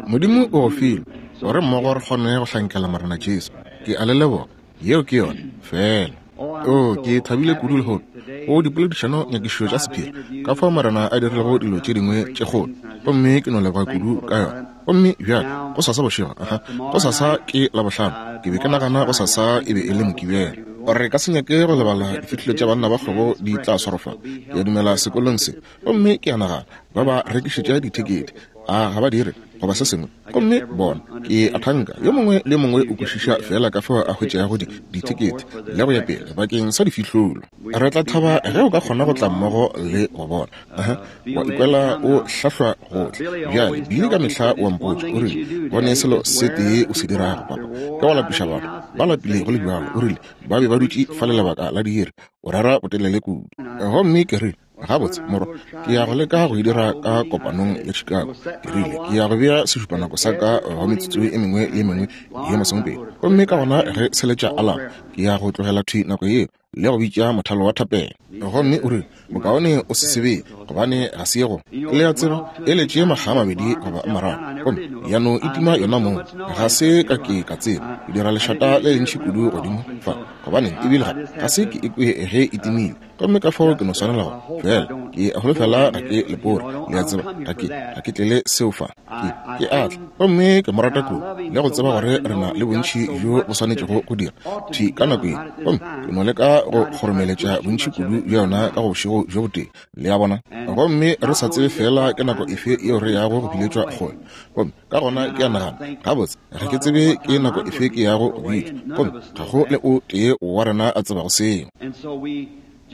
Modimo o go file gore mmogo re kgone go hlankela Morena Jesu. Ke a le leboga. Yeo ke yona feela. O, ke thabile kudu lehono go dipoledišano nyakišišo tša sephiri, ka fao Morena a dirilego dilo tše dingwe tše kgolo, gomme ke no leboga kudu ka yona. Gomme bjale, gosasa bošego, aha, gosasa ke Labohlano, ke be ke nagana gosasa e be e le Mokibelo. Re ka se nyake go lebala difihlolo tša banna ba kgwebo di tla swarwa fa, ke a dumela, sekolong se. Gomme ke a nagana ba ba rekišetša dithekete, a ga ba dire, goba se sengwe? Gomme bona, ke a thanka yo mongwe le yo mongwe o kwešiša feela ka fao a hwetšago di, dithekete le go ya pele bakeng sa difihlolo. Re tla thaba ge o ka kgona go tla mmogo le go bona. Aha, wa ikwela o hlahlwa gohle. Bjale, Billy ka mehla o a mpotša, o rile, Bone selo se tee o se dirago, papa, ke go lapiša batho. Ba lapile go le bjalo, o rile, ba be ba dutše fale lebaka la diiri, o rera botelele kudu. Gomme ke rile, Gabotse, morwa, ke ya go leka go e dira ka kopanong ya Chicago. Ke rile, ke ya go bea sešupanako sa ka go metsotso e mengwe le e mengwe ye masomepedi. Gomme ka gona ge se letša alarm, ke ya go tlogela thwi nako yeo le go bitša mothalo wa thapelo. Gomme o rile, Bokaone o se sebe, gobane ga se ye go, le a tseba, e letše makga a mabedi goba a mararo, gomme ya no itima yona mong. Ga se ka ke ka tseba. Ke dira lešata le lentši kudu godimo fa, gobaneng, ebile ga, ga se ke ikwe ge e timile. Gomme ka fao ke no swanela go fela ke a holofela ga ke lepore, le a tseba, ga ke, ga ke tlele seo fa. Ke, ke a tla, gomme ke mo rata kudu, le go tseba gore re na le bontši bjo bo swanetšego go dira thwi ka nako ye, gomme ke no leka go kgoromeletša bontši kudu bja yona ka go bošego bjo botee, le a bona. Gomme re sa tsebe feela ke nako efe yeo re yago go biletšwa kgole. Gomme ka gona ke a nagana, Gabotse, ga ke tsebe ke nako efe ke yago go bitšwa, gomme ga go le o tee wa rena a tsebago seo.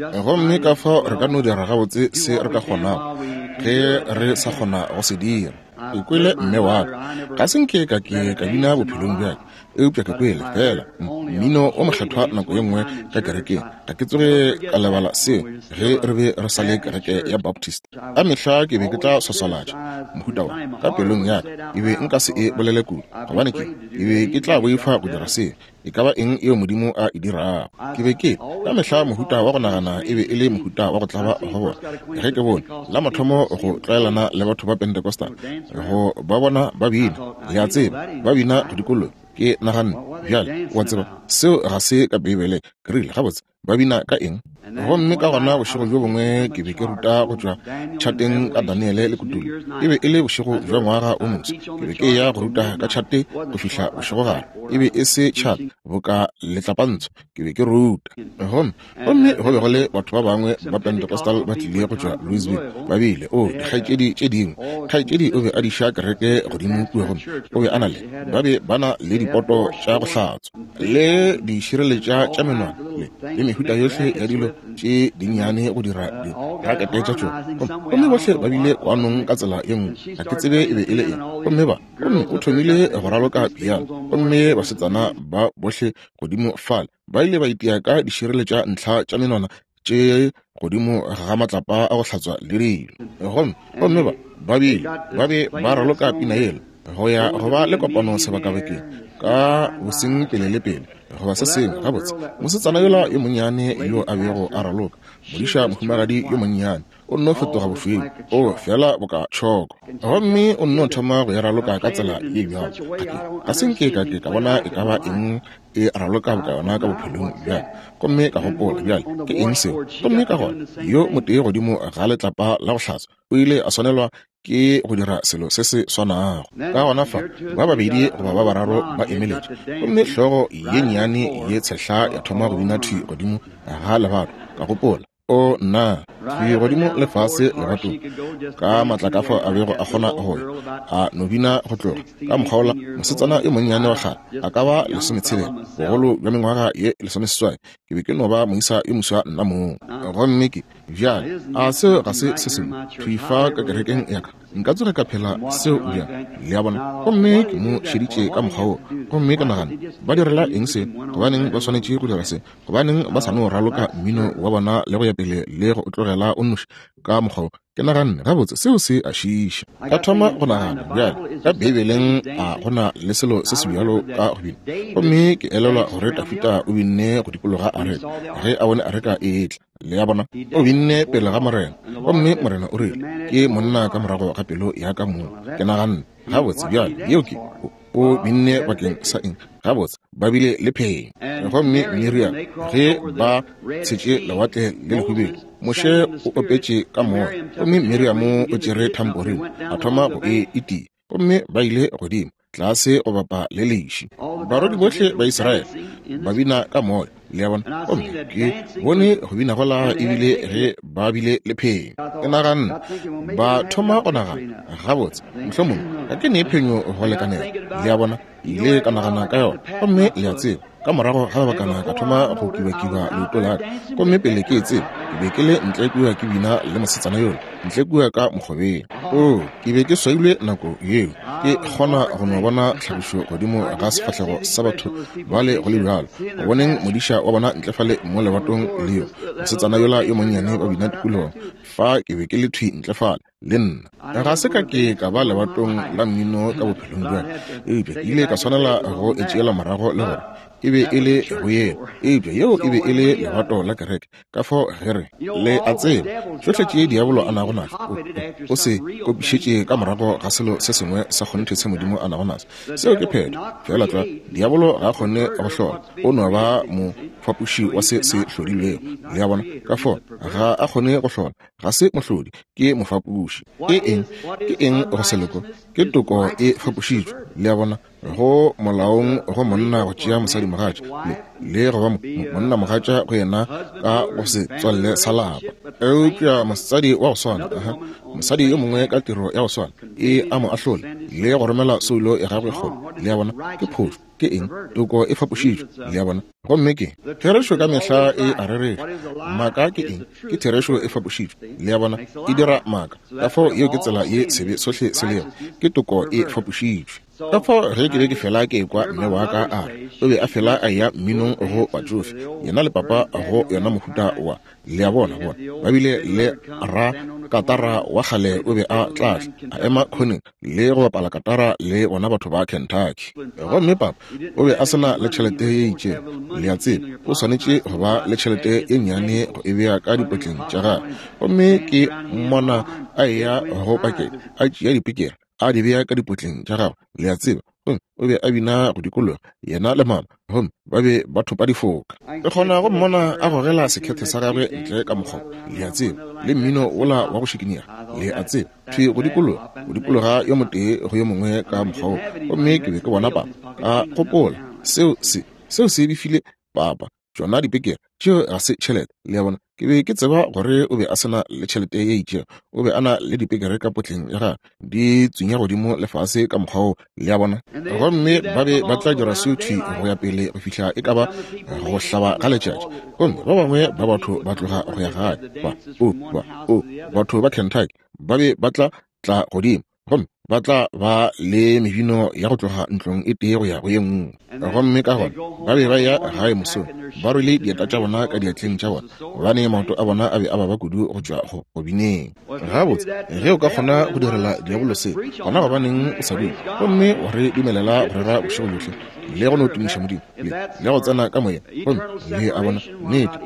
Gomme ka fao re ka no dira gabotse se re ka kgonago ge re sa kgona go se dira. Ke kwele mme wa ka, ga se nke ka ke ka bina bophelong bja ka, eupša ke kwele feela mmino o mokgethwa nako ye nngwe ka kerekeng. Ga ke tsoge ka lebala seo ge re be re sa le kereke ya Baptist. Ka mehla ke be ke tla swaswalatša mohuta wa ka pelong ya ka, ke be nka se e bolele kudu, gobane ke, ke be ke tla boifa go dira seo, e ka ba eng yeo Modimo a e dirago. Ke be ke, ka mehla mohuta wa go nagana e be e le mohuta wa go tlaba go bona. Ge ke bone la mathomo go tlwaelana le batho ba Pentecostal, go ba bona ba bina, le a tseba, ba bina go dikologa, ke naganne, Bjale, o a tseba, seo ga se ka Beibeleng. Ke rile, Gabotse, ba bina ka eng? Gomme ka gona bošego bjo bongwe ke be ke ruta go tšwa tšhateng ka Daniele le Kutullo. E be e le bošego bja ngwaga o moswa. Ke be ke eya go ruta ka tšhate go fihla bošegogare. E be e se tšhate boka letlapantsho. Ke be ke ruta. Gomme, gomme go be go le batho ba bangwe ba Pentecostal ba tlile go tšwa Louisville. Ba bile, oo, dikgaetšedi tše dingwe. Kgaetšedi o be a diša kereke godimo kua gomme o be a na le, ba be ba na le dipoto tša go hlatswa. Le dišireletša tša menwana le, le mehuta yohle ya dilo tše dinnyane go dira dirakete tša tšona. Gomme bohle ba bile kwanong ka tsela ye nngwe, ga ke tsebe e be e le eng. Gomme ba, gomme o thomile go raloka piano, gomme basetsana ba bohle godimo fale ba ile ba itia ka dišireletša ntlha tša menwana tše godimo ga matlapa a go hlatswa le dilo. Gomme, gomme ba, ba bile, ba be ba raloka pina yela, go ya go ba le kopano sebakabakeng, ka boseng pele le pele, goba se sengwe. Gabotse, mosetsana yola yo monnyane yo a bego a raloka, modiša mohumagadi yo monnyane, o nno fetoga bošweu, o feela boka tšhoko, gomme o nno thoma go e raloka ka tsela ye bjalo. Ga ke, ga se nke ka ke ka bona e ka ba eng e raloka boka yona ka bophelong bja ka. Gomme ka gopola, Bjale, ke eng seo? Gomme ka gona, yo motee godimo ga letlapa la go hlatswa o ile a swanelwa ke go dira selo se se swanago. Ka gona fa, ba babedi goba ba bararo ba emeletše, gomme hlogo ye nnyane ye tshehla ya thoma go bina thwi godimo ga lebato. Ka gopola, O nna, thwi godimo le fase lebatong, ka maatla ka fao a bego a kgona go ya, a no bina go tloga ka mokgwa wola. Mosetsana yo monnyane wa kgale, a ka ba lesometshela, bogolo bja mengwaga ye lesomeseswai. Ke be ke no ba moisa yo moswa nna mong. Gomme ke, bjale, a seo ga se se sengwe thwi fa ka kerekeng ya ka? Nka tsoge ka phela seo bjang? Le a bona? Gomme ke mo šeditše ka mokgwa woo, gomme ka nagana, Ba direla eng se? Gobaneng ba swanetše go dira se? Gobaneng ba sa no raloka mmino wa bona le go ya pele le go o tlogela o nnoši ka mokgwa wo? Ke naganne, Gabotse, seo se a šiiša. Ka thoma go nagana, Bjale, ka Beibeleng a go na le selo se se bjalo ka go bina? Gomme ke elelwa gore Dafida o binne go dikologa areka ge a bone areka e etla. Le a bona? O binne pele ga Morena, gomme Morena o rile, Ke monna ka morago ga pelo ya ka mong. Ke naganne, Gabotse, bjale, yeo ke, o, o binne bakeng sa eng? Gabotse, ba bile le phenyo. Gomme Miriam, ge ba tshetše Lewatle le Lehubedu, Moshe o opetše ka moya, gomme Miriam o tšere thamporine, a thoma go e itia, gomme ba ile godimo tlase go bapa le leši. Barwedi bohle ba Israele ba bina ka moya, le a bona. Gomme ke bone go bina gola ebile ge ba bile le phenyo. Ke naganne, ba thoma go nagana, Gabotse, mohlomongwe ga ke ne phenyo go lekanela, le a bona. Ke ile ka nagana ka yona. Gomme le a tseba, ka morago ga lebakana ka thoma go kibakiba leoto la ka. Gomme pele ke e tseba, ke be ke le ntle kua ke bina le mosetsana yola, ntle kua ka mokgobeng. Oo, ke be ke swailwe nako yeo. Ke kgona go no bona tlhagišo godimo ga sefahlego sa batho bale go le bjalo, go boneng modiša wa bona ntle fale mo lebatong le yo mosetsana yola yo monnyane ba bina tikologong. Fa ke be ke le thwi ntle fale. le nna. Ga se ka ke ka ba lebatong la mmino ka bophelong bja ka, eupša ke ile ka swanela go e tšeela morago le gore e be e le go yena. Eupša yeo e be e le lebato la kereke. Ka fao ge re, le a tseba, tšohle tše diabolo a nago naso, o, o, o se kopišetše ka morago ga selo se sengwe sa kgonthe se Modimo a nago naso. Seo ke phetho. Feela tlwa, diabolo ga a kgone go hlola. O no ba mofapoši wa se se hlodilwego. Le a bona? Ka fao ga a kgone go hlola. Ga se mohlodi, ke mofapoši. Ke eng? Ke eng go se loko? Ke toko e fapošitšwe. Le a bona? Go molaong go monna go tšea mosadimogatša, le, le go ba monnamogatša go yena ka go setswalle sa lapa. Eupša mosadi wa go swana, aha, mosadi yo mongwe ka tiro ya go swana, e a mo ahlola le go romela soulo ya gagwe kgole. Le a bona? Ke phošo. Ke eng? Toko e fapošitšwe. Le a bona? Gomme ke therešo ka mehla e a rereša. Maaka ke eng? Ke therešo e fapošitšwe. Le a bona? E dira maaka. Ka fao yeo ke tsela ye sebe sohle se lego. Ke toko e fapošitšwe. Ka fao ge ke be ke fela ke ekwa mme wa ka a re o be a fela a eya mminong go batšofe, yena le papa go yona mohuta wa, le a bona, bona ba bile le ra katara wa kgale o be a tla tla a ema khoneng le go bapala katara le bona batho ba Kentucky. Gomme papa o be a se na le tšhelete ye itšego, le a tseba, o swanetše go ba le tšhelete ye nnyane go e bea ka dipotleng tša gagwe. Gomme ke mmona a eya go pakete, a tšea dipikere, a di bea ka dipotleng tša gagwe, le a tseba, gomme o be a bina go dikologa, yena le mama, gomme ba be ba thopa difoka. Ke kgona go mmona a gogela sekhethe sa gagwe ntle ka mokgoba, le a tseba, le mmino wola wa go šikinyega, le a tseba, thwi go dikologa, go dikologa yo motee go yo mongwe ka mokgwa wo. Gomme ke be ke bona papa, ka gopola, Seo se, seo se befile papa. Tšona dipekere tšeo ga se tšhelete, le a bona. Ke be ke tseba gore o be a se na le tšhelete ye itšego. O be a na le dipekere ka potleng ya gagwe, di tswinya godimo le fase ka mokgwa woo, le a bona. Gomme ba be ba tla dira seo thwi go ya pele go fihla e ka ba go hlaba ga letšatši. Gomme ba bangwe ba batho ba tloga go ya gae, ba, o, ba, o, batho ba Kentucky ba be ba tla tla godimo gomme ba tla ba le mebino ya go tloga ntlong e tee go ya go ye nngwe. Gomme ka gona ba be ba ya gae mosong ba rwele dieta tša bona ka diatleng tša bona, gobane maoto a bona a be a baba kudu go tšwa go bineng. Gabotse, ge o ka kgona go direla diabolo se, gona gobaneng o sa dule gomme wa re dumelela go rera bošego bjohle le go no tumiša Modimo le, le go tsena ka moyeng? Gomme le a bona, nnete,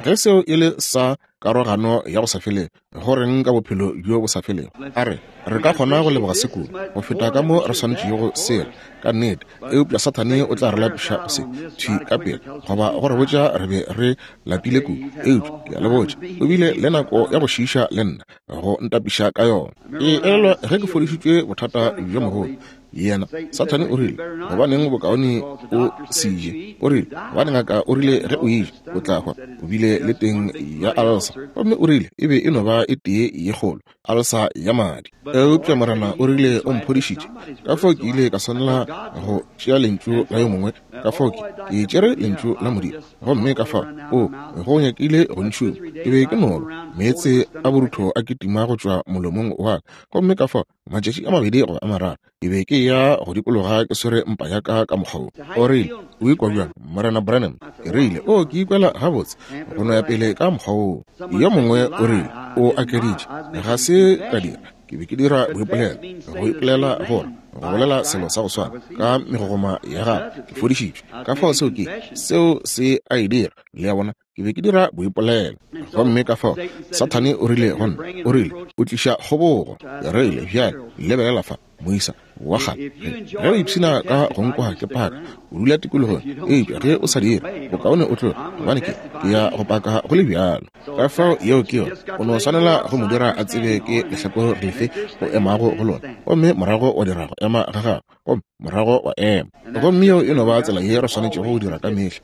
ge seo e le sa karogano ya go sa felego, go reng ka bophelo bjo bo sa felego? A re, re ka kgona go leboga se kudu go feta ka mo re swanetšego go sela, ka nnete, eupša Sathane o tla re lapiša go se thwi ka pela, goba go re botša re be re lapile kudu. Eupša ke a le botša, o bile le nako ya go šiiša le nna, go ntapiša ka yona. Ke elelwa ge ke fodišitšwe bothata bjo mogolo, Yena, Sathane o rile, Gobaneng bokaone o se je? O rile, Gobane ngaka o rile ge o eja, o tla hwa. O bile le teng ya alsa. Gomme o rile e be e no ba e tee ye kgolo, alsa ya madi. Eupša Morena o rile o mphodišitše. Ka fao ke ile ka swanela go tšea lentšu la yo mongwe. Ka fao ke, ke tšere lentšu la Modimo. Gomme ka fao, o, go nyakile go ntšhuma. Ke be ke no ba meetse a borutho a kitima go tšwa molomong wa ka. Gomme ka fao Matšatši a mabedi goba a mararo ke be ke ya go dikologa ke swere mpa ya ka ka mokgwa wo. O rile, O ikwa bjang, Morena Branham? Ke rile, O, ke ikwela gabotse, go no ya pele ka mokgwa woo. Yo mongwe o rile, O akeditše. Ga se ka dira. Ke be ke dira boipolelo, go ipolela gore, go bolela selo sa go swana, ka megogoma ya gagwe ke fodišitšwe. Ka fao seo ke, seo se a e dira, le a bona. Ke be ke dira boipolelo. Gomme ka fao Sathane o rile go nna, o rile, O tliša kgobogo. Ke rile, Bjale, lebelela fa, moisa wa kgale. Ge o ipshina ka go nkwa ke paka, o dula tikologong. Eupša ge o sa dire, bokaone o tloge, gobane ke, ke ya go paka go le bjalo. Ka fao yeo ke yona. O no swanela go mo dira a tsebe ke lehlakore lefe o emago go lona, gomme morago wa dira go ema ga gago. Gomme morago wa ema. Gomme yeo e no ba tsela ye re swanetšego go dira ka mehla,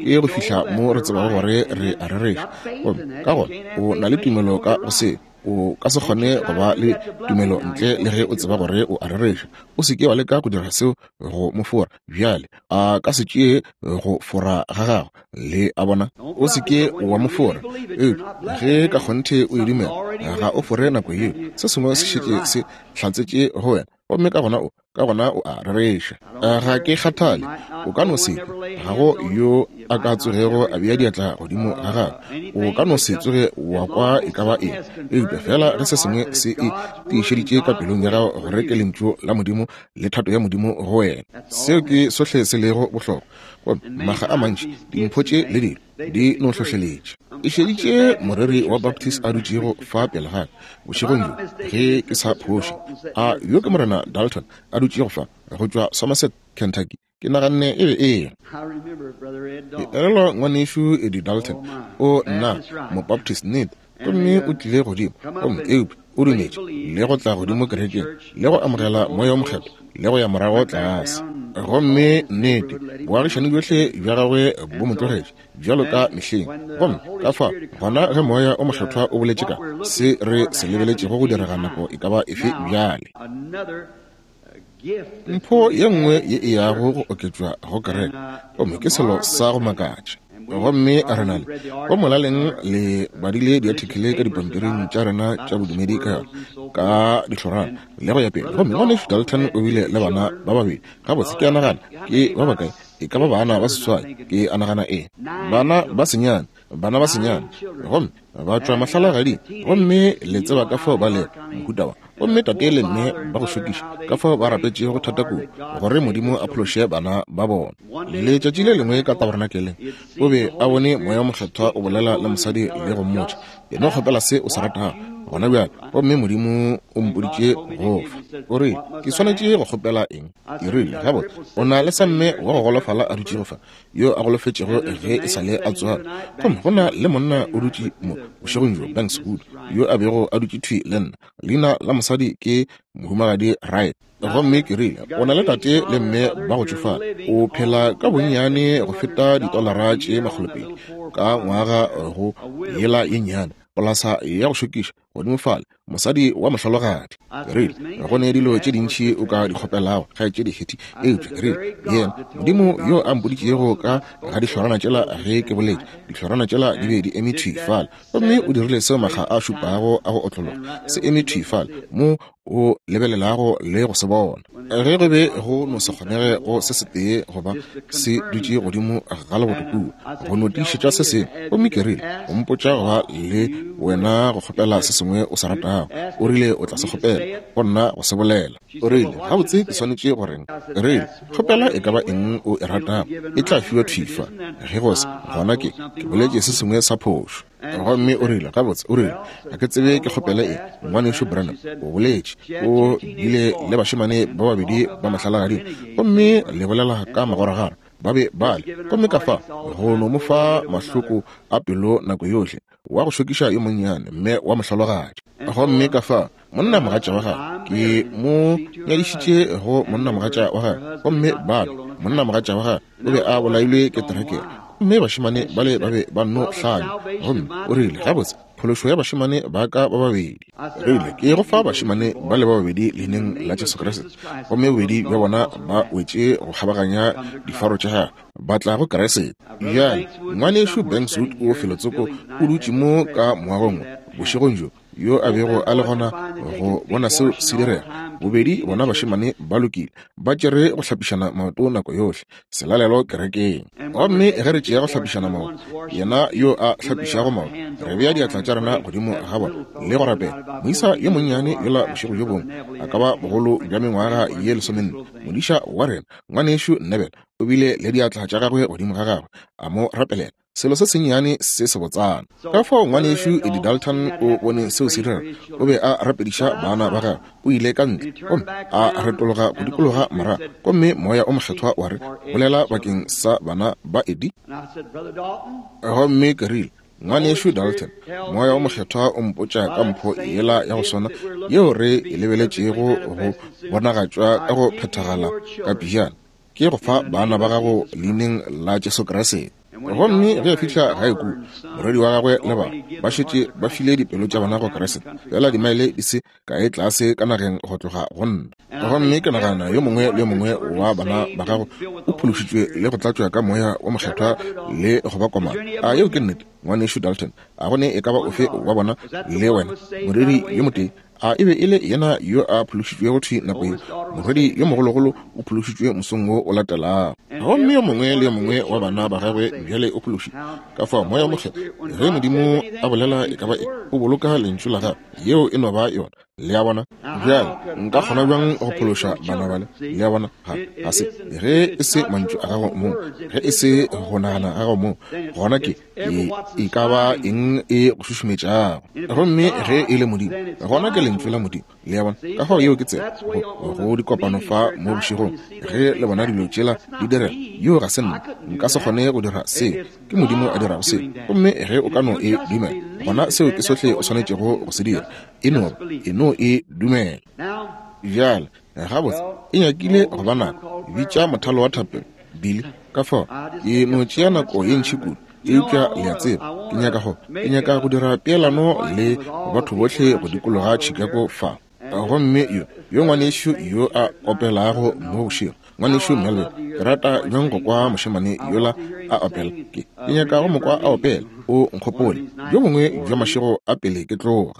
ke go fihla mo re tsebago gore re a rereša. Gomme ka gona o na le tumelo ka go seo. O ka se kgone go ba le tumelo ntle le ge o tseba gore o a rereša. O se ke wa leka go dira seo go mo fora. Bjale, a ka se tšee go fora ga gago. Le a bona? O se ke wa mo fora. Eupša ge ka kgonthe o e dumela, ga o fore nako yeo. Se sengwe se šetše se hlatsetše go wena. Gomme ka gona o, ka gona o a rereša. Ga ke kgathale, o ka no se kwe, ga go yo a ka tsogego a bea diatla godimo ga gago. O ka no se tsoge wa kwa e ka ba eng, eupša feela ge se sengwe se e tiišeditše ka pelong ya gago gore ke Lentšu la Modimo le thato ya Modimo go wena, seo ke sohle se lego bohlokwa. Gomme makga a mantši dimpho tše le dilo di no hlohleletša. Ke šeditše moreri wa Baptist a dutšego fa pele ga ka bošegong bjo, ge ke sa phoše. A yo ke Morena Dalton a dutšego fa, go tšwa Somerset, Kentucky? Ke naganne e be e le. Ke elelwa Ngwanešu Eddie Dalton, o nna Mobaptist nnete, gomme o tlile godimo, gomme eupša o dumetše le go tla godimo kerekeng le go amogela Moya wo Mokgethwa le go ya morago tlase. Gomme nnete, boagišani bjohle bja gagwe bo mo tlogetše, bjalo ka mehleng. Gomme ka fao, gona ge Moya wo Mokgethwa o boletše ka se re se lebeletšego go direga nako e ka ba efe bjale. Mpho ye nngwe ye e yago go oketšwa go kereke, gomme ke selo sa go makatša. Gomme re na le, go molaleng le badile diathekele ka dipampiring tša rena tša bodumedi ka yona, ka dihlorana le go ya pele. Gomme Ngwanešu Dalton o bile le bana ba babedi. Gabotse, ke a nagana ke ba bakae, e ka ba bana ba seswai, ke a nagana ee, bana ba senyane, bana ba senyane. Gomme ba tšwa mahlalagading, gomme le tseba ka fao ba lego mohuta wa. Gomme tate le mme ba go šokiša, ka fao ba rapetšego thata kudu gore Modimo a phološe bana ba bona. Letšatši le lengwe ka tabernakeleng, o be a bone Moya wo Mokgethwa o bolela le mosadi le go mmotša, E no kgopela se o se ratago gona bjale, gomme Modimo o mpoditše go fa. O rile, Ke swanetše go kgopela eng? Ke rile, Gabotse, o na le samme wa go golofala a dutšego fa, yo a golofetšego ge e sa le a tswalwa. Gomme go na le monna o dutše mo bošegong bjo, Banks Wood, yo a bego a dutše thwi le nna. Leina la mosadi ke Mohumagadi Wright. Gomme ke rile, O na le tate le mme ba go tšofala. O phela ka bonnyane go feta ditolara tše makgolopedi ka ngwaga go yela ye nnyane, polasa ya go šokiša godimo fale, mosadi wa mohlologadi. Ke rile, Go ne dilo tše dintši o ka di kgopelago, kgaetšedi Hattie, eupša ke rile, yena Modimo yo a mpoditšego ka ga dihlorana tšela ge ke boletše, dihlorana tšela di be di eme thwi fale, gomme o dirile seo makga a šupago a go otlologa, se eme thwi fale mo o lebelelago le go se bona. Ge go be go no se kgonege go se setee goba se dutše godimo ga leboto kua, go no tiišetša se sengwe. Gomme ke rile, O mpotša go ba le wena go kgopela se sengwe o se ratago. O rile o tla se kgopela, go nna go se bolela. O rile, Gabotse, ke swanetše go reng? Ke rile, Kgopela e ka ba eng o e ratago, e tla fiwa thwi fa. Ge go se, gona ke, ke boletše se sengwe sa phošo. Gomme o rile, Gabotse, o rile, ga ke tsebe ke kgopele eng, Ngwanešu Branham. O boletše, o bile le bašemane ba babedi ba mahlalagading, gomme le bolela ka magoragara, ba be ba le. Gomme ka fa, go no mo fa mahloko a pelo nako yohle, wa go šokiša yo monnyane, mme wa mohlologadi. Gomme ka fa, monnamogatša wa gagwe, ke mo nyadišitše go monnamogatša wa gagwe, gomme ba be, monnamogatša wa gagwe o be a bolailwe ke terekere, gomme bašemane bale ba be ba nno hlanya. Gomme o rile, Gabotse, phološo ya bašemane ba ka ba babedi. Rile, Ke go fa bašemane bale ba babedi Leineng la Jesu Kriste. Gomme bobedi bja bona ba wetše go kgabaganya difaro tša gagwe, ba tla go Kriste. Bjale, Ngwanešu Banks Wood o felotsoko o dutše mo ka moagong wo bošegong bjo, yo a bego a le gona go bona seo se direga. Bobedi bona bašemane ba lokile, ba tšere go hlapišana maoto nako yohle, selalelo kerekeng. Gomme ge re tšea go hlapišana maoto, yena yo a hlapišago maoto, re bea diatla tša rena godimo ga bona le go rapela. Moisa yo monnyane yola bošego bjo bongwe, a ka ba bogolo bja mengwaga ye lesomenne, modiša wa rena, Ngwanešu Neville, o bile le diatla tša gagwe godimo ga gagwe, a mo rapelela. Selo se sennyane se sebotsana. Ka fao Ngwanešu Eddie Dalton o bone seo se direga. O be a rapediša bana ba gagwe. O ile ka ntle gomme a retologa go dikologa morago, gomme Moya o Mokgethwa wa re, Bolela bakeng sa bana ba Eddie. Gomme ke rile, Ngwanešu Dalton, Moya o Mokgethwa o mpotša ka mpho yela ya go swana yeo re e lebeletšego go bonagatšwa ka go phethagala ka pejana. Ke go fa bana ba gago leineng la Jesu Kriste. Gomme ge a fihla gae kua, morwedi wa gagwe le bana ba šetše ba file dipelo tša bona go Kriste, feela dimaele di se kae tlase ka nageng go tloga go nna. Gomme ke nagana yo mongwe le yo mongwe wa bana ba gago o phološitšwe le go tlatšwa ka Moya wo Mokgethwa le go ba komana. A yeo ke nnete, Ngwanešu Dalton? A go ne e ka ba ofe wa bona le wena, moreri yo motee? A e be e le yena yo a phološitšwego thwi nako yeo? Morwedi yo mogologolo o phološitšwe mosong wo o latelago. Gomme yo mongwe le yo mongwe wa bana ba gagwe bjale o phološitšwe. Ka fao Moya wo Mokgethwa, ge Modimo a bolela e ka ba eng, o boloka Lentšu la Gagwe. Yeo e no ba yona. Le a bona? Bjale, nka kgona bjang go phološa bana bale? Le a bona? Ga, ga se. Ge e se mantšu a gago mong, ge e se go nagana ga gago mong, gona ke, e, e ka ba eng e go šušumetšago. Gomme ge e le Modimo, gona ke Lentšu la Modimo. Le a bona? Ka fao yeo ke tsela go, go dikopano fa mo bošegong, ge le bona dilo tšela di direga, yoo ga se nna. Nka se kgone go dira seo. Ke Modimo a dirago seo. Gomme ge o ka no e dumela, gona seo ke sohle o swanetšego go se dira. E no, e no e dumela. Bjale, gabotse, e nyakile go ba nako. Bitša mothalo wa thapelo, Billy. Ka fao, ke no tšea nako ye ntši kudu. Eupša le a tseba, ke nyaka go, ke nyaka go dira peelano le batho bohle go dikologa Chicago fa. Gomme yo, yo ngwanešu yo a opelago mo bošego, Ngwanešu Melvin, ke rata bjang go kwa mošemane yola a opela. Ke, ke nyaka go mo kwa a opela, O Nkgopole, bjo bongwe bja mašego a pele ke tloga.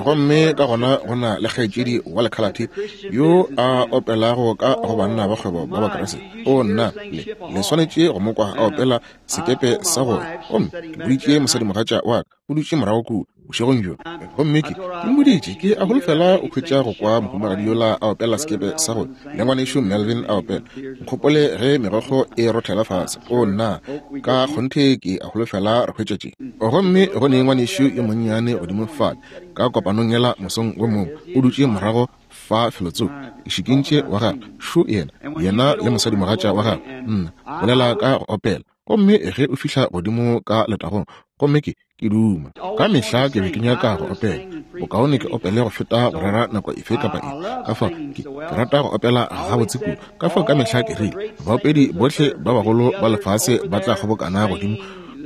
Gomme ka gona go na le kgaetšedi wa lekhalathe yo a opelago ka go Banna ba Kgwebo ba Bakriste. O nna, le, le swanetše go mo kwa a opela Sekepe sa go ya. Gomme ke boditše mosadimogatša wa ka, o dutše morago kua bošegong bjo, gomme ke, ke mmoditše, ke a holofela o hwetša go kwa mohumagadi yola a opela Sekepe sa go le Ngwanešu Melvin a opela Nkgopole ge megokgo e rothela fase. O nna, ka kgonthe ke a holofela re hwetša tše. Gomme go ne ngwanešu yo monnyane godimo fale ka kopanong yela mosong wo mongwe, o dutše morago fa felotsoko, ke šikintše wa gagwe, šo yena, yena le mosadimogatša wa gagwe, nna, bolela ka go opela. Gomme ge o fihla godimo ka letagong, gomme ke, ke duma. Ka mehla ke be ke nyaka go opela. Bokaone ke opele go feta go rera nako efe kapa efe. Ka fao, ke, ke rata go opela gabotse kudu. Ka fao ka mehla ke rile, baopedi bohle ba bagolo ba lefase ba tla kgobokana godimo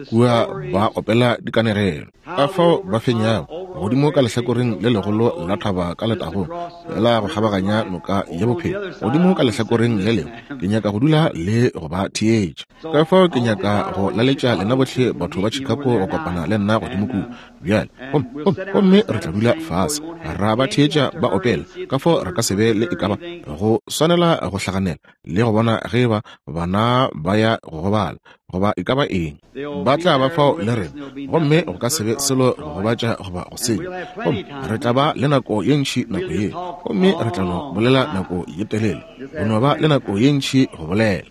kua ba opela dikanegelo. Ka fao ba fenyago godimo ka lehlakoreng le legolo la thaba ka letagong la go kgabaganya noka ya bophelo godimo ka lehlakoreng le lengwe. Ke nyaka go dula le go ba theetša. Ka fao ke nyaka go laletša lena bohle batho ba Chicago go kopana le nna godimo kua bjale, gomme, gomme, gomme re tla dula fase ra ba theetša ba opela. Ka fao re ka se be le e ka ba go swanela go hlaganela le go bona ge eba bana ba ya go gobala goba e ka ba eng. Ba tla ba fao le rena, gomme go ka se be selo go gobatša goba go senya. Gomme re tla ba le nako ye ntši nako yeo, gomme re tla no bolela nako ye telele, go no ba le nako ye ntši go bolela.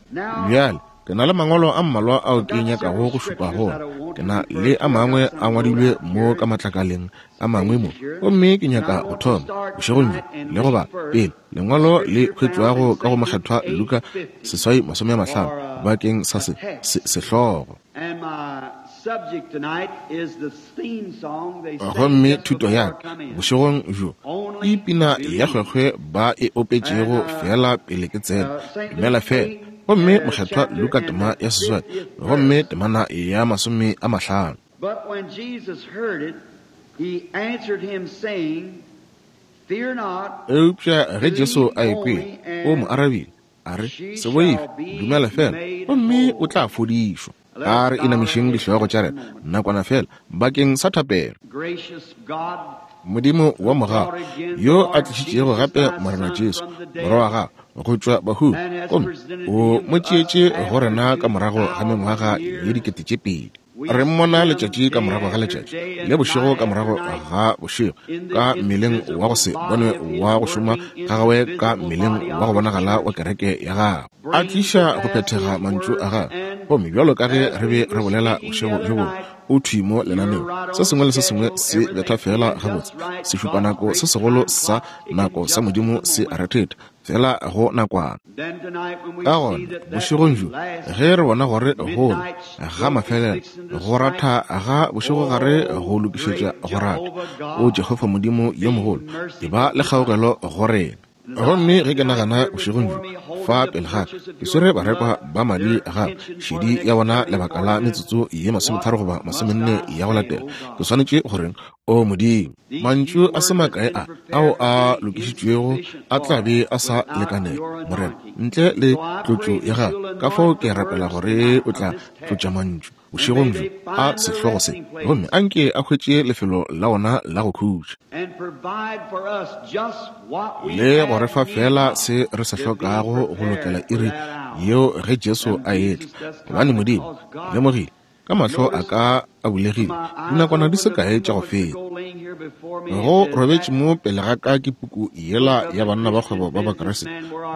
Bjale, ke na le mangwalo a mmalwa ao ke nyakago go šupa go ona. Ke na le a mangwe a ngwadilwe mo ka matlakaleng a mangwe mo, gomme ke nyaka go thoma bošegong bjo le go bala pele lengwalo le hwetšwago ka go Mokgethwa Luka 8:50 bakeng sa se, se, sehlogo. Gomme thuto ya ka bošegong bjo ke pina ya kgwekgwe ba e opetšego feela pele ke tsena, Dumela Feela. Gomme Mokgethwa Luka tema ya 8, gomme temana ya 50. But when Jesus heard it, he answered him, saying, Fear not, Eupša ge Jesu believe a e kwele, only, o mo and arabile, a re, she Se boife, shall be dumela feela, made gomme o whole. tla fodišwa. Let A us re bow our inamišeng heads dihlogo just tša a rena moment. nakwana feela bakeng sa thapelo. Gracious God, Modimo wa who mogau, brought again the yo a Lord tlišitšego Jesus gape thy Morena Son Jesu, from the Morwa wa dead, gago, go tšwa bahung, and has gomme presented o him mo to us tšeetše go after rena ka morago ga 2,000 mengwaga ye years. 2000. Re mmona letšatši ka morago ga letšatši, le bošego ka morago ga bošego, ka mmeleng wa go se bonwe wa go šoma ga gagwe, ka mmeleng wa go bonagala wa kereke ya gagwe, a tliša go phethega mantšu a gagwe. Gomme bjalo ka ge re be re bolela bošego bjo bongwe, o thwi mo lenaneong. Se sengwe le se sengwe se betha feela gabotse. Sešupanako se segolo sa nako sa Modimo se a rethetha, feela go nakwana. Ka gona, bošegong bjo, ge re bona gore golo ga mafelelo, go ratha ga bošegogare go lokišetša go ratha, O Jehofa Modimo yo mogolo, eba le kgaogelo go rena. Gomme ge ke nagana bošegong bjo, fa pele ga ka, ke swere barekwa ba madi ga šedi ya bona lebaka la metsotso ye 30 goba 40 ya go latela, ke swanetše go reng? O Modimo, mantšu a se makae a ao a lokišitšwego a tla be a sa lekanela, Morena, ntle le tlotšo ya gago. Ka fao ke rapela gore o tla tlotša mantšu bošegong bjo a sehlogo se, gomme a nke a hwetše lefelo la ona la go khutša, le go re fa feela se re se hlokago go lokela iri yeo ge Jesu a etla. Gobane Modimo, lemogile ka mahlo a ka a bulegile dinakwana di se kae tša go feta, go robetše mo pele ga ka ke puku yela ya Banna ba Kgwebo ba Bakriste,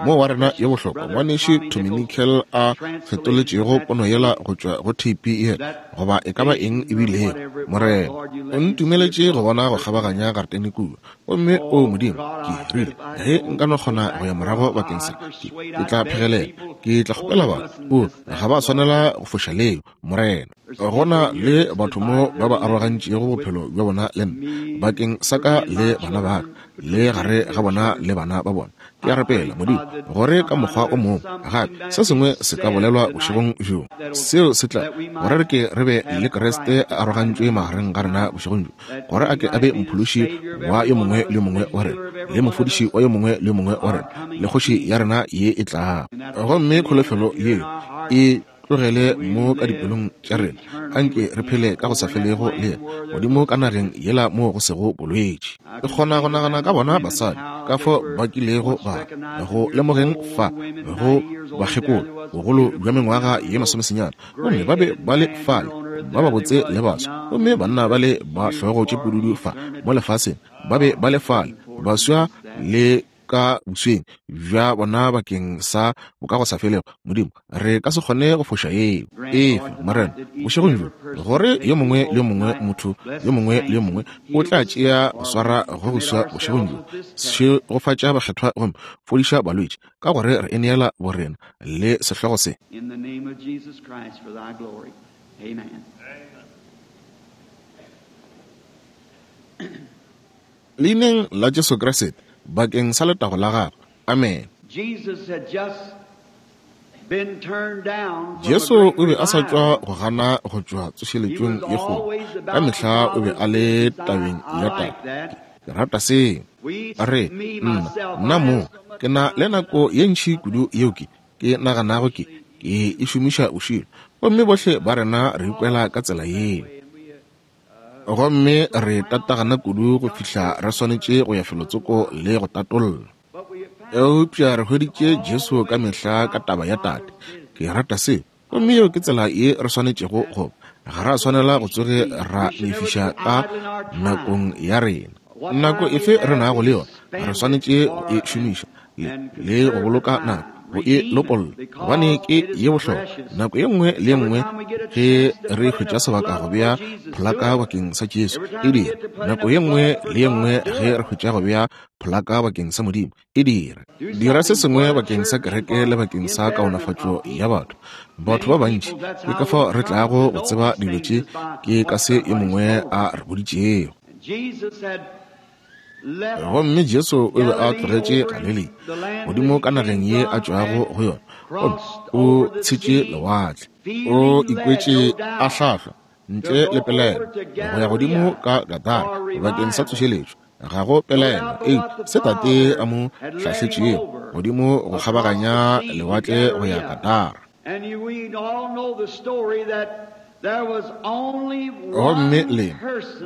mo wa rena yo bohlokwa ngwanešu Tommy Nickel a fetoletšego pono yela go tšwa go theipi yela, goba e ka ba eng e bilego. Morena o ntumeletše go bona go kgabaganya garetene kua. Gomme, o Modimo, ke rile, ge nka no kgona go ya morago bakeng sa, ke tla phegelela, ke tla kgopela batho. O, ga ba swanela go foša leo, Morena. Go na le batho mo ba ba arogantšego bophelo bja bona le nna, bakeng sa ka le bana ba ka, le gare ga bona le bana ba bona. Ke a rapela, Modimo, gore ka mokgwa o mongwe gape se sengwe se ka bolelwa bošegong bjo, seo se tla gore re ke re be le Kriste a arogantšwe magareng ga rena bošegong bjo, gore a ke a be Mophološi wa yo mongwe le yo mongwe wa rena, le Mofodiši wa yo mongwe le yo mongwe wa rena, le Kgoši ya rena ye e tlago. Gomme kholofelo yeo e tlogele mo ka dipelong tša rena, anke re phele ka go sa felego le yena Modimo ka nageng yela moo go sego bolwetši. Ke kgona go nagana ka bona basadi ka fo ba kilego ba go lemogeng fa go bakgekolo bogolo bja mengwaga ye masomesenyane, gomme ba be ba le fale ba babotse le baswa, gomme banna ba le ba hlogo tše pududu fa mo lefaseng ba be ba le fale baswa le ka bosweng bja bona bakeng sa bokagosafelego. Modimo, re ka se kgone go foša yeo. Efe, Morena, bošegong bjo, gore yo mongwe le yo mongwe, motho yo mongwe le yo mongwe o tla tšea go swara go go swa bošegong bjo. Šegofatša bakgethwa gomme fodiša balwetši, ka gore re e neela borena le sehlogo se. In the name of Jesus Christ for thy glory. Amen. Leineng la Jesu Kriste, bakeng sa letago la Gagwe. Amene. Jesu o be a sa tšwa go gana go tšwa tsošeletšong ye kgolo. Ka mehla o be a le tabeng ya Tate. Ke rata seo. Re, nna, nna mo, ke na le nako ye ntši kudu yeo ke, ke naganago ke, ke e šomiša bošilo. Gomme bohle ba rena re ikwela ka tsela yeo. Gomme re tatagana kudu go fihla re swanetše go ya felotsoko le go tatolla. Eupša re hweditše Jesu ka mehla ka taba ya Tate. Ke rata se. Gomme yeo ke tsela ye re swanetšego go ba. Ga ra swanela go tsoge ra lefiša ka nakong ya rena. Nako efe re nago le yona, re swanetše go e šomiša le, le go boloka nako, go e lopolla, gobane ke ye bohlokwa. Nako ye nngwe le ye nngwe ge re hwetša sebaka go bea pholaka bakeng sa Jesu, e dire. Nako ye nngwe le ye nngwe ge re hwetša go bea pholaka bakeng sa Modimo, e dire. Dira se sengwe bakeng sa kereke le bakeng sa kaonafatšo ya batho. Batho ba bantši, ke ka fao re tlago go tseba dilo tše, ke ka se yo mongwe a re boditšego. Gomme Jesu o be a tlogetše Galilea, godimo ka nageng ye a tšwago go yona, gomme o tshetše lewatle. O ikwetše a hlahlwa, ntle le pelaelo, go ya godimo ka Gadara bakeng sa tsošeletšo. Ga go pelaelo eupša se Tate a mo hlahletšego godimo go kgabaganya lewatle go ya Gadara. Gomme le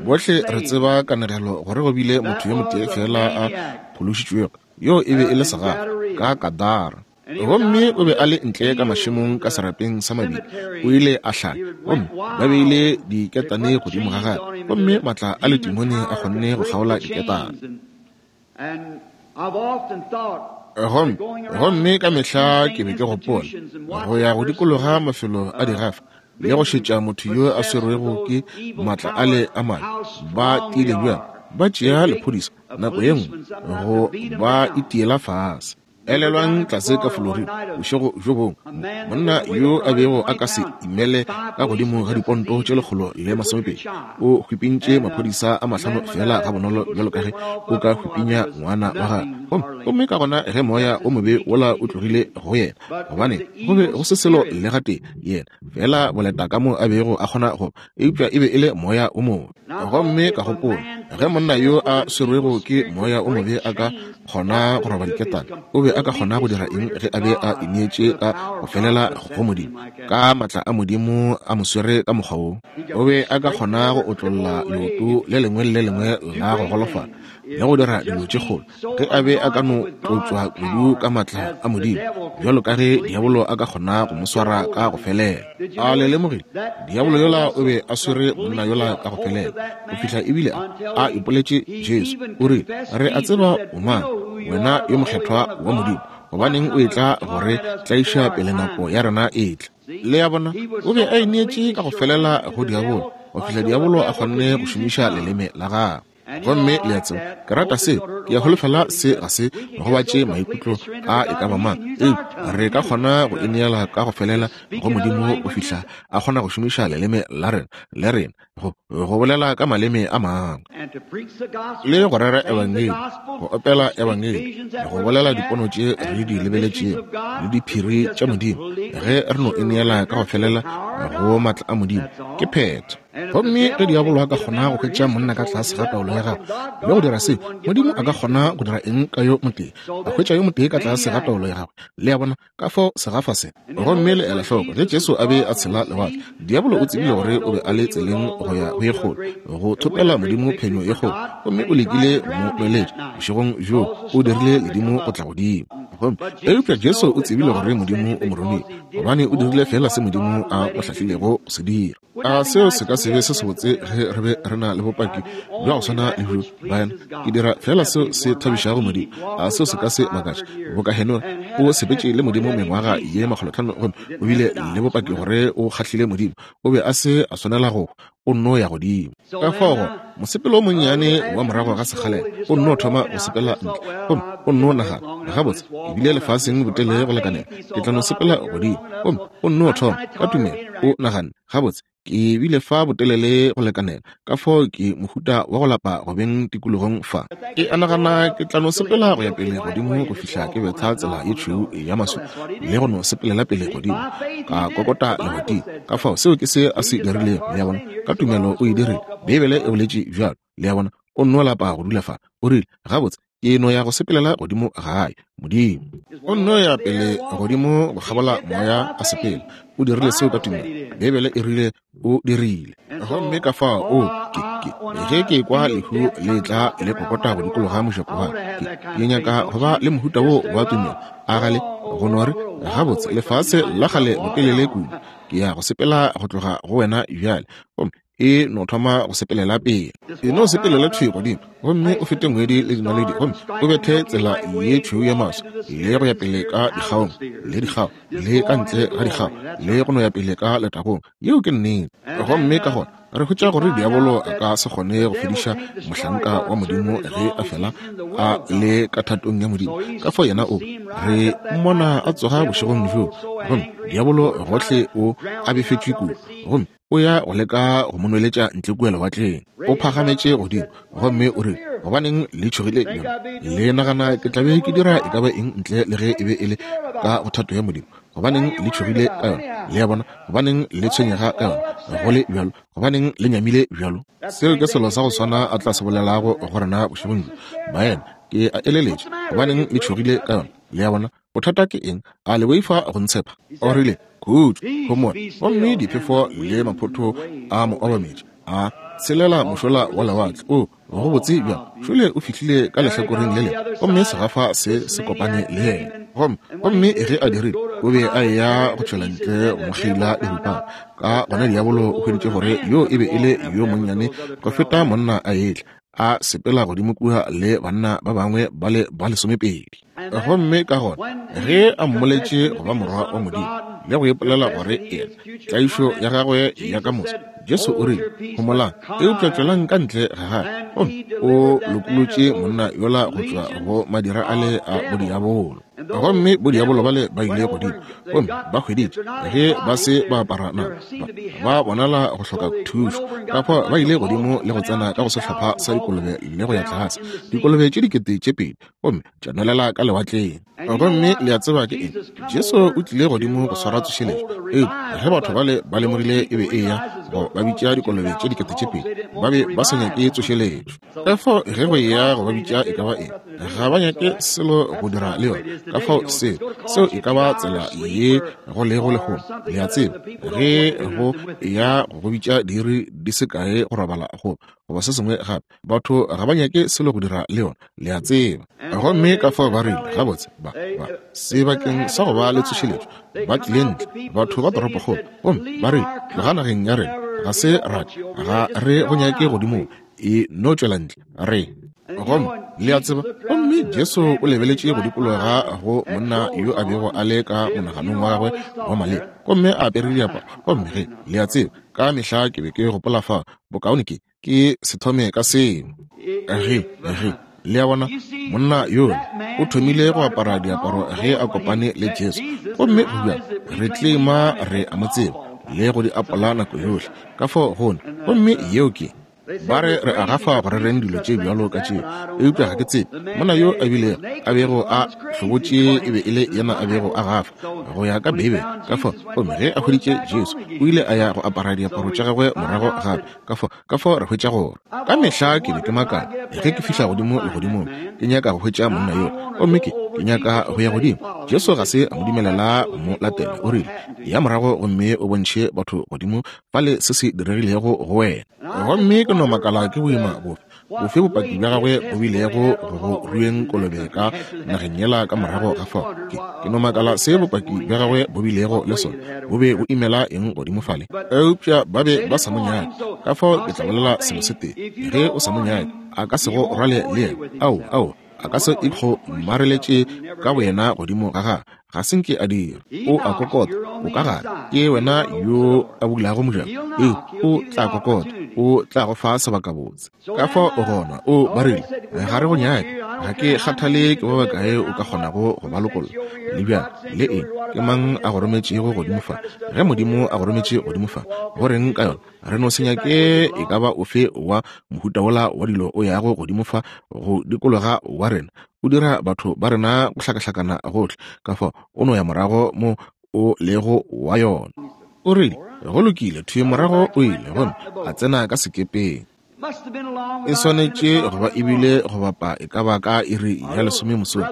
bohle re tseba kanegelo gore go bile motho yo motee feela a phološitšwego, yoo e be e le segafa ka Gadara. Gomme o be a le ntle ka mašemong ka serapeng sa mabili, o ile a hlanya, gomme ba beile diketane godimo ga gagwe, gomme maatla a letimone a kgonne go kgaola diketane. Gomme, gomme ka mehla ke be ke gopola go ya go dikologa mafelo a digafa le go šetša motho yo a swerwego ke maatla ale a mabe, ba tiile bjang, ba tšea lephodisa nako ye nngwe go ba itiela fase. Elelwang tlase ka Florida bošego bjo bongwe, monna yo a bego a ka se imele ka godimo ga diponto tše 120 o hwipintše maphodisa a mahlano feela gabonolo bjalo ka ge o ka hwipinya ngwana wa gagwe. Gomme, gomme ka gona ge moya o mobe wola o tlogile go yena, gobane go be go se selo le gatee, yena feela boleta ka mo a bego a kgona go, eupša e be e le moya o mobe. Gomme ka gopola, ge monna yo a swerwego ke moya o mobe a ka kgona go roba diketane, o be a ka kgona go dira eng ge a be a ineetše ka go felela go Modimo, ka maatla a Modimo a mo swere ka mokgwa wo? O be a ka kgona go otlolla leoto le lengwe le le lengwe la go golofala le go dira dilo tše kgolo ge a be a ka no tlotšwa kudu ka maatla a Modimo, bjalo ka ge diabolo a ka kgona go mo swara ka go felela. A le lemogile? Diabolo yola o be a swere monna yola ka go felela go fihla ebile a ipoletše Jesu. O rile, Re a tseba o mang, wena yo mokgethwa wa Modimo. Gobaneng o etla go re tlaiša pele nako ya rena e etla? Le a bona, o be a ineetše ka go felela go diabolo go fihla diabolo a kgonne go šomiša leleme la gagwe. Gomme le a tseba, ke rata seo. Ke a holofela se ga se gobatše maikutlo a e ka ba mang, eupša re ka kgona go ineela ka go felela go Modimo go fihla a kgona go šomiša leleme la rena, le rena, go, go bolela ka maleme a mangwe, le go rera Ebangedi, go opela Ebangedi, go bolela dipono tše re di lebeletšego, le diphiri tša Modimo. Ge re no ineela ka go felela go maatla a Modimo, ke phetho. Gomme ge diabolo a ka kgona go hwetša monna ka tlase ga taolo ya gagwe le go dira seo, Modimo a ka kgona go dira eng ka yo motee, a hwetša yo motee ka tlase ga taolo ya gagwe? Le a bona, ka fao segafa se. Gomme le ela hloko, ge Jesu a be a tshela lewatle, diabolo o tsebile gore o be a le tseleng go ya go ye kgolo, go thopela Modimo phenyo ye kgolo, gomme o lekile go mo nweletša. Bošegong bjoo o dirile ledimo go tla godimo. Gomme eupša Jesu o tsebile gore Modimo o mo romile, gobane o dirile feela se Modimo a mo hlahlilego go se dira. A seo se ka se be se sebotse ge re be re na le bopaki bja go swana le bjo, baena? Ke dira feela seo se thabišago Modimo. A seo se ka se makatše? Boka Henoge, o sepetše le Modimo mengwaga ye makgolotlhano gomme o bile le bopaki gore o kgahlile Modimo. O be a se a swanela go hwa, o nno ya godimo. Ka fao gona, mosepelo o monnyane wa morago ga sekgalela, o nno thoma go sepela ntle, gomme o nno nagana, Gabotse, ke bile lefaseng botelele go lekanela, ke tla no sepela godimo. Gomme o nno thoma, ka tumelo, o naganne, Gabotse, ke bile fa botelele go lekanela, ka fao ke mohuta wa go lapa go beng tikologong fa. Ke a nagana ke tla no sepela go ya pele godimo go fihla ke betha tsela ye tšhweu ya maswi le go no sepelela pele godimo, ka kokota lebating. Ka fao seo ke se a se dirilego, le a bona. Ka tumelo o e dirile. Beibele e boletše bjalo, le a bona. O nno lapa go dula fa. O rile, Gabotse, ke no ya go sepelela godimo gae. Modimo. O nno ya pele godimo go kgabola moya a sepela. O dirile seo ka tumelo. Beibele e rile o dirile. Gomme ka fao, o, ke, ke, ge ke kwa lehu le tla le kokota go dikologa mojako wa ke, ke nyaka go ba le mohuta wo wa tumelo. A gale, go no re, Gabotse, lefase la kgale botelele kudu. Ke ya go sepela go tloga go wena bjale. Gomme e no thoma go sepelela pele, e no sepelela thwi godimo, gomme o fete ngwedi le dinaledi, gomme o bethe tsela ye tšhweu ya maswi, le go ya pele ka dikgaong le dikgao, le ka ntle ga dikgao, le go no ya pele ka letagong. Yeo ke nnete. Gomme ka gona re hwetša gore diabolo a ka se kgone go fediša mohlanka wa Modimo ge a fela a le ka thatong ya Modimo. Ka fao yena o re mmona a tsoga bošegong bjoo, gomme diabolo gohle o a befetšwe kudu, gomme o ya go leka go mo nweletša ntle kua lewatleng. O phagametše godimo gomme o rile, Gobaneng le tšhogile bjalo? Le nagana ke tla be ke dira e ka ba eng ntle le ge e be e le ka go thato ya Modimo? Gobaneng le tšhogile ka yona? Le a bona? Gobaneng le tshwenyega ka yona go le bjalo? Gobaneng le nyamile bjalo? Seo ke selo sa go swana a tla se bolelago go rena bošegong bjo. Baena, ke a eleletša. Gobaneng le tšhogile ka yona? Le a bona? Bothata ke eng? A le boifa go ntshepa? O rile, Khutšo, homola. Gomme diphefo le maphotho a mo obametše, a tshelela mošola wa lewatle. O, go botse bjang! Šole o fihlile ka lehlakoreng le lengwe, gomme segafa se se kopane le yena. Gomme, gomme ge a dirile, o be a eya go tšwela ntle go mo kgeila diripana. Ka gona diabolo o hweditše gore yo e be e le yo monnyane go feta monna a etla. a sepela godimo kua le banna ba bangwe ba le ba lesomepedi. Gomme ka gona ge a mmoletše go ba Morwa wa Modimo le go ipolela gore yena tlaišo ya gagwe ya ka moso, Jesu o rile, Homolang, eupša tšwelang ka ntle ga gagwe. Gomme o lokolotše monna yola go tšwa go madira ale a bodiabolo. Gomme bodiabolo bale ba ile godimo gomme ba hweditše ge ba se ba apara nama, ba bonala go hloka thušo. Ka fao ba ile godimo le go tsena ka go sehlopha sa dikolobe le go ya tlase, dikolobe tše 2000, gomme tša nwelela ka lewatleng. Gomme le a tseba ke eng? Jesu o tlile godimo go swara tsošeletšo. Eupša ge batho bale ba lemogile e be e ya go ba bitša dikolobe tše 2000, ba be ba sa nyake tsošeletšo. Ka fao ge go eya go ba bitša e ka ba eng, ga ba nyake selo go dira le yona. Ka fao seo, seo e ka ba tsela ye go lego lehono. Le a tseba, ge go eya go go bitša diiri di se kae go robala go goba se sengwe gape, batho ga ba nyake selo go dira le yona, le a tseba. Gomme ka fao ba rile, gabotse, ba, ba, sebakeng sa go ba le tsošeletšo, ba tlile ntle, batho ba toropokgolo, gomme ba rile, tloga nageng ya rena, ga se ra, ga re go nyake godimo, e no tšwela ntle, re. Gomme, le a tseba, gomme Jesu o lebeletše go dikologa go monna yo a bego a le ka monaganong wa gagwe wa maleba, gomme a apere diaparo, gomme ge, le a tseba, ka mehla ke be ke gopola fa, bokaone ke, ke se thome ka seo. Ge, ge, le a bona, monna yola o thomile go apara diaparo ge a kopane le Jesu, gomme go bjang re tlema re a mo tseba le go di apola nako yohle, ka fao gona, gomme yeo ke, ba re re a gafa go rereng dilo tše bjalo ka tšeo, eupša ga ke tsebe monna yo a bilego a bego a hlobotše e be e le yena a bego a gafa go ya ka Beibele. Ka fao, gomme ge a hweditše Jesu, o ile a ya go apara diaparo tša gagwe morago gape. Ka fao, ka fao re hwetša gore ka mehla ke be ke makala ge ke fihla godimo legodimong, ke nyaka go hwetša monna yola, gomme ke, ke nyaka go ya godimo. Jesu ga se a mo dumelela go mo latela. O rile, Ya morago gomme o bontšhe batho godimo fale se se diregilego go wena. Gomme ke no makala ke boima bofe, bofe bopaki bja gagwe bo bilego go go rueng kolobe ka nageng yela ka morago ga fao. Ke, ke no makala se bopaki bja gagwe bo bilego le sona, bo be bo imela eng godimo fale. Eupša ba be ba sa mo nyake, ka fao ke tla bolela selo se tee, ge o sa mo nyake, a ka se go rwale le yena. Ao, ao, a ka se ikgomareletše ka boyena godimo ga gagwe. Ga se nke a dira. O a kokota, o ka gare. Ke wena yo a bulago mojako. Ee, o tla kokota, o tla go fa sebakabotse. Ka fao o gona, o ba rile, ga re go nyake. Ga ke kgathale ke ba bakae o ka kgonago go ba lokolla, le bjang, le eng, ke mang a go rometšego godimo fa. Ge Modimo a go rometše godimo fa, go reng ka yona? Re no se nyake e ka ba ofe wa mohuta wola wa dilo o yago godimo fa go dikologa wa rena, o dira batho ba rena go hlakahlakana gohle. Ka fao o no ya morago mo o lego wa yona. O rile, Go lokile, thwi morago o ile gomme a tsena ka sekepeng. E swanetše go ba ebile go bapa e ka ba ka iri ya lesome mosong.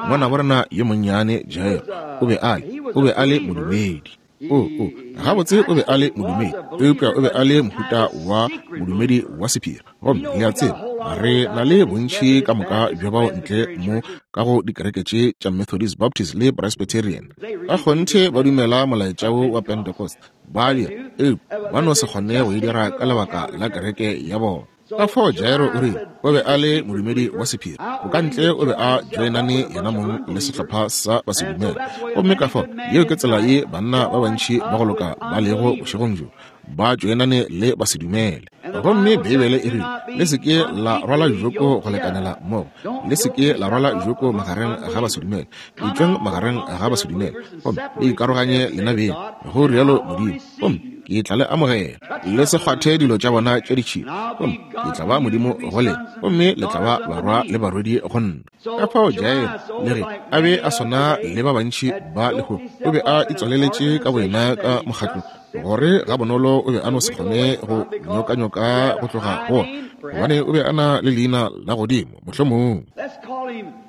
Ngwanabo rena yo monnyane Jairo o be a le, o be a le modumedi. O, o, gabotse o be a le modumedi, eupša o be a le mohuta wa modumedi wa sephiri. Gomme le a tseba, re na le bontši ka moka bja bao ntle mo ka go dikereke tše tša Methodist, Baptist le Presbyterian. Ka kgonthe ba dumela molaetša wo wa Pentecost, ba dira, eupša ba no se kgone go e dira ka lebaka la kereke ya bona. Ka fao Jairo o rile o be a le modumedi wa sephiri, bokantle o be a joinane yena mong le sehlopha sa basedumele. Gomme ka fao yeo ke tsela ye banna ba bantši ba go loka ba lego bošegong bjo, ba joinane le basedumele. Gomme Beibele e rile, Le se ke la rwala joko go lekanela mmogo, le se ke la rwala joko magareng ga basedumele, etšwang magareng ga basedumele, gomme le ikaroganye lena beng, go rialo Modimo, gomme ke tla le amogela. Le se kgwathe dilo tša bona tša ditšhila, gomme ke tla ba Modimo go lena, gomme le tla ba barwa le barwedi go nna. Ka fao Jairo, le ge a be a swana le ba bantši ba lehono, o be a itswaleletše ka boyena ka mokgatlong, gore gabonolo o be a no se kgone go nyokanyoka go tloga go ona, gobane o be a na le leina la godimo, mohlomong.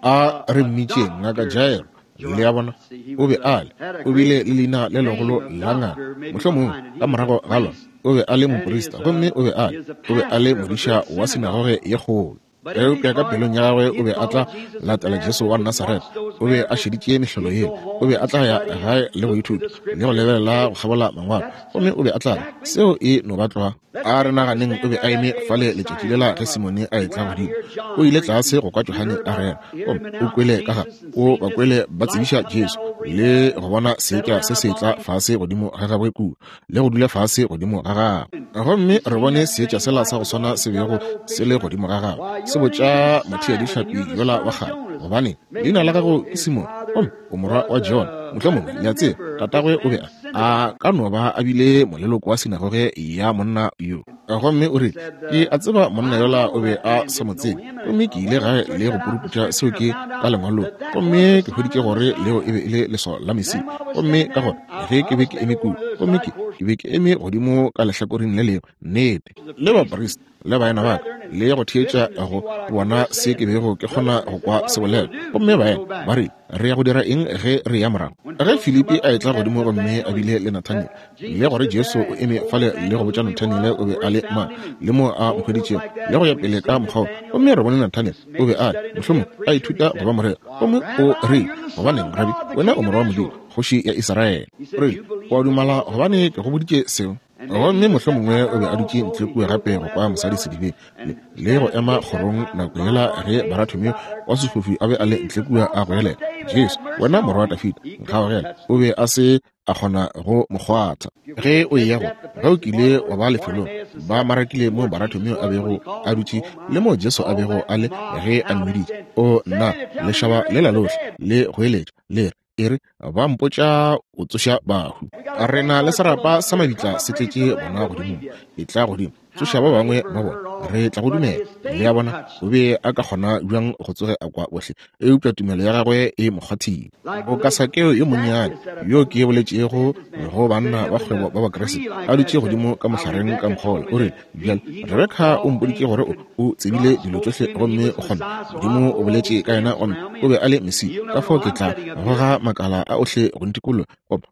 A re mmitšeng Ngaka Jairo. Le a bona, o be a le, o bile le leina le legolo la ngaka, mohlomongwe ka morago ga lona. O be a le moprista, gomme o be a le, o be a le modiša wa sinagoge ye kgolo. Eupša ka pelong ya gagwe o be a tla latela Jesu wa Nasaretha. O be a šeditše mehlolo yela. O be a tla ya gae le go ithuta le go lebelela go kgabola Mangwalo, gomme o be a tla re, Seo e no ba tlwa. A re naganeng o be a eme fale letšatši lela ge Simone a etla godimo. O ile tlase go kwa Johane a rera, gomme o kwele ka ga, o ba kwele ba tsebiša Jesu, le go bona seetša se se etla fase godimo ga gagwe kua, le go dula fase godimo ga gagwe. Gomme re bone seetša sela sa go swana se bego se le godimo ga gagwe, se botša motheadihlapi yola wa kgale, gobane leina la gago ke Simone, gomme o morwa wa Jona. Mohlomongwe, le a tseba, tatagwe o be a a ka no ba a bile moleloko wa sinagoge ya monna yo. Gomme o rile, Ke a tseba monna yola o be a sa mo tsebe. Gomme ke ile gae le go puruputša seo ke ka lengwalong, gomme ke hweditše gore leo e be e le leswao la Mesia. Gomme ka gona ge ke be ke eme kua, gomme ke, ke be ke eme godimo ka lehlakoreng le lengwe, nnete, le baprista le baena ba ka, le go theetša go bona se ke bego ke kgona go kwa se bolela. Gomme baena ba rile, Re ya go dira eng ge re ya morago? Ge Filipi a etla godimo gomme a bile le Nathaniele, le gore Jesu o eme fale le go botša Nathaniele o be a le mang, le moo a mo hweditšego, le go ya pele ka mokgwa wo. Gomme re bone Nathaniele, o be a le, mohlomongwe, a ithuta go ba moreri. Gomme o rile, Gobaneng, Rabi, wena o Morwa wa Modimo, Kgoši ya Israele. O rile, O a dumela gobane ke go boditše seo? Gomme mohlomongwe o be a dutše ntle kua gape go kwa mosadi sedibeng, le, le go ema kgorong nako yela ge Barathomeo wa sefofu a be a le ntle kua a goelela, Jesu, wena Morwa wa Dafida, nkgaogele. O be a se a kgona go mo kgwatha. Ge o eya go, ge o kile wa ba lefelong, ba marakile moo Barathomeo a bego a dutše le moo Jesu a bego a le ge a mmiditše. O, nna, lešaba lela lohle le goeletša, le re, E re, ba mpotša o tsoša bahu. Re na le serapa sa mabitla se tletše bona godimo. Etla godimo, tsoša ba bangwe ba bona. Re tla go dumela. Le a bona, o be a ka kgona bjang go tsoge a kwa bohle, eupša tumelo ya gagwe e mo kgwathile. Boka Sakeo yo monnyane, yo ke boletšego go banna ba kgwebo ba Bakriste, a dutše godimo ka mohlareng ka mokgwa wola, o rile, Bjale, Rebeka o mpoditše gore o, o tsebile dilo tšohle gomme o kgona. Modimo o boletše ka yena gomme o be a le Mesia. Ka fao ke tla goga makala a ohle go ntikologa,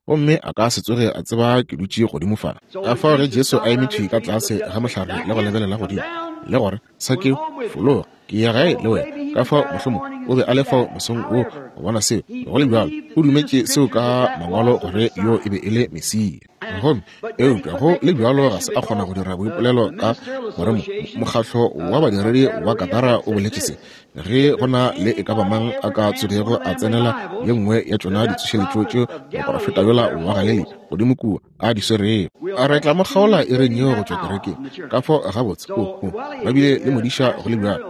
gomme a ka se tsoge a tseba ke dutše godimo fa. Ka fao ge Jesu a eme thwi ka tlase ga mohlare le go lebelela godimo, le gore, Sakeo, fologa, ke ya gae le wena. Ka fao mohlomongwe o be a le fao mosong wo go bona seo. Go le bjalo, o dumetše seo ka Mangwalo gore yo e be e le Mesia. Gomme eupša go le bjalo ga se a kgona go dira boipolelo ka gore mokgatlo wa badiredi wa Katara o boletše se, ge go na le e ka ba mang a ka tsogego a tsenela ye nngwe ya tšona ditsošeletšo tšeo moporofeta yola wa Galilea godimo kua a di swerego, a re tla mo kgaola iring yeo go tšwa kerekeng. Ka fao gabotse, o, o, ba bile le modiša go le bjalo,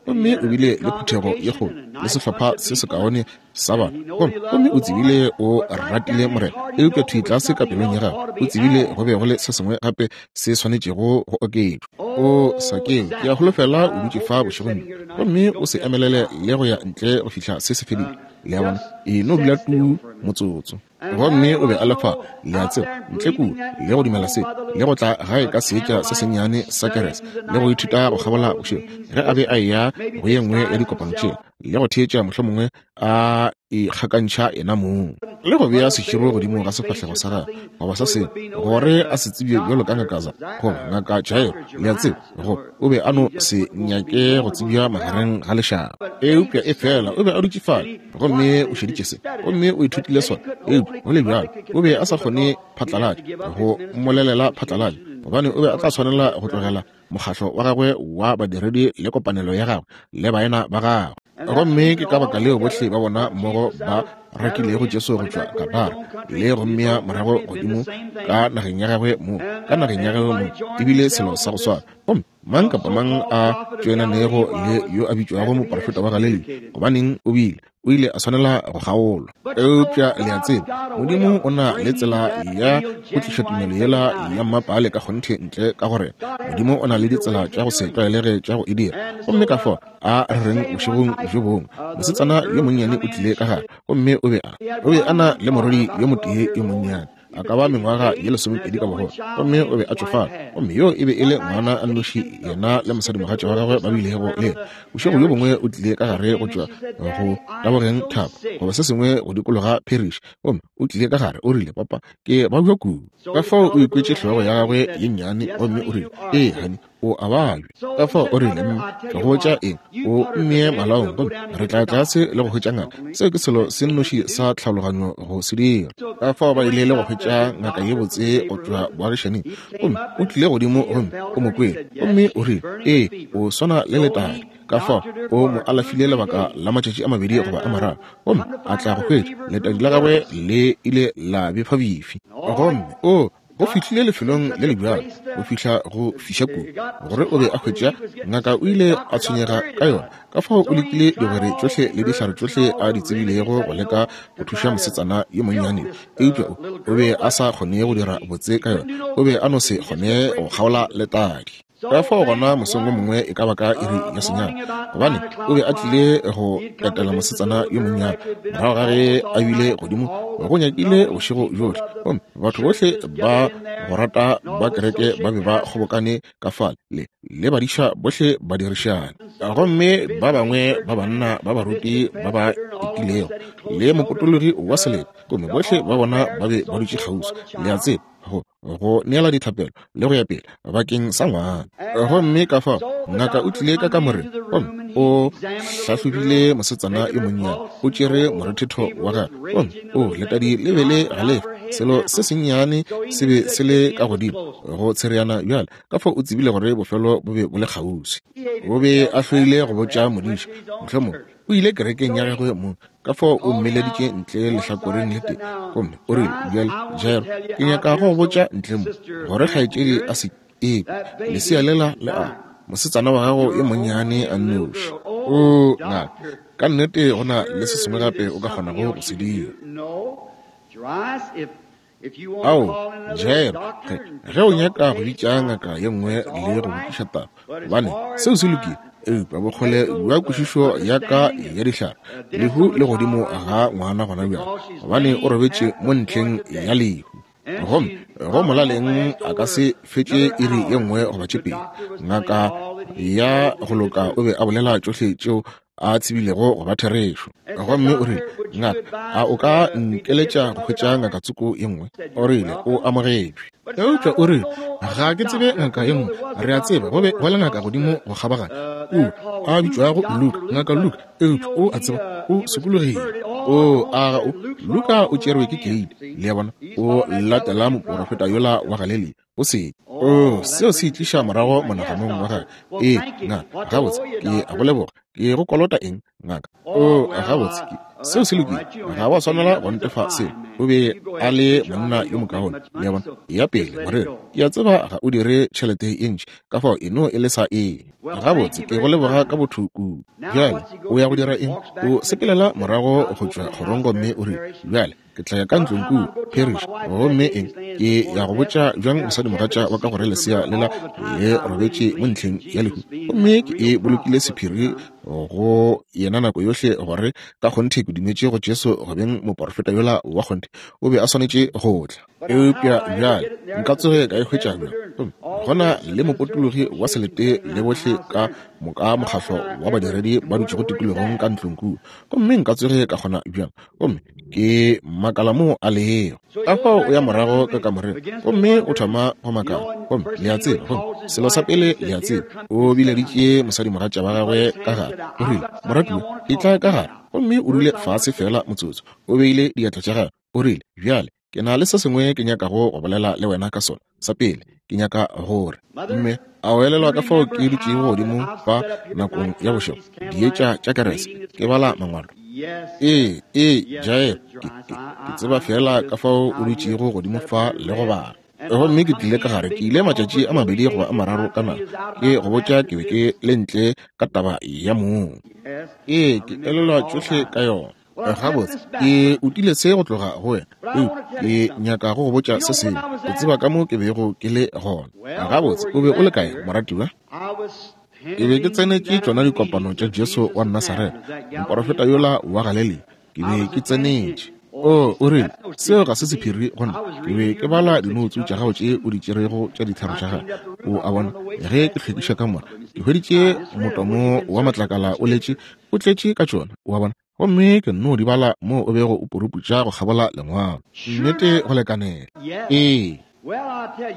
gomme o bile le phuthego ye kgolo le sehlopha se sekaone sa batho, gomme, gomme o tsebile o ratile Morena, eupša thwi tlase ka pelong ya gagwe o tsebile go be go le se sengwe gape se swanetšego go oketšwa. O Sakeo, ke a holofela o dutše fa bošegong bjo, gomme o se emelele le go ya ntle go fihla se se fedile. Le a bona? E no dula tuu motsotso. Gomme o be a le fa, le a tseba, ntle kua, le go dumela se, le go tla gae ka seetša se sennyane sa kerese, le go ithuta go kgabola bošego, ge a be a eya go ye nngwe ya dikopano tšela, le go theetša mohlomongwe a ikgakantšha yena mong, le go bea seširo godimo ga sefahlego sa gagwe, goba se sengwe, gore a se tsebje bjalo ka ngaka za, goba ngaka Jairo, le a tseba, go, o be a no se nyake go tsebja magareng ga lešaba. Eupša efela o be a dutše fale, gomme o šeditše se, gomme o ithutile sona, eupša go le bjalo o be a sa kgone phatlalatša, go mmolelela phatlalatša, gobane o be a tla swanela go tlogela mokgatlo wa gagwe wa badiredi le kopanelo ya gagwe le baena ba gagwe. Gomme ke ka baka leo bohle ba bona mmogo ba rakilego Jesu go tšwa Gadara le go mmea morago godimo ka nageng ya gagwe mo, ka nageng ya gagwe mo, ebile selo sa go swana. Gomme mang kapa mang a tšoenanego le yo a bitšwago moprofeta wa Galilea, gobaneng o bile, o ile a swanela go kgaolwa. Eupša le a tseba, Modimo o na le tsela ya go tliša tumelo yela ya mmapaale ka kgonthe ntle ka go rena. Modimo o na le ditsela tša go se tlwaelege tša go e dira. Gomme ka fao a re reng bošegong bjo bongwe, mosetsana yo monnyane o tlile ka gare, gomme o be a, o be a na le morwedi yo motee yo monnyane, a ka ba mengwaga ye lesomepedi ka bogolo, gomme o be a tšofala, gomme yo e be e le ngwana a nnoši yena le mosadimogatša wa gagwe ba bilego le yena. Bošego bjo bongwe o tlile ka gare go tšwa go tabogeng thaba goba se sengwe go dikologa parish, gomme o tlile ka gare, o rile, Papa, ke babja kudu. Ka fao o ikwetše hlogo ya gagwe ye nnyane, gomme o rile, Ee, honey, O a babja. Ka fao o rile, Mme, ke go botša eng, o mmee malaong gomme re tla tlase le go hwetša ngaka. Seo ke selo se nnoši sa tlhaologanyo go se dira. Ka fao ba ile le go hwetša ngaka ye botse go tšwa boagišaning, gomme o tlile godimo gomme o mo kwele, gomme o rile, Ee, o swana le letadi. Ka fao o mo alafile lebaka la matšatši a mabedi goba a mararo, gomme a tla go hwetša letadi la gagwe le ile la befabefi. Gomme o go fihlile lefelong le le bjalo go fihla go fiša kudu gore o be a hwetša ngaka o ile a tshwenyega ka yona. Ka fao o lekile digwere tšohle le dihlare tšohle a di tsebilego go leka go thuša mosetsana yo monnyane, eupša o, o be a sa kgone go dira botse ka yona. O be a no se kgone go kgaola letadi. Ka fao gona mosong wo mongwe e ka ba ka iri ya senyane, gobane o be a tlile go etela mosetsana yo monnyane morago ga ge a bile godimo go nyakile bošego bjohle, gomme batho bohle ba go rata ba kereke ba be ba kgobokane ka fale, le, le badiša bohle ba dirišane, gomme ba bangwe ba banna ba baruti ba ba etilego, le mopotologi wa selete, gomme bohle ba bona ba be ba dutše kgauswi, le a tseba, go, go neela dithapelo le go ya pele bakeng sa ngwana. Gomme ka fao ngaka o tlile ka kamoreng gomme o hlahlobile mosetsana yo monnyane, o tšere morethetho wa gagwe, gomme o letadi le be le galefa, selo se sennyane se be se le ka godimo go tshereana bjale. Ka fao o tsebile gore bofelo bo be bo le kgauswi. O be a hloile go botša modiša, mohlomongwe o ile kerekeng ya gagwe mong, ka fao o mmeleditše ntle lehlakoreng le tee, gomme o rile, Bjale, Jairo, ke nyaka go go botša ntle mo, gore kgaetšedi a se ekwe, lesea lela le a, mosetsana wa gago yo monnyane a nnoši. Oo, ngaka, ka nnete go na le se sengwe gape o ka kgonago go se dira. Ao, Jairo, ge, ge o nyaka go bitša ngaka ye nngwe le go botšiša taba, gobane seo se lokile, eupša bokgole bja kwešišo ya ka ya dihlare, lehu le godimo ga ngwana gona bjale, gobane o robetše mo ntlheng ya lehu. Gomme go molaleng a ka se fetše iri ye nngwe goba tše pedi. Ngaka ya go loka o be a bolela tšohle tšeo a tsebilego go ba therešo. Gomme o rile, Ngaka, a o ka nkeletša go hwetša ngaka tsoko ye nngwe? O rile, O amogetšwe. Eupša o rile, Ga ke tsebe ngaka ye nngwe. Re a tseba go be go le ngaka godimo go kgabaganya kua, a bitšwago Luka, Ngaka Luka, eupša o a tseba o sokologile. O, a ga o? Luka o tšerwe ke keiti, le a bona, o latela moporofeta yola wa Galelia. O se. Oo, seo se itliša morago monaganong wa gagwe. Ee, ngaka, gabotse, ke a go leboga. Ke go kolota eng, ngaka? Oo, gabotse, ke, seo se lokile. Ga wa swanela go ntefa seo. O be a le monna yo mokaone, le a bona. Ya pele, moreri, ke a tseba ga o dire tšhelete ye ntši, ka fao e no e lesa e. Gabotse, ke go leboga ka botho kudu. Bjale, o ya go dira eng? O sepelela morago go tšwa kgorong gomme o rile, Bjale, Ke tla ya ka ntlong kua, Parrish, gomme eng, ke ya go botša bjang mosadimogatša wa ka gore lesea lela le robetše mo ntlheng ya lehu, gomme ke e bolokile sephiri go yena nako yohle gore ka kgonthe ke dumetše go Jesu go beng moporofeta yola wa kgonthe, o be a swanetše go tla. Eupša bjale nka tsoge ka e hwetša bjang? Gomme gona le mopotologi wa selete le bohle ka moka mokgahlo wa badiredi ba dutšego tikologong ka ntlong kua, gomme nka tsoge ka kgona bjang? Gomme ke makala moo a lego. Ka fao o ya morago ka kamoreng gomme o thoma go makala. Gomme le a tseba, gomme selo sa pele le a tseba, o bileditše mosadimogatša wa gagwe ka gare. O rile, Moratiwa, etla ka gare. Gomme o dule fase feela motsotso. O beile diatla tša gagwe. O rile, Bjale, ke na le se sengwe ke nyakago go bolela le wena ka sona. Sa pele, ke nyaka gore. Mme a o elelwa ka fao ke dutšego godimo fa nakong ya bošego, dietša tša kerese, ke bala mangwalo? Ee, ee, Jael, ke, ke, ke tseba feela ka fao o dutšego godimo fa le go bala. Gomme ke tlile ka gare, ke ile matšatši a mabedi goba a mararo ka nako, ke go botša ke be ke le ntle ka taba ya mong. Ee, ke elelwa tšohle ka yona. Gabotse, ke utile se go tloga go wena, eupša ke nyaka go go botša se sengwe. O tseba ka mo ke bego ke le gona. Gabotse, o be o le kae, moratiwa? Ke be ke tsenetše tšona dikopano tša Jesu wa Nasaretha, moporofeta yola wa Galelia. Ke be ke tsenetše. O, o rile, seo ga se sephiri go nna. Ke be ke bala dinoutsu tša gago tše o di tšerego tša ditlhare tša gago. O a bona, ge ke hlwekiša kamora, ke hweditše motomo wa matlakala o letše o tletše ka tšona, o a bona. Gomme ke nno di bala moo o bego o puruputša go kgabola lengwalo. Nnete go lekanela. Ee.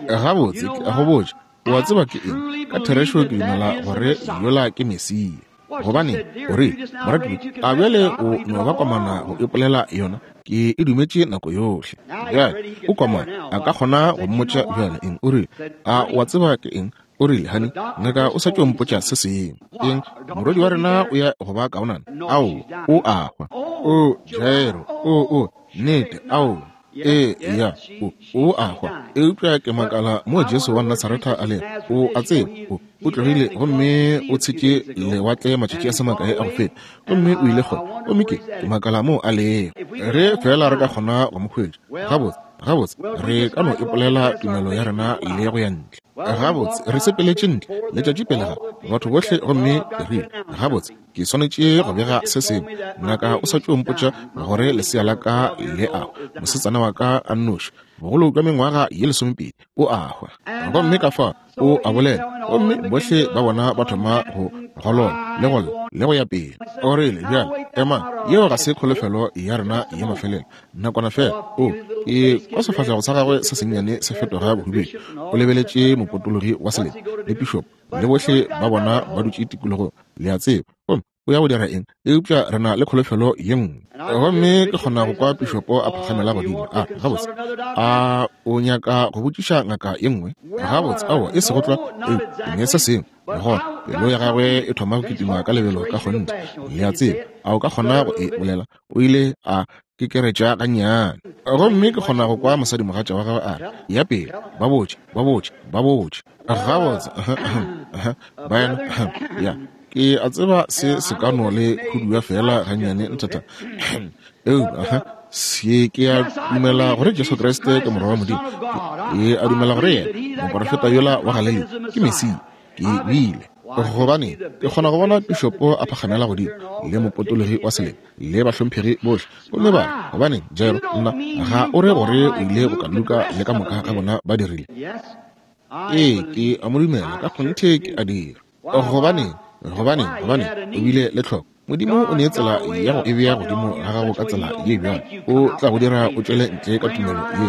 Gabotse, ke a go botša. O a tseba ke eng? Ka therešo ke dumela gore yola ke Mesia. Gobane, o rile, moratiwa, a bjale o no ba komana go ipolela yona? Ke e dumetše nako yohle. Bjale, o komana, a ka kgona go mmotša bjale eng? O rile, a o a tseba ke eng? O rile, Hani, ngaka o sa tšo mpotša se sengwe. Eng? Morwedi wa rena o ya go ba kaonana. Ao, o a hwa. O, Jairo, o, nnete, ao. Ee, ya, o a hwa. Eupša ke makala mo Jesu wa Nasaretha a lego. O a tseba, o tlogile gomme o tshetše lewatle matšatši a se makae a go feta, gomme o ile kgole. Gomme ke makala mo a lego. Ge feela re ka kgona go mo hwetša, gabotse, gabotse, re ka no ipolela tumelo ya rena le go ya ntle. Gabotse, re sepeletše ntle letšatši pele ga batho bohle, gomme ke rile, gabotse, ke swanetše go bega se sengwe. Ngaka o sa tšo mpotša gore lesea la ka le a hwa, mosetsana wa ka a nnoši, bogolo bja mengwaga ye 12, o a hwa. Gomme ka fa o a bolela, gomme bohle ba bona ba thoma go golola le go lla le go ya pele. O rile, bjale, ema, yeo ga se kholofelo ya rena ya mafelelo. Nakwana fela, o, ke kwa sefahlego sa gagwe se sennyane se fetoga bohubedu. O lebeletše mopotologi wa selete le pišopo le bohle ba bona ba dutše tikologong, le a tseba. Gomme o ya go dira eng? Eupša re na le kholofelo ye nngwe. Gomme ke kgona go kwa pišopo a phakgamela godimo, a re, gabotse, a o nyaka go botšiša ngaka ye nngwe? Gabotse, aowa, e sego tlwa, eupša ne se sengwe. Gona pelo ya gagwe e thoma go kitima ka lebelo ka kgonthe, le a tseba. A o ka kgona go e bolela? O ile a kekeretša gannyane. Gomme ke kgona go kwa mosadimogatša wa gagwe a re, ya pele, ba botše, ba botše, ba botše. Gabotse, baena, ya, ke a tseba se se ka no le hudua fela gannyane ntata. Eupša, se ke a dumela gore Jesu Kriste ke Morwa wa Modimo. Ke a dumela gore yena, moporofeta yola wa Galilea, ke Mesia. Ke bile. Gobane, ke kgona go bona pišopo a phakgamela godimo, le mopotologi wa selete, le bahlomphegi bohle, gomme ba re, gobane, Jairo, nna, ga o re gore o ile go ka Luka le ka moka ga bona ba dirile? Ee, ke a mo dumela, ka kgonthe ke a dira. Gobane, gobane, gobane, o bile le tlhoko. Modimo o ne tsela ya go e bea godimo ga gago ka tsela ye bjalo. O tla go dira o tšwele ntle ka tumelo ye,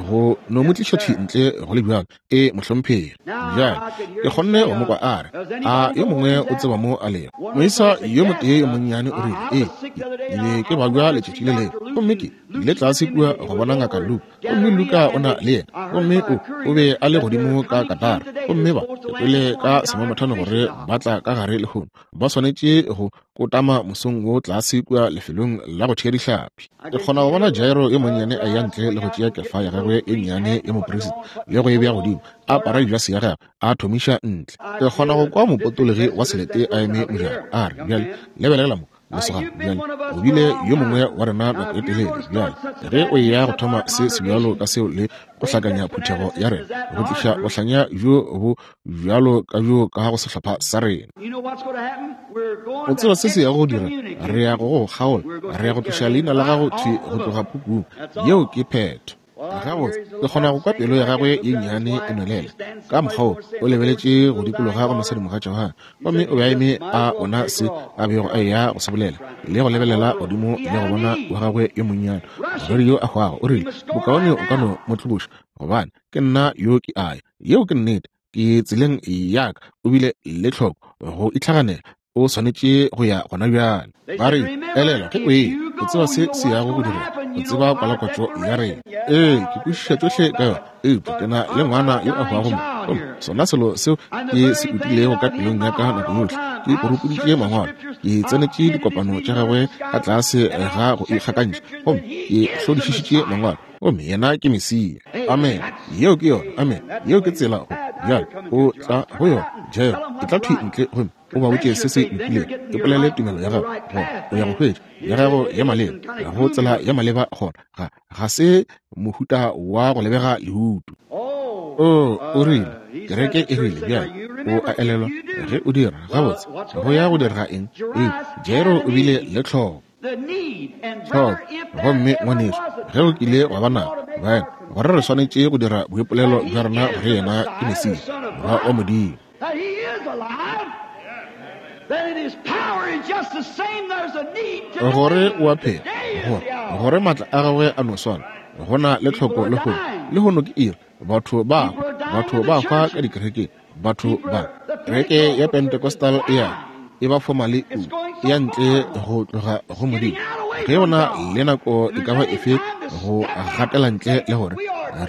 go no mo tliša thwi ntle go le bjalo. E mohlomphegi. Bjale, ke kgonne go mo kwa a re, a yo mongwe o tseba mo a lego? Moisa yo motee yo monnyane o rile, ee, ke be ke babja letšatši le lengwe, gomme ke ile tlase kua go bona ngaka Luke, gomme Luka o na le yena, gomme o be a le godimo ka Katara, gomme ba kwele ka semamothano gore ba tla ka gare lehono, ba swanetše go kotama mosong wo tlase kua lefelong la go thea dihlapi. Ke kgona go bona Jairo yo monnyane a ya ntle le go tšea kefa ya gagwe e nnyane ya moperisita le go e bea godimo, a apara dijase ya gagwe, a thomiša ntle. Ke kgona go kwa mopotologi wa selete a eme mojako, a re, Bjale, lebelela mo, lesogana, bjale, o bile yo mongwe wa rena nako e telele. Bjale, ge o eya go thoma se sebjalo ka seo le go hlakanya phuthego ya rena, go tliša bohlanya bjo bo bjalo ka bjo ka go sehlopha sa rena. O tseba se se yago go dira? Re ya go go kgaola, re ya go tloša leina la gago thwi go tloga pukung. Yeo ke phetho. Gabotse, ke kgona go kwa pelo ya gagwe ye nnyane e nwelela. Ka mokgwa wo, o lebeletše go dikologa go mosadimogatša wa gagwe, gomme o be a eme a bona se a bego a eya go se bolela, le go lebelela godimo le go bona wa gagwe yo monnyane, morwedi yo a hwago. O rile, Bokaone o ka no mo tloboša, gobane ke nna yo ke a ya. Yeo ke nnete. Ke tseleng ya ka. O bile le tlhoko go itlhaganela. O swanetše go ya gona bjale. Ba re, Elelwa, ge o eya, o tseba se se yago go direga. O tseba kwalakwatšo ya rena. Ee, ke kwešiša tšohle ka yona, eupša ke na le ngwana yo a hwago mo. Gomme sona selo seo ke se utilego ka pelong ya ka nako yohle, ke poropoditše mangwalo, ke tsenetše dikopano tša gagwe ka tlase ga go ikgakantšha, gomme ke hlodišišitše mangwalo. Gomme yena ke Mesia. Amen. Yeo ke yona. Amen. Yeo ke tsela go. Bjale, o tla go yona. Jairo, e tla thwi ntle gomme o ba botše se se lokilego. E polele tumelo ya gago, gona o ya go hwetša ya gago ya maleba, go tsela ya maleba gona. Ga, ga se mohuta wa go lebega leutu. Oh, o rile, kereke e rile, bjale, o a elelwa ge o dira, gabotse, go ya go direga eng? Ee, Jairo o bile le tlhoko. Tlhoko. Gomme, ngwanešu, ge o kile wa ba nabo, baena, gore re swanetše go dira boipolelo bja rena gore yena ke Mesia, Morwa wa Modimo. Gore o a phela, gore, gore maatla a gagwe a no swana, go na le tlhoko lehono. Lehono ke iri, batho ba hwa, batho ba hwa ka dikerekeng. Batho ba kereke ya Pentecostal e ya e ba fomale kudu, e ya ntle go tloga go Modimo. Ge go na le nako e ka ba efe go gatela ntle le gore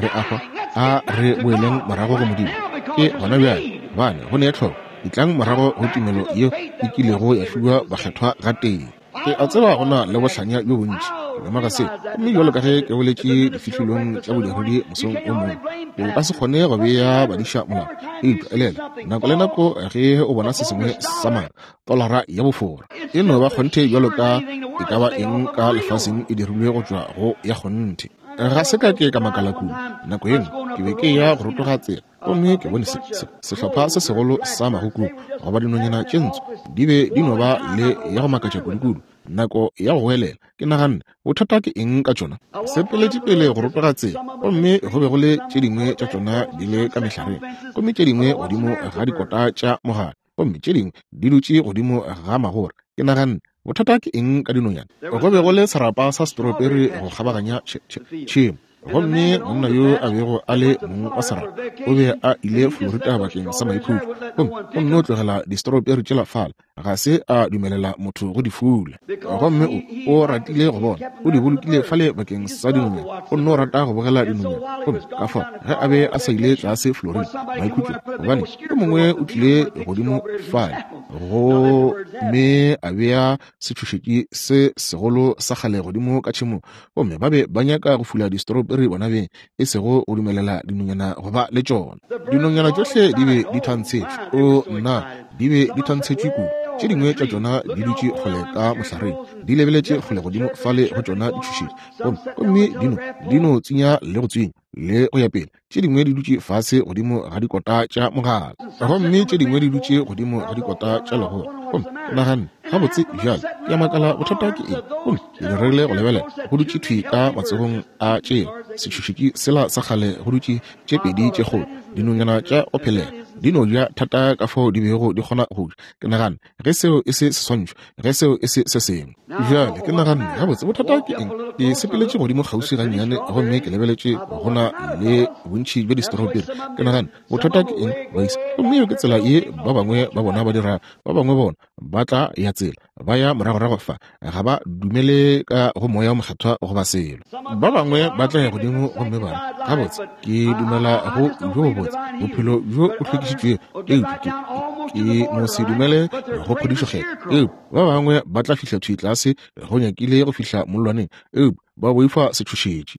re a hwa, a re boeleng morago go Modimo. Ke gona bjale, gobane go ne tlhoko. Etlang morago go tumelo yeo e kilego ya fiwa bakgethwa gatee. Ke a tseba go na le bohlanya bjo bontši, ke lemoga seo. Gomme bjalo ka ge ke boletše difihlolong tša bodiredi mosong o mongwe, o ka se kgone go bea badiša molao. Eupša elela, nako le nako ge o bona se sengwe sa maaka, tolara ya bofora, e no ba kgonthe bjalo ka e ka ba eng ka lefaseng e dirilwe go tšwa go ya kgonthe. Ga se ka ke ka makala kudu. Nako ye nngwe ke be ke eya go rotoga tsela, gomme ke bone se, se, sehlopha se segolo sa magukubu goba dinonyana tše ntsho di be di no ba le ya go makatša kudukudu nako ya go goelela. Ke naganne, bothata ke eng ka tšona? Sepeletše pele go rotoga tsela, gomme go be go le tše dingwe tša tšona di le ka mehlareng, gomme tše dingwe godimo ga dikota tša mogala, gomme tše dingwe di dutše godimo ga magora. Ke naganne, bothata ke eng ka dinonyana? Go be go le serapa sa strawberry go kgabaganya tšhemo. Gomme monna yo a bego a le mong wa serapa o be a ile Florida bakeng sa maikhutšo, gomme o nno tlogela di-strawberry tšela fale, ga se a dumelela motho go di fula. Gomme o, o ratile go bona, o di bolokile fale bakeng sa dinonyana, o nno rata go bogela dinonyana. Gomme ka fao ge a be a sa ile tlase Florida maikhutšong, gobane yo mongwe o tlile godimo fale gomme a bea setšhošetši se segolo sa kgale godimo ka tšhemong, gomme ba be ba nyaka go fula di-strawberry bona beng, e sego go dumelela dinonyana go ba le tšona. Dinonyana tšohle di be di thantshetšwe. O, nna, di be di thantshetšwe kudu. Tše dingwe tša tšona di dutše kgole ka mohlareng, di lebeletše kgole godimo fale go tšona ditšhošetši, gomme, gomme di no, di no tswinya le go tswinya, le go ya pele. Tše dingwe di dutše fase godimo ga dikota tša mogala, gomme tše dingwe di dutše godimo ga dikota tša legora. Gomme ke naganne, gabotse bjale, ke a makala bothata ke eng. Gomme ke diregile go lebelela, go dutše thwi ka matsogong a tšela setšhošetši sela sa kgale go dutše tše pedi tše kgolo, dinonyana tša go phelega, di no ja thata ka fao di bego di kgona go ja. Ke naganne, ge seo e se seswantšho, ge seo e se se sengwe. Bjale ke naganne, gabotse, bothata ke eng? Ke sepeletše godimo kgauswi gannyane gomme ke lebeletše go na le bontši bja distroberi. Ke naganne, bothata ke eng, baisa? Gomme yeo ke tsela ye ba bangwe ba bona ba dirago. Ba bangwe bona ba tla ya tsela, ba ya moragorago fa, ga ba dumele ka go Moya wo Mokgethwa goba selo. Ba bangwe ba tla ya godimo gomme ba re, Gabotse, ke dumela go bjo bobotse, bophelo bjo bo hlwekišitšwego, eupša ke, ke no se dumele go phodišo Kgethwa. Eupša ba bangwe ba tla fihla thwi tlase go nyakile go fihla mollwaneng, eupša ba boifa setšhošetši.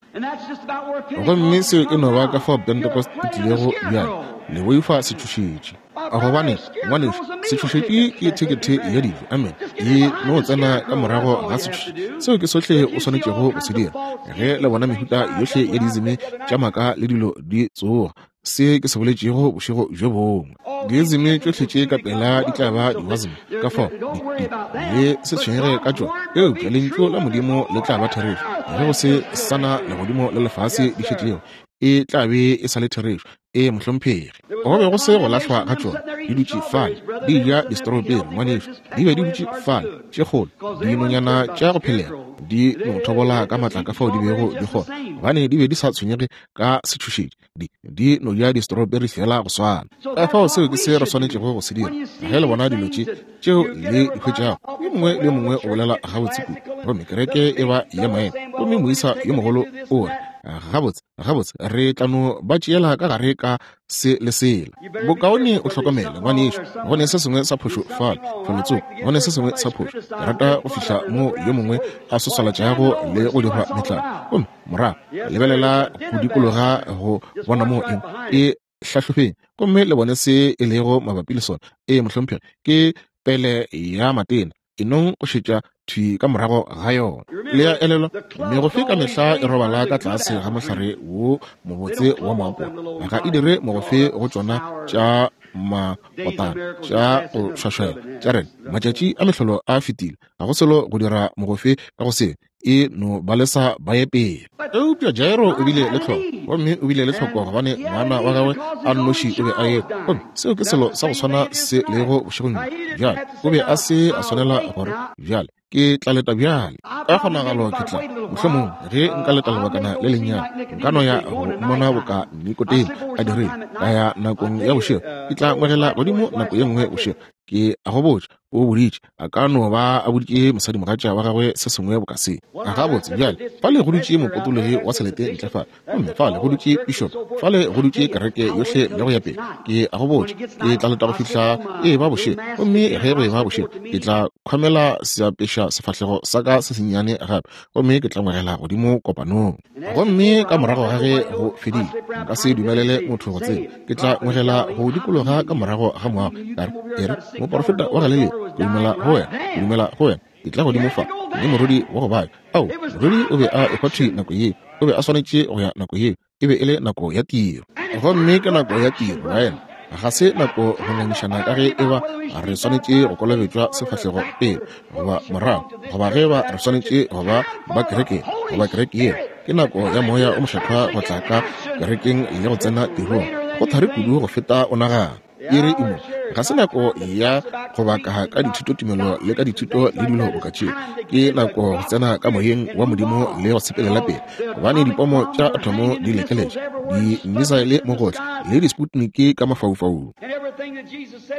Gomme seo e no ba ka fao Pentecost e tlilego bjale, le boifa setšhošetši. Gobane, ngwanešu, setšhošetši ke thekethe ya dijo. Amen. E no tsena ka morago ga setšhošetši. Seo ke sohle o swanetšego go se dira. Ge le bona mehuta yohle ya diizime tša maaka le dilo di tsoga, se ke se boletšego bošego bjo bongwe. Diizime tšohle tše ka pela di tla ba diwasm, ka fao di, di, le se tshwenyege ka tšona. Eupša Lentšu la Modimo le tla ba therešo. Ge go se sa na legodimo le lefase di šetšego, e tla be e sa le therešo. Ee, mohlomphegi. Go be go se go lahlwa ga tšona. Di dutše fale, di ja distroberi, ngwanešu. Di be di dutše fale, tše kgolo, dinonyana tša go phelega, di no thobola ka matla ka fao di bego di kgona, gobane di be di sa tshwenyege ka setšhošetši. Di, di no ja distroberi feela go swana. Ka fao seo ke se re swanetšego go se dira. Ge le bona dilo tše, tšeo le di hwetšago, yo mongwe le yo mongwe o bolela gabotse kudu, gomme kereke e ba ya maemo, gomme moisa yo mogolo o re, Gabotse, gabotse, re tla no ba tšeela ka gare ka se le sela. Bokaone o hlokomele, ngwanešu, go ne se sengwe sa phošo fale, felotsoko, go ne se sengwe sa phošo. Ke rata go fihla mo yo mongwe a soswalatšago le go dirwa metlalo, gomme morago lebelela go dikologa go bona moo eng e hlahlofeng gomme le bone se e lego mabapi le sona. Ee, mohlomphegi, ke pele ya matena. E nong go šetša thwi ka morago ga yona. Le a elelwa, megofe ka mehla e robala ka tlase ga mohlare wo mobotse wa moapola. Ga e dire mogofe go tšona tša makotana tša go šwašwela tša rena. Matšatši a mehlolo a fetile. Ga go selo go dira mogofe ka go se. E no ba lesa ba ye pele. Eupša Jairo o bile le tlhoko, gomme o bile le tlhoko gobane ngwana wa gagwe a nnoši o be a ekwa. Gomme seo ke selo sa go swana se lego bošegong bjo. Bjale, o be a se a swanela gore, Bjale, ke tla leta bjale. Ka kgonagalo ke tla, mohlomongwe, ge nka leta lebakana le lennyane, nka no ya go mmona boka Nikodemo a dirile, ka ya nakong ya bošego. Ke tla ngwegela godimo nako ye nngwe bošego. Ke a go botša, o boditše, a ka no ba a boditše mosadimogatša wa gagwe se sengwe boka se. Gabotse, bjale, fale go dutše mopotologi wa selete ntle fale, gomme fale go dutše pišopo, fale go dutše kereke yohle le go ya pele. Ke a go botša, ke tla leta go fihla e eba bošego, gomme ge go eba bošego, ke tla khwamela seapeša sefahlego sa ka se sennyane gape, gomme ke tla ngwegela godimo kopanong. Gomme ka morago ga ge go fedile, nka se dumelele motho go tseba. Ke tla ngwegela go dikologa ka morago ga moago, ka re, E re, moporofeta wa Galilea, ke dumela go wena, ke dumela go wena. Ke tla godimo fa, mme morwedi wa go babja. Ao, morwedi o be a ehwa thwi nako yeo. O be a swanetše go ya nako yeo. E be e le nako ya tiro. Gomme ke nako ya tiro, baena. Ga se nako go ngangišana ka ge eba re swanetše go kolobetšwa sefahlego pele goba morago, goba ge eba re swanetše go ba ba kereke goba kereke yeo. Ke nako ya Moya o Mokgethwa go tla ka kerekeng le go tsena tirong. Go thari kudu go feta o nagana. Iri e mo. Ga se nako ya go baka ka dithutotumelo le ka dithuto le dilo boka tšeo. Ke nako go tsena ka Moyeng wa Modimo le go sepelela pele, gobane dipomo tša athomo di lekeletše, di-missile mo gohle, le di-sputnik ka mafaufaung.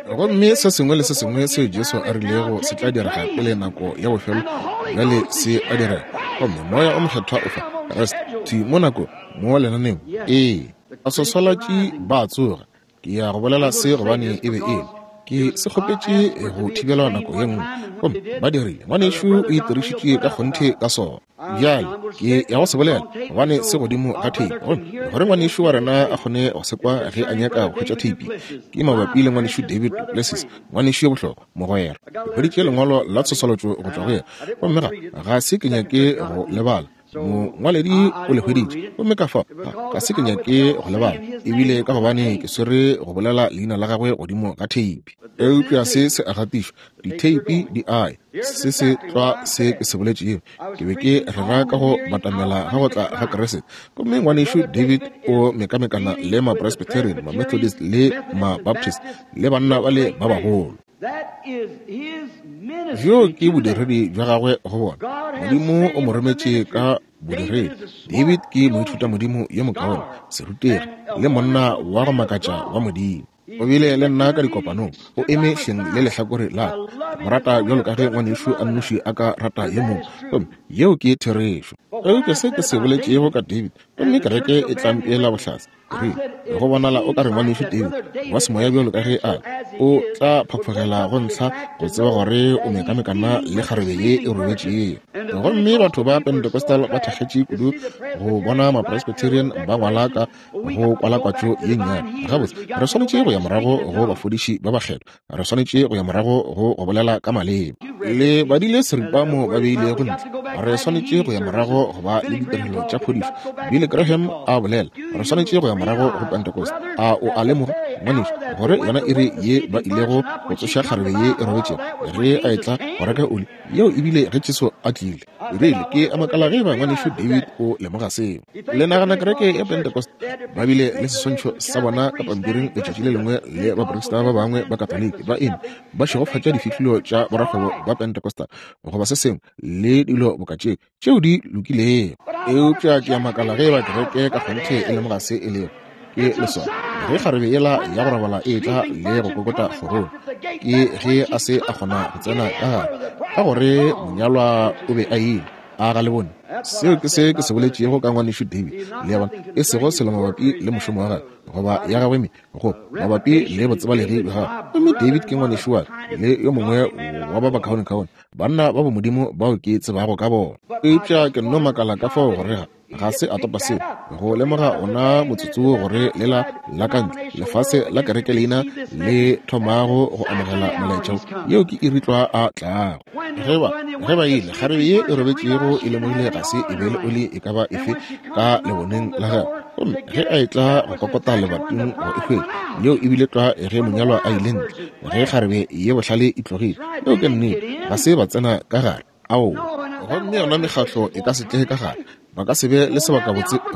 Gomme se sengwe le se sengwe seo Jesu a rilego se tla direga pele nako ya bofelo bjale se a direga. Gomme Moya o Mokgethwa o fa Kriste thwi mo nako mo lenaneong. Ee, baswaswalatši ba a tsoga. Ke ya go bolela se gobane e be e le. Ke se kgopetše go thibelwa nako ye nngwe, gomme ba dirile. Ngwanešu o itirišitše ka kgonthe ka sona. Bjale ke ya go se bolela gobane se godimo ga theipi, gomme gore ngwanešu wa rena a kgone go se kwa ge a nyaka go hwetša theipi. Ke mabapi le ngwanešu David duPlessis, ngwanešu yo bohlokwa, mogwera. Ke hweditše lengwalo la tshoswalatšo go tšwa go yena, gomme ga, ga se ke nyake go le bala. Mongwaledi o le hweditše, gomme ka fao ga, ga se ke nyake go lebala, ebile ka gobane ke swere go bolela leina la gagwe godimo ga theipi. Eupša se se a gatišwa, ditheipi di a ya. Se se tlwa se ke se boletšego. Ke be ke rera ka go batamela ga go tla ga Kriste. Gomme ngwanešu David o mekamekana le Mapresbyterian, Mamethodist le Mabaptist, le banna bale ba bagolo. Bjoo ke bodiredi bja gagwe go bona. Modimo o mo rometše ka bodiredi. David ke moithutamodimo yo mokaone, serutegi, le monna wa go makatša wa Modimo. O bile le nna ka dikopanong, o eme hleng le lehlakore la ka. Ke mo rata bjalo ka ge ngwanešu a nnoši a ka rata yo mongwe, gomme yeo ke therešo. Eupša se ke se boletšego ka David, gomme kereke e tla mpeela bohlatse, Ke rile, Go bonala o ka re ngwanešu David, wa semoya bjalo ka ge a le, o tla phaphogela go ntlha go tseba gore o mekamekana le kgarebe ye e robetšego. Gomme batho ba Pentecostal ba thakgetše kudu go bona Mapresbyterian ba ngwala ka go kwalakwatšo ye nnyane. Gabotse, re swanetše go ya morago go bafodiši ba bakgethwa. Re swanetše go ya morago go go bolela ka maleme. Le badile seripa mo ba beilego ntle. Re swanetše go ya morago go ba le ditirelo tša phodišo. Billy Graham a bolela, re swanetše go ya morago go Pentecost. A o a lemoga, ngwanešu, gore yona iri ye ba ilego go tsoša kgarebe ye e robetšego ge a etla go reka oli, yeo e bile ge Jesu a tlile. Rile, ke a makala ge eba ngwanešu David o lemoga seo. Le nagana kereke ya Pentecost ba bile le seswantšho sa bona ka pampiring letšatši le lengwe le baprista ba bangwe ba Katoliki ba eme ba šegofatša difihlolo tša borakgwebo ba Pentecostal goba se sengwe le dilo boka tše tšeo di lokilego. Eupša ke a makala ge eba kereke ka kgonthe e lemoga se e lego. Ke leswao ge kgarebe yela ya go robala e etla le go kokota kgorong, ke ge a se a kgona go tsena ka gare ka gore monyalwa o be a ile. A ga le bone? Seo ke se ke se boletšego ka ngwanešu David, le a bona, e sego selo mabapi le mošomo wa gagwe goba ya gagwe me go mabapi le botsebalegi bja gagwe. Gomme David ke ngwanešu wa ka le yo mongwe wa ba bakaonekaone banna ba bomodimo bao ke tsebago ka bona. Eupša ke nno makala ka fao gore ga ga se a topa seo go lemoga ona motsotso wo gore lela la ka ntle lefase la kereke leina le thomago go amogela molaetša wo, yeo ke iri tlwa a tlago. Ge ba, ge ba ile, kgarebe ye e robetšego e lemogile ga se e be le oli e ka ba efe ka leboneng la gagwe. Gomme ge a etla go kokota lebating go e hwetša, yeo e bile tlwa ge monyalwa a ile ntle, ge kgarebe ye bohlale e tlogile. Yeo ke nnete, ga se ba tsena ka gare. Aowa. Gomme yona mekgatlo e ka se tle ka gare, ba ka se be le sebakabotse go.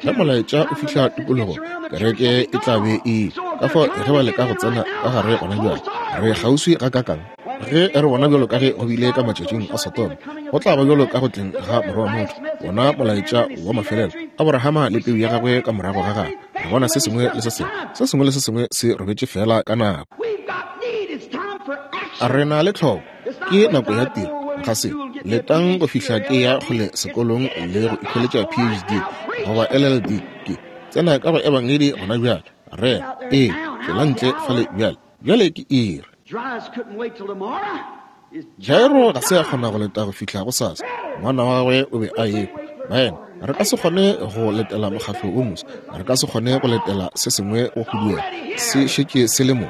Ge molaetša o fihla tikologong, kereke e tla be e ile. Ka fao ge ba leka go tsena ka gare gona bjale, re kgauswi gakaakang? Ge re bona bjalo ka ge go bile ka matšatšing a Sodoma, go tla ba bjalo ka go tleng ga Morwa wa motho, wona molaetša wa mafelelo, Aborahama le peu ya gagwe ka morago ga gagwe. Re bona se sengwe le se sengwe, se sengwe le se sengwe se robetše feela ka nako. Re na le tlhoko, ke nako ya tiro. Ga se letang go fihla ke ya kgole sekolong le go ikhweletša PhD goba LLD. Ke tsena ka go Ebangedi gona bjale. Re, ee, tšwela ntle fale bjale. Bjale ke iri. Jairo ga se a kgona go leta go fihla gosasa. Ngwana wa gagwe o be a ekwa. Baena, re ka se kgone go letela mokgatlo wo moswa. Re ka se kgone go letela se sengwe go huduega. Se šetše se le mo.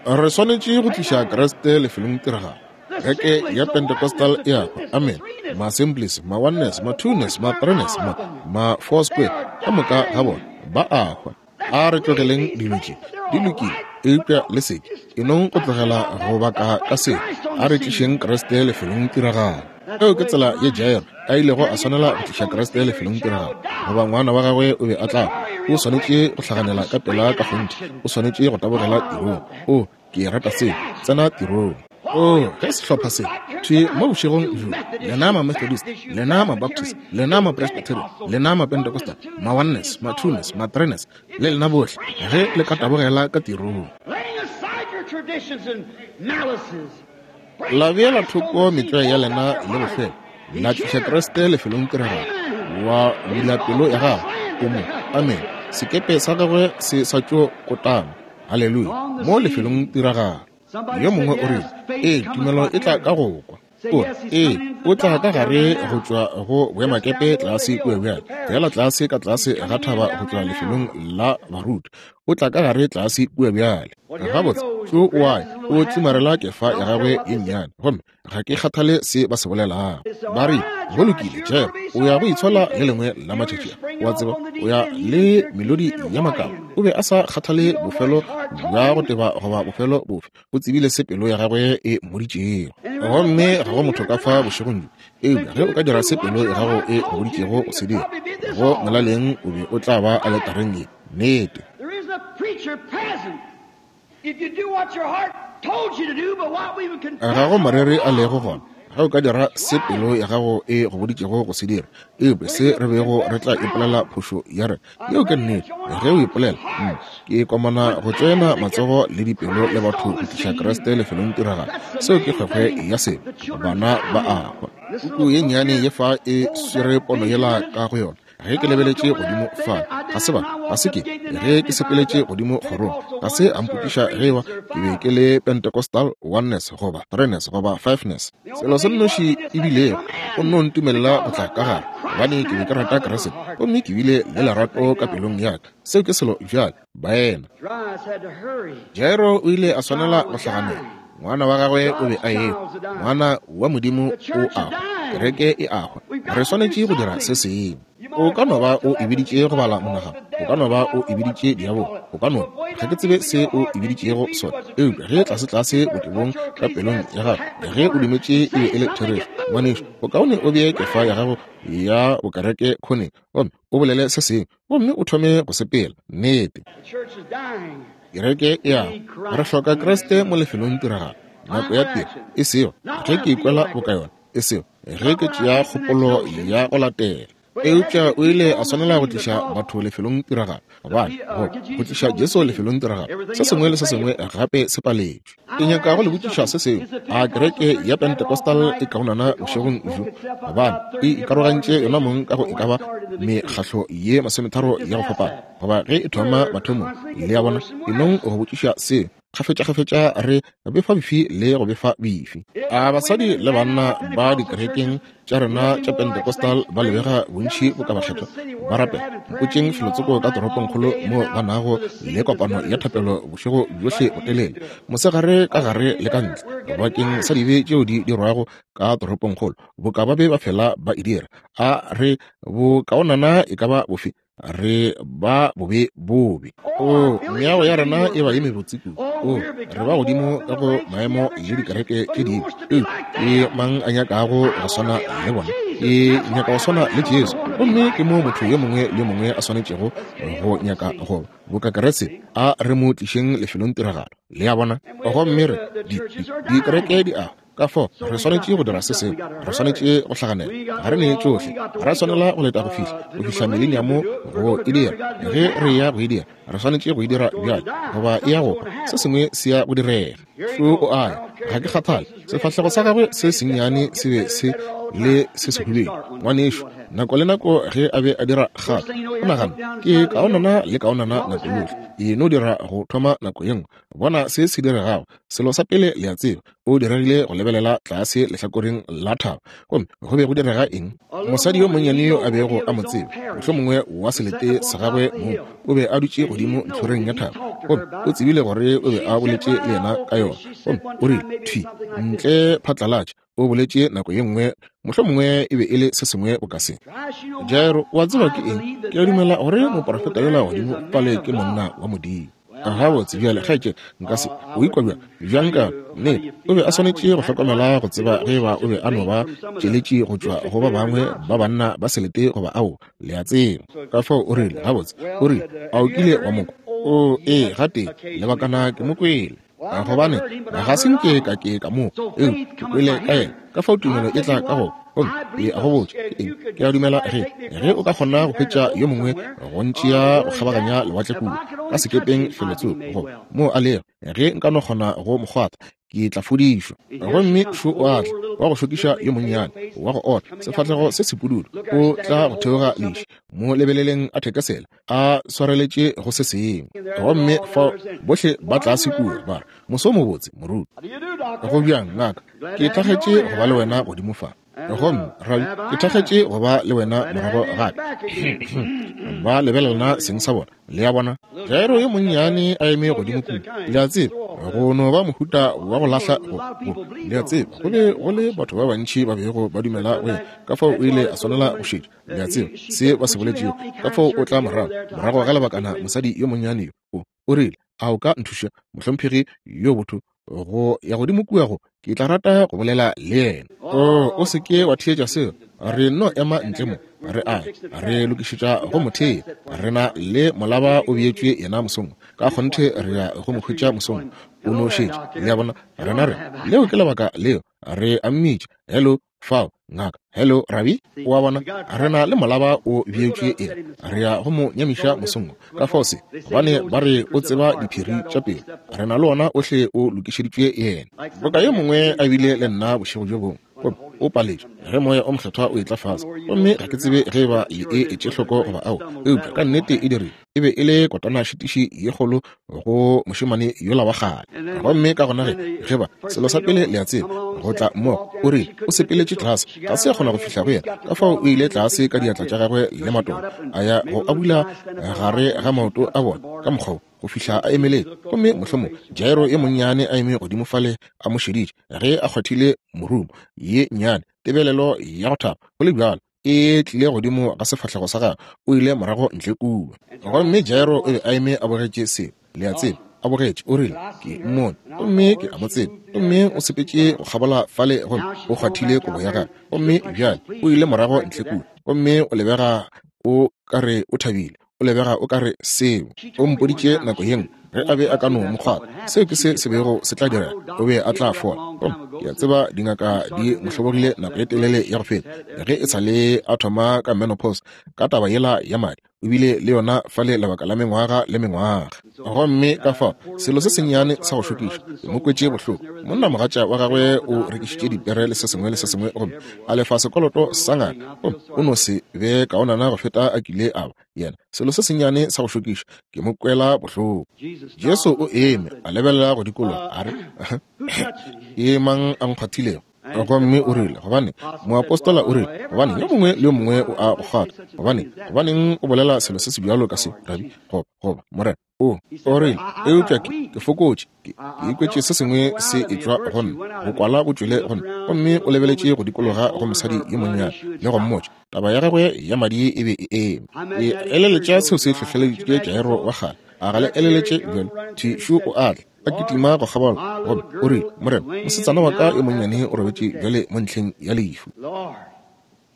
Re swanetše go tliša Kriste lefelong tiragalo. Kereke ya Pentecostal e a hwa. Amen. Ma-Assemblies, ma-Oneness, ma-Twoness, ma-Threeness, ma, ma-Foursquare, ka moka ga bona ba a hwa. A re tlogeleng dilo tše. Di lokile, eupša le se ke. E nong go tlogela go baka ka seo. A re tlišeng Kriste lefelong tiragalo. Eo ke tsela ye Jairo a ilego a swanela go tliša Kriste lefelong tiragalo, goba ngwana wa gagwe o be a tla hwa. O swanetše go hlaganela ka pela ka kgonthe. O swanetše go tabogela tirong. O, ke rata seo. Tsena tirong. Oo, ge sehlopha se thwi mo bošegong bjo, lena ma-Methodist, lena ma-Baptist, lena ma-Presbyterian, lena ma-Pentecostal, ma-Oneness, ma-Twoness, ma-Threeness, le lena bohle, ge le ka tabogela ka tirong, la beela thoko metlwae ya lena le bofelo, la tliša Kriste lefelong tiragalo, wa bula pelo ya gago, o mo, amen, sekepe sa gagwe se sa tšo kotama, haleluya, mo lefelong tiragalo. Yo mongwe o rile, Ee, tumelo e tla ka go kwa. O re, Ee, o tla ka gare go tšwa go boemakepe tlase kua bjale, feela tlase ka tlase ga thaba go tšwa lefelong la baruti. O tla ka gare tlase kua bjale. Gabotse, tšo o a ya, o tlimarela kefa ya gagwe ye nnyane, gomme ga ke kgathale se ba se bolelago. Ba re, Go lokile, Jeff, o ya go itshola le lengwe la matšatši a. O a tseba, o ya le melodi ya makaba. O be a sa kgathale bofelo bja go teba goba bofelo bofe. O tsebile se pelo ya gagwe e mmoditšego. Gomme ga go motho ka fa bošegong bjo. Eupša ge o ka dira se pelo ya gago e go boditšego go se dira, go molaleng o be o tla ba aletareng ye. Nnete. Ga go moreri a lego gona ge o ka dira se pelo ya gago e go boditšego go se dira, eupša se re bego re tla ipolela phošo ya rena. Yeo ke nnete. Ge o ipolela, mm, ke komana go tšoena matsogo le dipelo le batho go tliša Kriste lefelong tiragalo. Seo ke kgwekgwe ya sebe. Bana ba a hwa. Puku ye nnyane ye fa e swere pono yela ka go yona. Ge ke lebeletše godimo fa, ga se ba, ga se ke, ge ke sepeletše godimo kgorong, ga se a mpotšiša ge eba ke be ke le Pentecostal Oneness goba Threeness goba Fiveness. Selo se nnoši e bilego, o nno ntumelela go tla ka gare, gobane ke be ke rata Kriste, gomme ke bile le lerato ka pelong ya ka. Seo ke selo bjale, baena. Jairo o ile a swanela go hlaganela. Ngwana wa gagwe o be a ehwa. Ngwana wa Modimo o a hwa. Kereke e a hwa. Re swanetše go dira se sengwe. O ka no ba o e biditše go bala monagano. O ka no ba o e biditše diabolo. O ka no, ga ke tsebe se o e biditšego sona. Eupša ge tlasetlase botebong ka pelong ya gago, ge o dumetše e be e le therešo, ngwanešu, bokaone o bee kefa ya gago ya bokereke khoneng gomme o bolele se sengwe. gomme o thome go sepela. Nnete. Kereke e a re hloka Kriste mo lefelong tiragalo. Nako ya tiro, e sego ge ke ikwela boka yona, e sego ge ke tšea kgopolo ya go latela. Eupša o ile a swanela go tliša batho lefelong tiragalo, gobane go tliša Jesu lefelong tiragalo, se sengwe le se sengwe gape se paletšwe. Ke nyaka go le botšiša se sengwe. A kereke ya Pentecostal e kaonana bošegong bjo? Gobane e ikarogantše yona mong ka go e ka ba mekgahlo ye masometharo ya go fapana, goba ge e thoma mathomong. Le a bona? E nong go botšiša seo. Kgafetšakgafetša re befa bifi le go befa bifi. A basadi le banna ba dikerekeng tša rena tša Pentecostal ba lebega bontši boka bakgethwa ba rapela. Mpotšeng felotsoko ka toropongkgolo mo ba nago le kopano ya thapelo bošego bjohle botelele, mosegare ka gare le ka ntle, bakeng sa dibe tšeo di dirwago ka toropongkgolo, boka ba be ba fela ba e dira. A re bokaonana e ka ba bofe? Re ba bobe bobe. O, meago ya rena e ba ye mebotse kudu. O, re ba godimo ka go maemo le dikereke tše dingwe. Eupša ke mang a nyakago go swana le bona? Ke nyaka go swana le Jesu. Gomme ke mo motho yo mongwe le yo mongwe a swanetšego go nyaka go ba boka Kriste. A re mo tlišeng lefelong tiragalo. Le a bona? Gomme re, di, di, dikereke di a Ka fao re swanetše go dira se sengwe. Re swanetše go hlaganela. Ga re ne tšohle. Ga ra swanela go leta go fihla, go fihla Mileniamo go e dira. Ge re eya go e dira, re swanetše go e dira bjale, goba e ya go hwa. Se sengwe se ya go direga. Šo o a ya. Ga ke kgathale. Sefahlego sa gagwe se sennyane se be se le se sehubedu. Ngwanešu, nako le nako ge a be a dira kgato, o nagana, Ke kaonana le kaonana nako yohle. E no dira go thoma nako ye nngwe. Bona se se diregago. Selo sa pele le a tseba, o diregile go lebelela tlase lehlakoreng la thaba. Gomme go be go direga eng? Mosadi yo monnyane yo a bego a mo tseba, mohlomongwe wa selete sa gagwe mong, o be a dutše godimo ntlhoreng ya thaba. Gomme o tsebile gore o be a boletše le yena ka yona. Gomme o rile, Thwi ntle phatlalatša, o boletše nako ye nngwe, mohlomongwe e be e le se sengwe boka se. Jairo, o a tseba ke eng? Ke a dumela gore moprofeta yola godimo fale ke monna wa Modimo. Gabotse, bjale, kgaetšedi, nka se. O ikwa bjang? Bjang ka nnete? O be a swanetše go hlokomela go tseba ge eba o be a no ba tšeletši go tšwa go ba bangwe ba banna ba selete goba ao, le a tseba. Ka fao o rile, Gabotse, o rile, a o kile wa mo kwa? Oo, ee, gatee, lebakana ke mo kwele. Gobane, ga se nke ka ke ka mo kwa, eupša ke kwele ka yena. Ka fao tumelo e tla ka go Gomme ke a go botša, ke eng, ke a dumela ge, ge o ka kgona go hwetša yo mongwe go ntšea go kgabaganya lewatle kua, ka sekepeng felotsoko, goba moo a lego, ge nka no kgona go mo kgwatha, ke tla fodišwa. Gomme šo o a tla, wa go šokiša yo monnyane, wa go ota, sefahlego se sepududu, o tla go theoga leši, mo lebeleleng a thekesela, a swareletše go se sengwe. Gomme fao bohle ba tlase kua, ba re, Moso mobotse, moruti. Go bjang, ngaka? Ke thakgetše go ba le wena godimo fa. Gomme, rabi, ke thakgetše go ba le wena morago gape. Ba lebelelana seng sa bona. Le a bona? Jairo yo monnyane a eme godimo kua, le a tseba, go no ba mohuta wa go lahla go, go, le a tseba, go be go le batho ba bantši ba bego ba dumela go yena, ka fao o ile a swanela go šetša, le a tseba, se ba se boletšego. Ka fao o tla morago, morago ga lebakana mosadi yo monnyane yo, o, o rile, A o ka nthuša, mohlomphegi yo botho, go ya godimo kua go, ke tla rata go bolela le yena. O, o se ke wa theetša seo. Re nno ema ntle mo, re a re lokišetša go mo thea. Re na le molaba o beetšwe yena mosong. Ka kgonthe re ya go mo hwetša mosong. O no šetše. Le a bona? Rena re, leo ke lebaka leo re a mmitša. Hello, fao, ngaka. Hello, rabi. O a bona, re na le molaba o beetšwe eng. Re ya go mo nyamiša mosong wo. Ka fao se, gobane ba re o tseba diphiri tša pelo. Re na le ona ohle o lokišeditšwe yena. Boka yo mongwe a bile le nna bošego bjo bongwe, gomme o paletšwe ge Moya o Mokgethwa o etla fase. Gomme ga ke tsebe ge eba le e etše hloko goba aowa, eupša ka nnete e dirile. E be e le kotanašitiši ye kgolo go mošemane yola wa kgale. Gomme ka gona ge, ge ba, selo sa pele le a tseba, go tla mmogo, o rile, o sepeletše tlase, ga se a kgona go fihla go yena, ka fao o ile tlase ka diatla tša gagwe le matolo, a ya go a bula gare ga maoto a bona, ka mokgwa wo, go fihla a emeletše. Gomme mohlomong Jairo yo monnyane a eme godimo fale a mo šeditše, ge a kgwathile morumo, ye nnyane, tebelelo ya go thaba, go le bjalo, e tlile godimo ga sefahlego sa gagwe, o ile morago ntle kua. Gomme Jairo o be a eme a bogetše seo, le a tseba, a bogetše, o rile, Ke mmone, gomme ke a mo tseba. Gomme o sepetše go kgabola fale gomme o kgwathile kobo ya gagwe, gomme bjale o ile morago ntle kua, gomme o lebega o ka re o thabile. O lebega o ka re seo. O mpoditše nako ye nngwe, ge a be a ka no mo kgwatha, seo ke se se bego se tla direga, o be a tla fola. Gomme ke a tseba dingaka di mo hlobogile nako ye telele ya go feta, ge e sa le a thoma ka menopause, ka taba yela ya madi. O bile le yona fale lebaka la mengwaga le mengwaga. Gomme ka fao, selo se sennyane sa go šokiša, ke mo kwetše bohloko. Monnamogatša wa gagwe o rekišitše dipere le se sengwe le se sengwe gomme a lefa sekoloto sa ngaka, gomme o no se be kaonana go feta a kile a ba. Yena, selo se sennyane sa go šokiša, ke mo kwela bohloko. Jesu o eme, a lebelela go dikologa, a re, Ke mang a nkgwathilego? Gomme o rile, gobane moapostola o rile, gobane yo mongwe le yo mongwe o a go kgwatha. Gobane, gobaneng o bolela selo se sebjalo ka se, Rabi, goba, Morena? O rile, eupša ke fokotše, ke ikwetše se sengwe se etšwa go nna, bokwala bo tšwele go nna. Gomme o lebeletše go dikologa go mosadi yo monnyane le go mmotša taba ya gagwe ya madi e be e eme. Ke eleletša seo se hlohleleditše Jairo wa kgale. A ga le eleletše bjalo? Thišu o a tla, a kitima go kgabola, gomme o rile, Morena, mosetsana wa ka yo monnyane o robetše bjale mo ntlheng ya lehu.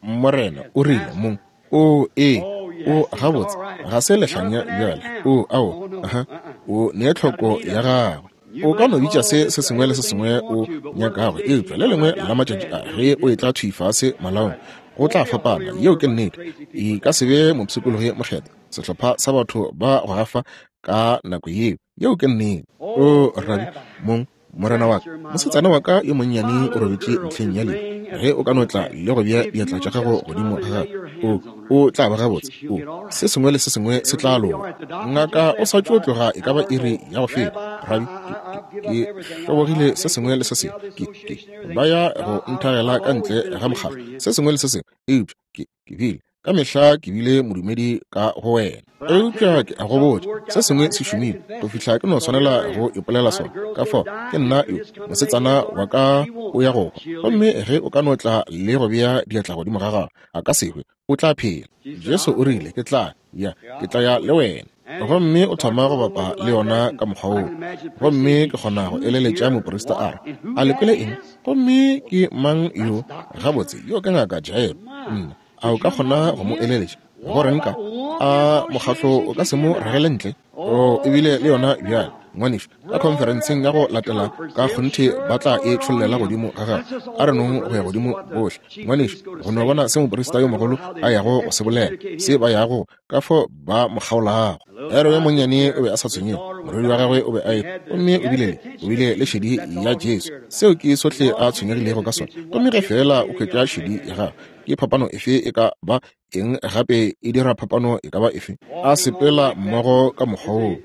Morena o rile, Mong, o ee, o gabotse, ga se lehlanya bjale. O, ao, aha, o ne tlhoko ya gagwe. O ka no bitša se se sengwe le se sengwe o nyakago, eupša le lengwe la matšatši a ge o etla thwi fase malaong, go tla fapana. Yeo ke nnete. E ka se be mopshikologi mokgethwa, sehlopha sa batho ba go gafa ka nako yeo. Yeo ke nnete. O, Rabi, Mong, Morena wa ka, mosetsana wa ka yo monnyane o robetše ntlheng ya lehu. Ge o ka no tla le go bea diatla tša gago godimo ga gagwe, o tla ba gabotse. O, se sengwe le se sengwe se tla loka. Ngaka o sa tšo tloga e ka ba iri ya go feta. Rabi, ke hlobogile se sengwe le se sengwe. Ke ba ya go nthagela ka ntle ga mokgatlo, se sengwe le se sengwe. Eupša ke bile ka mehla ke bile modumedi ka go wena. Eupša ke a go botša, se sengwe se šomile go fihla ke no swanela go ipolela sona. Ka fao ke nna yo, mosetsana wa ka o ya go hwa, gomme ge o ka no tla le go bea diatla godimo ga gagwe, a ka se hwe, o tla phela. Jesu o rile, Ke tla ya, ke tla ya le wena. Gomme o thoma go bapa le yona ka mokgwa woo. Gomme ke kgona go eleletša moprista a re, A le kwele eng? Gomme ke mang yo? Gabotse, yo ke Ngaka Jairo. Nna, a o ka kgona go mo eleletša? Go reng ka a mokgatlo o ka se mo ragele ntle? O ebile le yona bjale, ngwanešu, ka khonferenseng ya go latela ka kgonthe ba tla e tšhollela godimo ga gagwe. A re nong go ya godimo bohle, ngwanešu, go no bona se moprista yo mogolo a yago go se bolela, se ba yago ka fo ba mo kgaolago. Jairo yo monnyane o be a sa tshwenyege, morwedi wa gagwe o be a e, gomme o bile le, o bile le šedi ya Jesu. Seo ke sohle a tshwenyegilego ka sona. Gomme ge feela o hwetša šedi ya gagwe, ke phapano efe e ka ba eng gape e dira phapano e ka ba efe? A sepela mmogo ka mokgwa woo,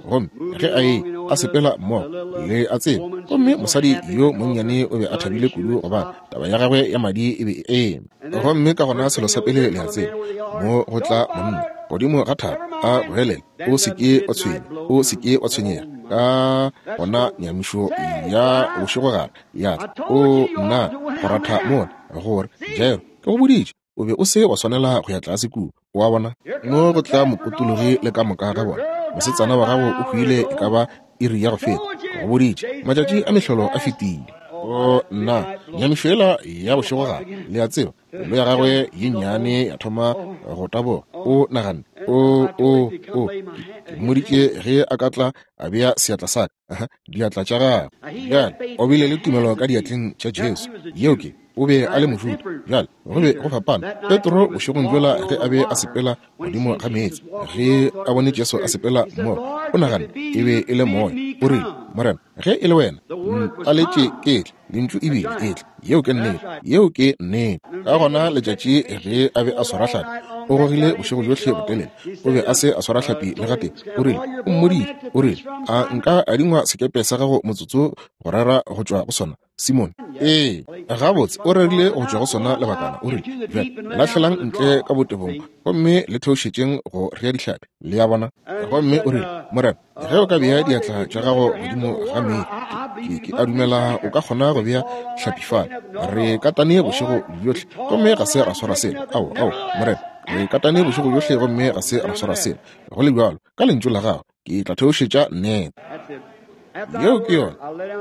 gomme ge a e a sepela mmogo le a tseba, gomme mosadi yo monnyane o be a thabile kudu gobane taba ya gagwe ya madi e be e eme. Gomme ka gona selo sa pele le a tseba, mo go tla monna godimo ga thaba a goelela, o se ke wa tshwenya, o se ke wa tshwenyega. Ka gona nyamišo ya bošegogare ya tla, o nna go ratha mola gore Jairo, ke go boditše, o be o se wa swanela go ya tlase kua. O a bona? Mo go tla mopotologi le ka moka ga bona. Mosetsana wa gago o hwile e ka ba iri ya go feta. Ke go boditše, matšatši a mehlolo a fetile. O nna, nyamišo yela ya bošegogare, le a tseba, pelo ya gagwe ye nnyane ya thoma go taboga. O naganne, O, o, o, ke mmoditše ge a ka tla a bea seatla sa ka, diatla tša gagwe. Bjale, o bile le tumelo ka diatleng tša Jesu. Yeo ke, o be a le Mojuda. Bjale, go be go fapana. Petro, bošegong bjola ge a be a sepela godimo ga meetse, ge a bone Jesu a sepela mmogo, o naganne e be e le moya. O rile, Morena, ge e le wena, ntaletše ke tle. Lentšu e bile etle. Yeo ke nnete. Yeo ke nnete. Ka gona letšatši ge a be a swara hlapi, o gogile bošego bjohle botelele. O be a se a swara hlapi le gatee. O rile, o mmoditše, o rile, a nka adingwa sekepe sa gago motsotso go rera go tšwa go sona, Simone? Ee, gabotse, o rerile go tšwa go sona lebakana. O rile, bjale, lahlelang ntle ka botebong gomme le theošetšeng go rea dihlapi. Le a bona? Gomme o rile, Morena, ge o ka bea diatla tša gago godimo ga meetse, ke a dumela o ka kgona go bea hlapi fale. Re katane bošego bjohle gomme ga se ra swara selo. Ao, ao, Morena, re katane bošego bjohle gomme ga se ra swara selo. Go le bjalo, ka lentšu la gago ke tla theošetša nnete. Yeo ke yona,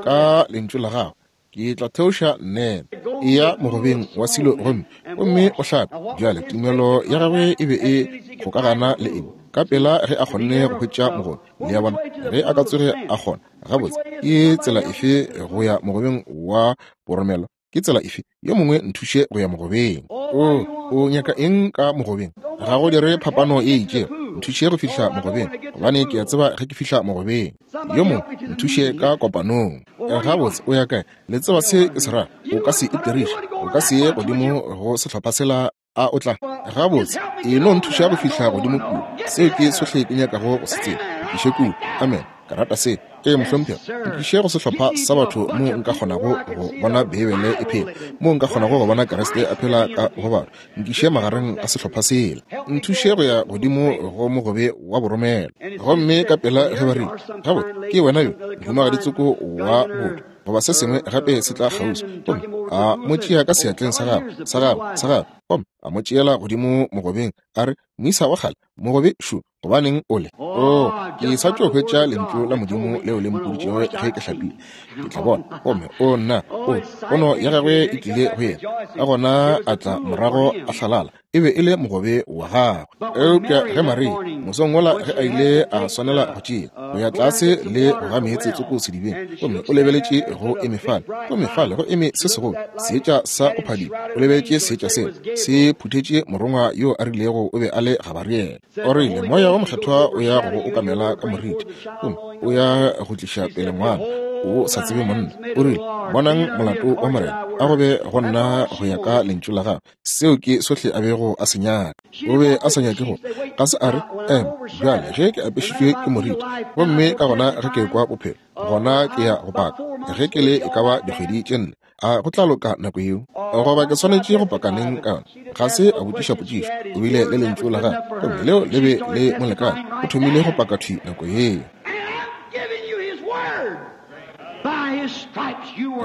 ka lentšu la gago ke tla theoša nnete. Eya mogobeng wa Silo gomme, gomme o hlape. Bjale tumelo ya gagwe e be e kgokagana le eng? Ka pela ge a kgonne go hwetša mogobe, le a bona, ge a ka tsoge a kgona, gabotse, ke tsela efe go ya mogobeng wa boromelo? Ke tsela efe? Yo mongwe nthuše go ya mogobeng. O, o nyaka eng ka mogobeng? Ga go dire phapano e itšego. Nthuše go fihla mogobeng, gobane ke a tseba ge ke fihla mogobeng. Yo mongwe nthuše ka kopanong. Gabotse, o ya kae? Le tseba se ke se ra. O ka se itiriše. O ka se ye godimo go sehlopha sela. A o tla? Gabotse, e no nthuša go fihla godimo kua. Seo ke sohle ke nyakago go se tseba. Nkiše kua. Amen. Ke rata seo. Ee, mohlomphegi. Nkiše go sehlopha sa batho moo nka kgonago go bona Beibele e phela, moo nka kgonago go bona Kriste a phela ka go batho. Nkiše magareng a sehlopha sela. Nthuše go ya godimo go mogobe wa boromelo. Gomme ka pela ge ba rile, Gabotse, ke wena yo, mohumagadi tsoko wa botho, goba se sengwe gape se tla kgauswi, gomme a mo tšea ka seatleng sa gagwe, sa gagwe, sa gagwe, gomme a mo tšeela godimo mogobeng, a re, Moisa wa kgale, mogobe šo, gobaneng o le? Oo, ke sa tšo hwetša Lentšu la Modimo leo le mpoditšego ge ke hlapile. Ke tla bona. Gomme, o nna, o, pono ya gagwe e tlile go yena. Ka gona a tla morago a hlalala. E be e le mogobe wa gagwe. Eupša ge Maria, mosong wola ge a ile a swanela go tšea, go ya tlase le go ga meetse tsoko sedibeng, gomme o lebeletše go eme fale, gomme fale go eme se segolo, seetša sa go phadima. O lebeletše seetša seo, se phuthetše morongwa yo a rilego o be a le Gabariele. O rile, Moya wo Mokgethwa o ya go go okamela ka moriti, gomme o ya go tliša pele ngwana, o sa tsebe monna. O rile, Bonang molato wa Morena, a go be go nna go ya ka lentšu la gago. Seo ke sohle a bego a se nyaka. O be a sa nyake go, ga se a re, Ema, bjale ge ke apešitšwe ke moriti, gomme ka gona ge ke ekwa bophelo, gona ke ya go paka. Ge ke le e ka ba dikgwedi tše nne, a go tla loka nako yeo? Goba ke swanetše go paka neng ka yona? Ga se a botšiša potšišo. O bile le lentšu la gagwe, gomme leo le be le mo lekane. O thomile go paka thwi nako yeo.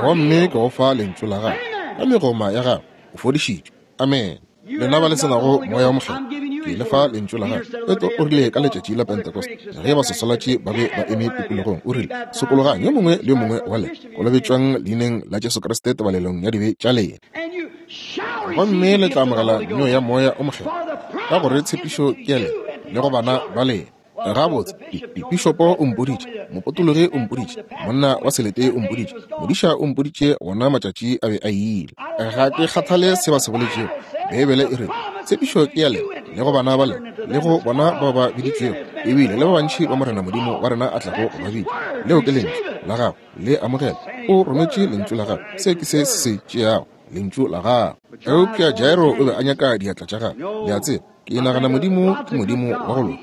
Gomme ke go fa lentšu la gagwe, ka megoma ya gagwe o fodišitšwe. Amene. Lena ba le se nago Moya wo Mokgethwa, ke le fa Lentšu la Gagwe. Petro o rile ka letšatši la Pentecost, ge baswaswalatši ba be ba eme tikologong, o rile, Sokologang, yo mongwe le yo mongwe wa lena, kolobetšwang Leineng la Jesu Kriste tebalelong ya dibe tša lena, gomme le tla amogela neo ya Moya o Mokgethwa, ka gore tshepišo ke ya lena le go bana ba lena. Gabotse, pišopo o mpoditše, mopotologi o mpoditše, monna wa selete o mpoditše, modiša o mpoditše wona matšatši a be a ile. Ga ke kgathale se ba se boletšego. Beibele e re, Tshepišo ke ya lena, le go bana ba lena, le go bona bao ba biditšwego, ebile le ba bantši ba Morena Modimo wa rena a tlago go ba bitša. Leo ke Lentšu la Gagwe, le amogela. O rometše Lentšu la Gagwe. Se ke se se se tšeago, Lentšu la Gagwe. Eupša Jairo o be a nyaka diatla tša gagwe, le a tseba. Ke nagana Modimo ke Modimo wa go loka.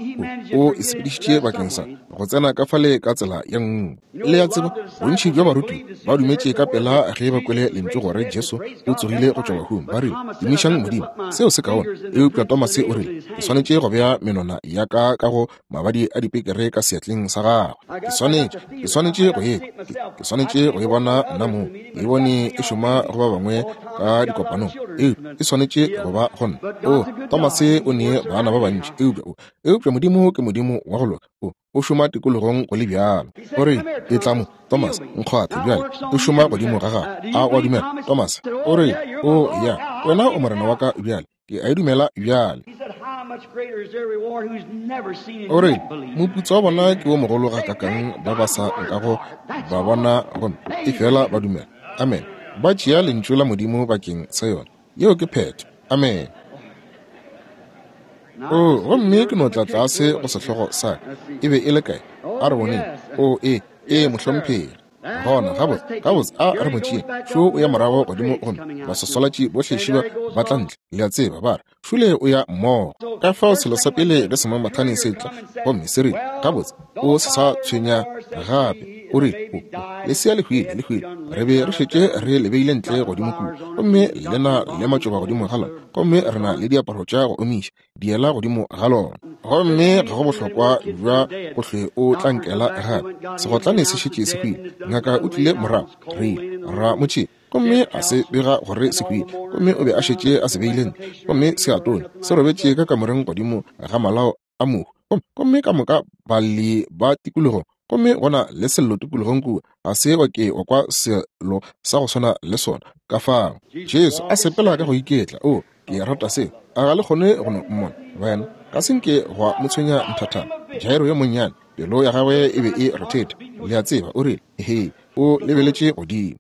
O, o e sepedišitše bakeng sa go tsena ka fale ka tsela ye nngwe. Le a tseba, bontši bja barutiwa ba dumetše ka pela ge ba kwele lentšu gore Jesu o tsogile go tšwa bahung. Ba rile, Tumišang Modimo, seo se kaone. Eupša Tomase o rile, Ke swanetše go bea menwana ya ka ka go mabadi a dipekere ka seatleng sa gagwe. Ke swanetše, ke swanetše go e kwa. Ke, ke swanetše go e bona nna mong. Ke e bone e šoma go ba bangwe ka dikopanong, eupša e swanetše go ba go nna. O, Tomase o ne bana ba bantši, eupša o, eupša Modimo ke Modimo wa go loka. O, o šoma tikologong go le bjalo. O rile, Etla mo, Tomase, nkgwathe bjale. O šoma godimo ga gago. A o a dumela, Tomase? O rile, O, ya, wena o Morena wa ka bjale. Ke a e dumela bjale. O re, moputso wa bona ke wo mogolo gakakang ba ba sa nkago ba bona gomme efela ba dumela. Amen. Ba tšea Lentšu la Modimo bakeng sa yona. Yeo ke phetho. Amen. O, gomme ke no tla tlase go sehlogo sa ka. E be e le kae? A re boneng. O, ee, ee, mohlomphegi. Gona, gabotse, gabotse, a re mo tšeeng. Šo o ya morago godimo gomme baswaswalatši bohle šiba ba tla ntle, le a tseba, ba re, Šole o ya mmogo. Ka fao selo sa pele ge semamathane se tla, gomme se rile, Gabotse, o se sa tshwenya gape. O rile, O, o, lesea le hwile, le hwile. Re be re šetše re le beile ntle godimo kua, gomme le na le matšoba godimo ga lona, gomme re na le diaparo tša go omiša. Diela godimo ga lona. Gomme ga go bohlokwa bja go hlwe o tla nkela gape. Segotlane se šetše se hwile. Ngaka o tlile morago. Re ile ra mo tšea, gomme a se bega gore se hwile. Gomme o be a šetše a se beile ntle, gomme se a tonya, se robetše ka kamoreng godimo ga malao a mohu. Gomme ka moka balli ba tikologong, gomme go na le sello tikologong kua, ga se wa ke wa kwa selo sa go swana le sona. Ka fao Jesu a sepela ka go iketla. O, Ke rata seo. A ga le kgone go no mmona? Wena, ga se nke gwa mo tshwenya nthathana. Jairo yo monnyane, pelo ya gagwe e be e rethetha, le a tseba, o rile, Hei, o lebeletše godimo.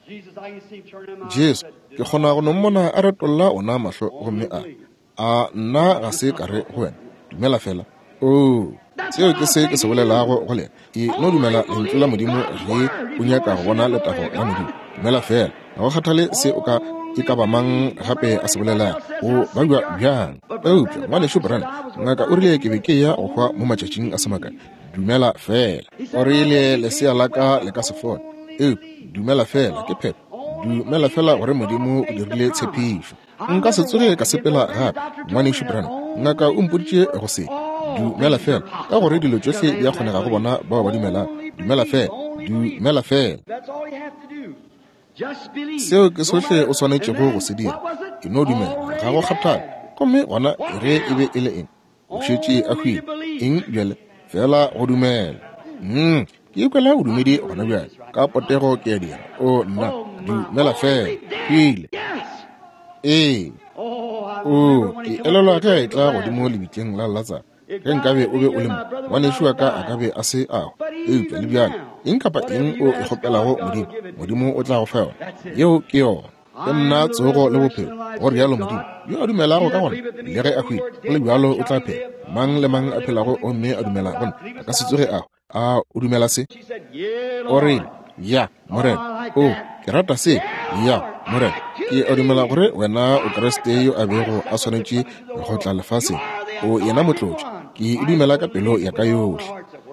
Jesu, ke kgona go no mmona a retolla ona mahlo gomme a re, A nna ga se ka re go wena, dumela feela? Oo, seo ke se ke se bolelago go lena. E no dumela Lentšu la Modimo ge o nyaka go bona letago la Modimo. Dumela feela. Ga go kgathale se o ka e ka ba mang gape a se bolelago, o babja bjang. Eupša, Ngwanešu Branham, ngaka o rile ke be ke eya go hwa mo matšatšing a se makae. Dumela feela. O rile, Lesea la ka le ka se fole. Eupša, dumela feela, ke phetho. Dumela feela gore Modimo o dirile tshepišo. Nka se tsoge ka sepela gape, Ngwanešu Branham. Ngaka o mpoditše go se. Dumela feela, ka gore dilo tšohle di a kgonega go bona bao ba dumelago. Dumela feela. Dumela feela. Seo ke sohle o swanetšego go se dira. E no dumela, ga go kgathale. Gomme gona ge e be e le eng? O šetše a hwile. Eng bjale? Feela go dumela. Ke ikwela bodumedi gona bjale. Ka potego ke a dira. O, nna, dumela feela. Hwile. Ee. O, ke elelwa ge a etla godimo lebitleng la Latsaro. Ge nkabe o be o le mo, ngwanešu wa ka a ka be a se a hwa. Eupša le bjale, eng kapa eng o e kgopelago Modimo, Modimo o tla go fa yona. Yeo ke yona. Ke nna tsogo le bophelo, go rialo Modimo. Yo a dumelago ka gona, le ge a hwile, go le bjalo o tla phela. Mang le mang a phelago gomme a dumela go nna, a ka se tsoge a hwa. A o dumela se? O rile, Ya, Morena. O, ke rata se. Ya, Morena. Ke a dumela gore wena o Kriste yo a bego a swanetše go tla lefaseng. O yena motlotši. Ke e dumela ka pelo ya ka yohle.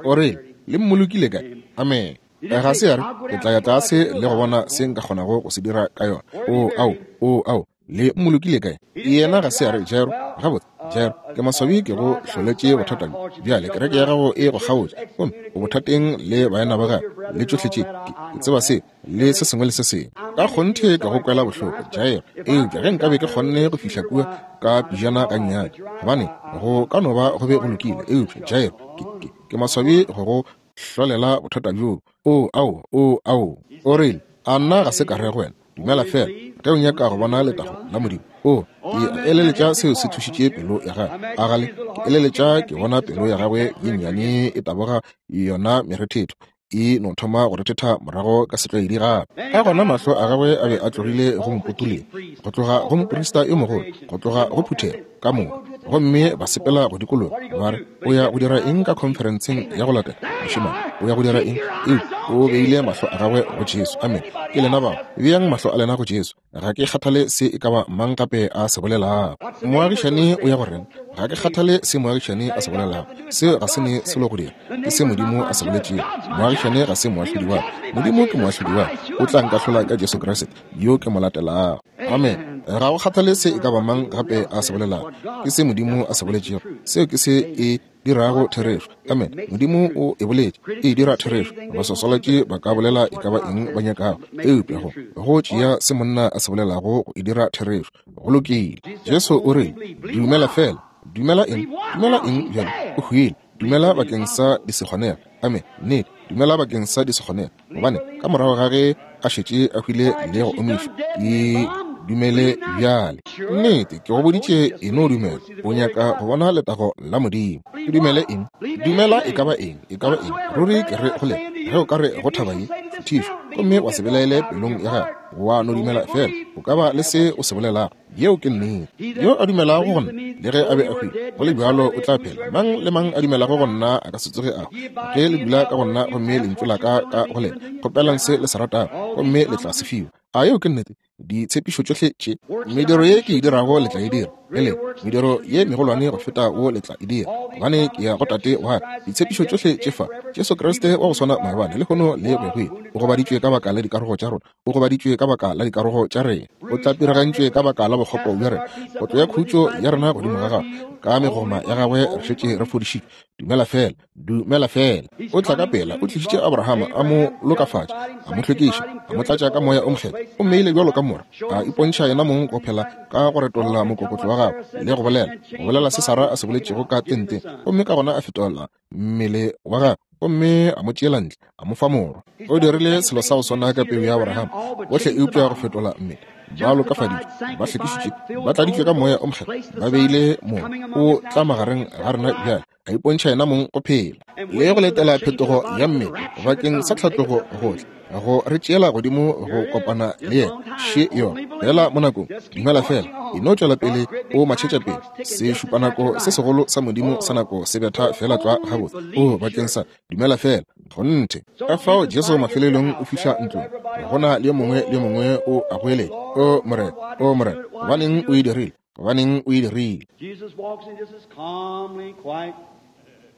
O rile, Le mmolokile kae? Amen. Ga se ya re, Ke tla ya tlase le go bona se nka kgonago go se dira ka yona. O, ao, o, ao. Le mmolokile kae? Yena ga se a re, Jairo, gabotse, Jairo, ke maswabi ke go hloletše bothata bjo. Bjale kereke ya gago e go kgaotše, gomme o bothateng le baena ba gago, le tšohle tše. Ke, ke tseba se, le se sengwe le se sengwe. Ka kgonthe ke go kwela bohloko, Jairo. Eupša ge nkabe ke kgonne go fihla kua ka pejana gannyane, gobane go ka no ba go be go lokile. Eupša, Jairo, ke, ke, ke maswabi go go hlolela bothata bjoo. Oo, ao, oo, ao. O rile, A nna ga se ka re go wena, Dumela feela, ge o nyaka go bona letago la Modimo? Oo, ke eleletša seo se thušitše pelo ya gagwe. A gale, ke eleletša ke bona pelo ya gagwe ye nnyane e taboga yona merethetho e no thoma go rethetha morago ka setlwaedi gape. Ka gona mahlo a gagwe a be a tlogile go mopotoleng, go tloga go moprista yo mogolo, go tloga go phuthego ka moka, gomme ba sepela go dikologa, ba re, O ya go dira eng ka khonferenseng ya go latela, mošemane? O ya go dira eng? Eupša o beile mahlo a gagwe go Jesu. Amene. Ke lena bao. Beang mahlo a lena go Jesu. Ga ke kgathale se e ka ba mang gape a se bolelago. Moagišani o ya go reng? Ga ke kgathale se moagišani a se bolelago. Seo ga se ne selo go dira. Ke se Modimo a se boletšego. Moagišani ga se moahlodi wa ka. Modimo ke moahlodi wa ka. O tla nkahlola ka Jesu Kriste, yo ke mo latelago. Amen. Ga go kgathale se e ka ba mang gape a se bolelago. Ke se Modimo a se boletšego. Seo ke se e dirago therešo. Amen. Modimo o e boletše, e dira therešo. Baswaswalatši ba ka bolela e ka ba eng ba nyakago, eupša go, go tšea se monna a se bolelago go e dira therešo. Go lokile. Jesu o rile, Dumela feela. Dumela eng? Dumela eng bjale? O hwile. Dumela bakeng sa disekgonega. Amen. Nnete. Dumela bakeng sa disekgonega. Gobane ka morago ga ge a šetše a hwile le go omišwa, ke dumele bjale. Nnete, ke go boditše, e no dumela. O nyaka go bona letago la Modimo. Ke dumele eng? Dumela e ka ba eng, e ka ba eng. Ruri ke re go lena, ge o ka re go thaba ye, šuthišwa, gomme wa se belaele pelong ya gago, wa no dumela feela, o ka ba le se o se bolelago. Yeo ke nnete. Yo a dumelago go nna, le ge a be a hwile, go le bjalo o tla phela. Mang le mang a dumelago go nna a ka se tsoge a hwa. Ge le dula ka go nna gomme lentšu la ka ka go lena, kgopelang se le se ratago gomme le tla se fiwa. A yeo ke nnete? Ditshepišo tšohle tše, mediro ye ke e dirago le tla e dira, le lena, mediro ye megolwane go feta wo le tla e dira, gobane ke ya go Tate wa ka. Ditshepišo tšohle tše fa, Jesu Kriste wa go swana maabane, lehono le go ya go ile, o gobaditšwe ka baka la dikarogo tša rona, O gobaditšwe ka baka la dikarogo tša rena, o tlapiragantšwe ka baka la bokgopo bja rena. Kotlo ya khutšo ya rena godimo ga gagwe, ka megoma ya gagwe re šetše re fodišitšwe. Dumela feela, dumela feela. O tla ka pela, o tlišitše Abrahama, a mo lokafatša, a mo hlwekiša, a mo tlatša ka moya o mokgethwa, o mmeile bjalo ka morwa, a ipontšha yena mong go phela ka go retolla mokokotlo wa gagwe le go bolela, go bolela se Sara a se boletšego ka tenteng, gomme ka gona a fetola mmele wa gagwe gomme a mo tšeela ntle, a mo fa morwa. O dirile selo sa go swana ka peu ya Abrahama, bohle eupša go fetola mmele. Ba lokafaditšwe, ba hlwekišitšwe, ba tladitšwe ka Moya o Mokgethwa, ba beile Morwa. O tla magareng ga rena bjale, a ipontšha yena mong go phela le go letela phetogo ya mmele bakeng sa tlhatlogo go tla go re tšeela godimo go kopana le yena. Še yona fela mo nakong, dumela fela, e no tšwela pele o matšhetša pele. Sešupanako se segolo sa Modimo sa nako se betha fela tlwa gabotse. O bakeng sa dumela fela, kgonthe. Ka fao Jesu mafelelong o fihla ntlong, go na le yo mongwe le yo mongwe o a goeletša, O Morena, O Morena, gobaneng o e dirile? Gobaneng o e dirile? Jesus walks in just as calmly, quiet.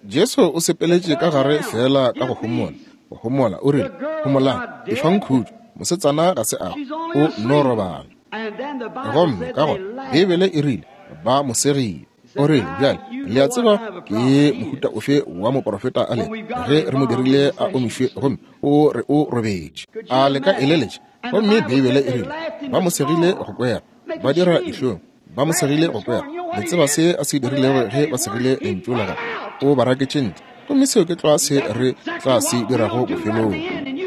Jesu o sepeletše ka gare feela ka go homola. Go homola, o rile, Homolang, efang khutšo, mosetsana ga se a hwa, o nno robala. Gomme ka gona Beibele e rile ba mo segile. O rile, Bjale, le a tseba ke mohuta ofe wa moprofeta a lego, ge re mo dirile a omišwe gomme o re o robetše. A le ka eleletša? Gomme Beibele e rile ba mo segile go kwera, ba dira dihlong, ba mo segile go kwera. Le tseba se a se dirilego ge ba segile lentšu la gagwe? O ba raketše ntle. Gomme seo ke tlwa se re tla se dirago bofelong.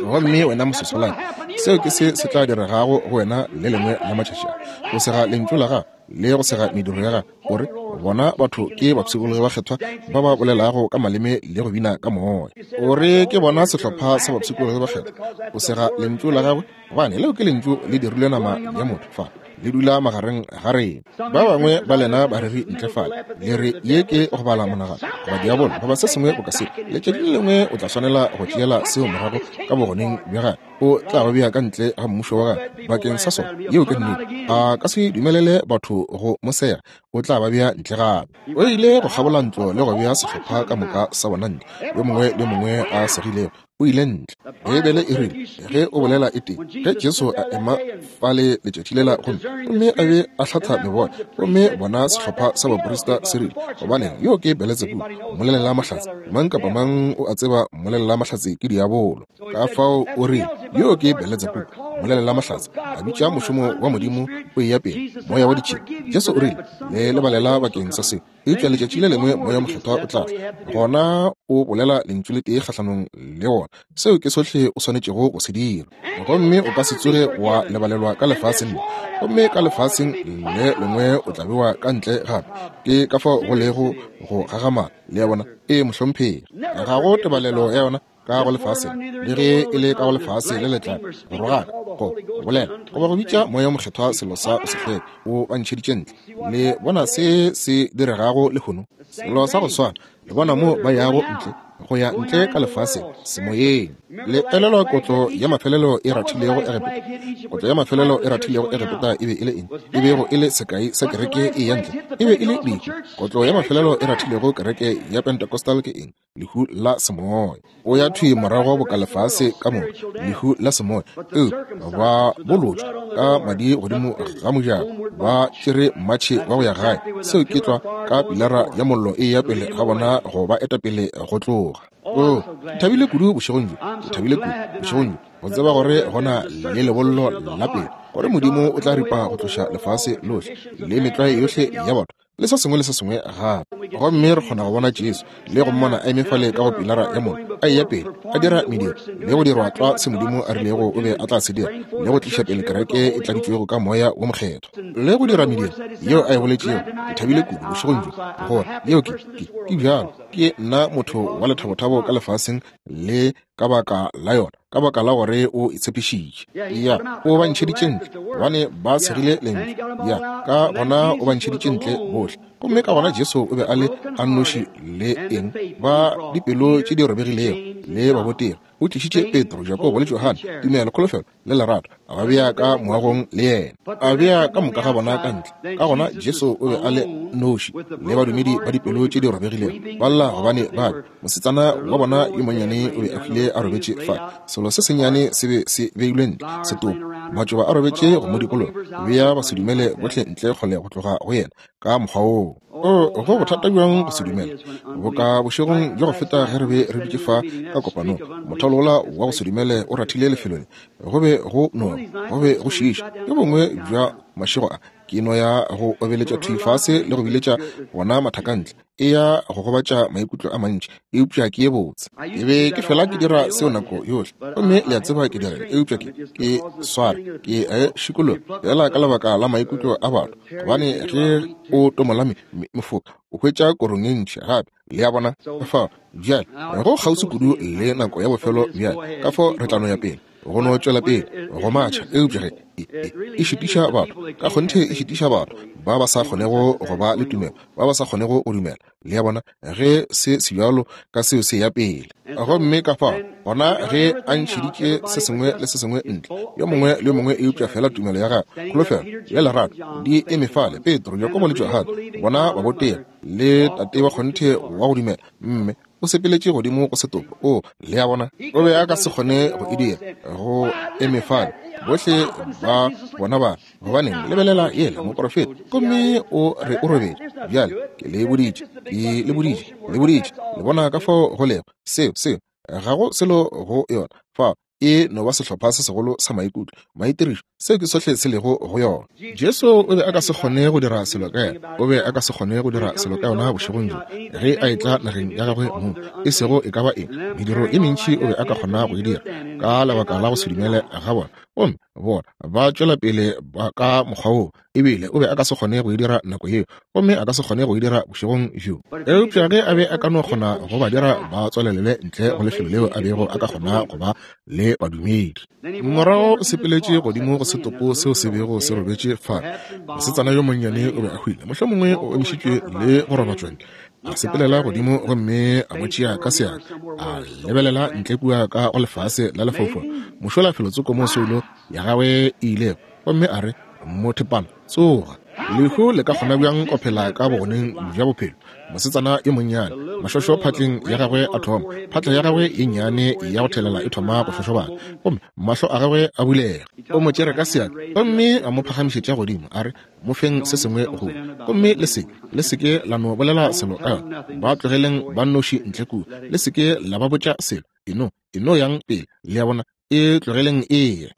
Gomme wena mososolane, seo ke se se tla diregago go wena le lengwe la matšatši a. Go sega lentšu la gago le go sega mediro ya gago, gore bona batho ke bapshikologi bakgethwa ba ba bolelago ka maleme le go bina ka moya. O re ke bona sehlopha sa bapshikologi bakgethwa. O sega lentšu la gagwe, gobane leo ke lentšu le dirilwe nama ya motho fa le dula magareng ga rena. Ba bangwe ba lena bareri ntle fale le re ye ke go bala monagano goba diabolo goba se sengwe boka seo. Letšatši le lengwe o tla swanela go tšeela seo morago ka bogoneng bja gagwe. O tla go bea ka ntle ga mmušo wa gagwe bakeng sa sona. Yeo ke nnete. A ka se dumelele batho go mo sega. O tla ba bea ntle gape. O ile go kgabola ntlo le go bea sehlopha ka moka sa bona ntle, yo mongwe le yo mongwe a segilego o ile ntle. Beibele e rile, ge o bolela e tee, ge Jesu a ema fale letšatši lela gomme, gomme a be a hlatha meboya, gomme bona sehlopha sa baprista se rile, Gobaneng, yo ke Beletsebubu, mmolelela mahlatse. Mang kapa mang o a tseba mmolelela mahlatse ke diabolo. Ka fao o rile, Yo ke Beletsebubu, mmolelela mahlatse, a bitša mošomo wa Modimo o eya pele, moya wa ditšhila. Jesu o rile, Le lebalela bakeng sa seo. Eupša letšatši le lengwe Moya Mokgethwa o tla tla, gona o bolela lentšu le tee kgahlanong le wona. Seo ke sohle o swanetšego go se dira. Gomme o ka se tsoge wa lebalelwa ka lefaseng le, gomme ka lefaseng le lengwe o tla bewa ka ntle gape. Ke ka fao go lego go gagamala, le a bona. Ee, mohlomphegi. Ga go tebalelo ya yona ka go lefase le ge e le ka go lefase le letla go rogaka, go bolela goba go bitša Moya wo Mokgethwa selo sa go se hlweke, o ba ntšheditše ntle. Le bona se se diregago lehono? Selo sa go swana. Le bona mo ba yago ntle, go ya ntle ka lefaseng, semoyeng. Le elelwa kotlo ya mafelelo e rathilego Egepeta? Kotlo ya mafelelo e rathilego Egepeta e be e le eng? E bego e le sekai sa kereke e ya ntle, e be e le lehu. Kotlo ya mafelelo e rathilego kereke ya Pentecostal ke eng? Lehu la semoya. O ya thwi morago boka lefase ka moka, lehu la semoya. Eupša ba bolotšwa ka madi godimo ga mojako, ba tšere mmatšhe wa go ya gae. Seo ke tlwa, ka pilara ya mollo e eya pele ga bona go ba eta pele go tloga. Oo, ke thabile kudu bošegong bjo, ke thabile kudu bošegong bjo, go tseba gore go na le lebollo la pele, gore Modimo o tla ripa go tloša lefase lohle le metlwae yohle ya batho le se sengwe le se sengwe gape. Gomme re kgona go bona Jesu le go mmona a eme fale ka go pilara ya mollo, a eya pele, a dira mediro le go dirwa tlwa se Modimo a rilego o be a tla se dira, le go tliša pele kereke e tladitšwego ka Moya wo Mokgethwa, le go dira mediro yeo a e boletšego. Ke thabile kudu bošegong bjo gore yeo ke, ke, ke bjalo. Ke nna motho wa lethabothabo ka lefaseng le ka baka la yona, ka baka la gore o e tshepišitše. Ya, o ba ntšheditše ntle, gobane ba segile lentšu. Ya, ka gona o ba ntšheditše ntle bohle. Gomme ka gona Jesu o be a le a nnoši le eng? Ba dipelo tše di robegilego le babotegi. O tlišitše Petro, Jakobo le Johane, tumelo, kholofelo le lerato, a ba bea ka moagong le yena, a bea ka moka ga bona ka ntle. Ka gona Jesu o be a le noši le badumedi ba dipelo tše di robegilego, ba lla gobane ba be mosetsana wa bona yo monnyane o be a hwile a robetše fa. Selo se sennyane se be se beilwe ntle, setopo, matšoba a robetše go mo dikologa, bea basedumele bohle ntle kgole go tloga go yena ka mokgwa woo. O, go bothata bjang go se dumela, boka bošegong bja go feta ge re be re dutše fa ka kopanong, mothalo wola wa go se dumele o rathile lefelo le. Go be go noga, go be go šiiša. Bjo bongwe bja mašego a, ke no ya go obeletša thwi fase le go biletša wona mathaka ntle. E ya go gobatša maikutlo a mantši, eupša ke ye botse. Ke be ke fela ke dira seo nako yohle, gomme le a tseba ke dira, eupša ke, ke sware, ke a e šikologa, feela ka lebaka la maikutlo a batho, gobane ge o tomola me, me, mefoka, o hwetša korong ye ntši gape, le a bona. Kafao, bjale, go kgauswi kudu le nako ya bofelo bjale, kafao re tla no ya pele. Go no tšwela pele go matšha, eupša ge e, e, e šitiša batho, ka kgonthe e šitiša batho ba ba sa kgonego go ba le tumelo, ba ba sa kgonego go dumela. Le a bona, ge se se bjalo ka seo se ya pele. Gomme ka fao, gona ge a ntšheditše se sengwe le se sengwe ntle, yo mongwe le yo mongwe eupša feela tumelo ya gagwe, kholofelo le lerato di eme fale, Petro, Jakobo le Johane, bona ba botega. le tate wa kgonthe wa go dumela, mme o sepeletše godimo go setopo. O, le a bona, o be a ka se kgone go e dira, go eme fale. Bohle ba bona ba, gobaneng, lebelela yela moprofeta, gomme o re o robetše. Bjale, ke le boditše, ke le boditše, le boditše, le bona ka fao go lego. Seo, seo, ga go selo go yona. Fao e no ba sehlopha se segolo sa maikutlo, maitirišo, seo ke sohle se lego go yona. Jesu o be a ka se kgone go dira selo ka yena, o be a ka se kgone go dira selo ka yona bošegong bjo, ge a etla nageng ya gagwe mong, e sego e ka ba eng, mediro e mentši o be a ka kgona go e dira, ka lebaka la go se dumele ga bona. Gomme bona ba tšwela pele ka mokgwa woo, ebile o be a ka se kgone go e dira nako yeo, gomme a ka se kgone go e dira bošegong bjo. Eupša ge a be a ka no kgona go ba dira ba tswalelele ntle go lefelo leo a bego a ka kgona go ba le badumedi. Morago o sepeletše godimo go setopo seo se bego se robetše fale. Mosetsana yo monnyane o be a hwile, mohlomongwe o emišitšwe le go robatšwa ntle. A sepelela godimo gomme a mo tšea ka seatla, a lebelela ntle kua ka go lefase la lefaufau, mošola felotsoko mo soulo ya gagwe e ilego, gomme a re, Mothepana, tsoga. Lehu le ka kgona bjang go phela ka bogoneng bja bophelo? Mosetsana yo monnyane, mašošo phatleng ya gagwe a thoma, phatla ya gagwe ye nnyane ya go thelela e thoma go šošobana, gomme mahlo a gagwe a bulega. O mo tšere ka seatla gomme a mo phagamišetša godimo, a re, Mo feng se sengwe go ja. Gomme le se, le se ke la no bolela selo ka yona. Ba tlogeleng ba nnoši ntle kua. Le se ke la ba botša selo. E no, e no yang pele. Le a bona? E tlogeleng e ye.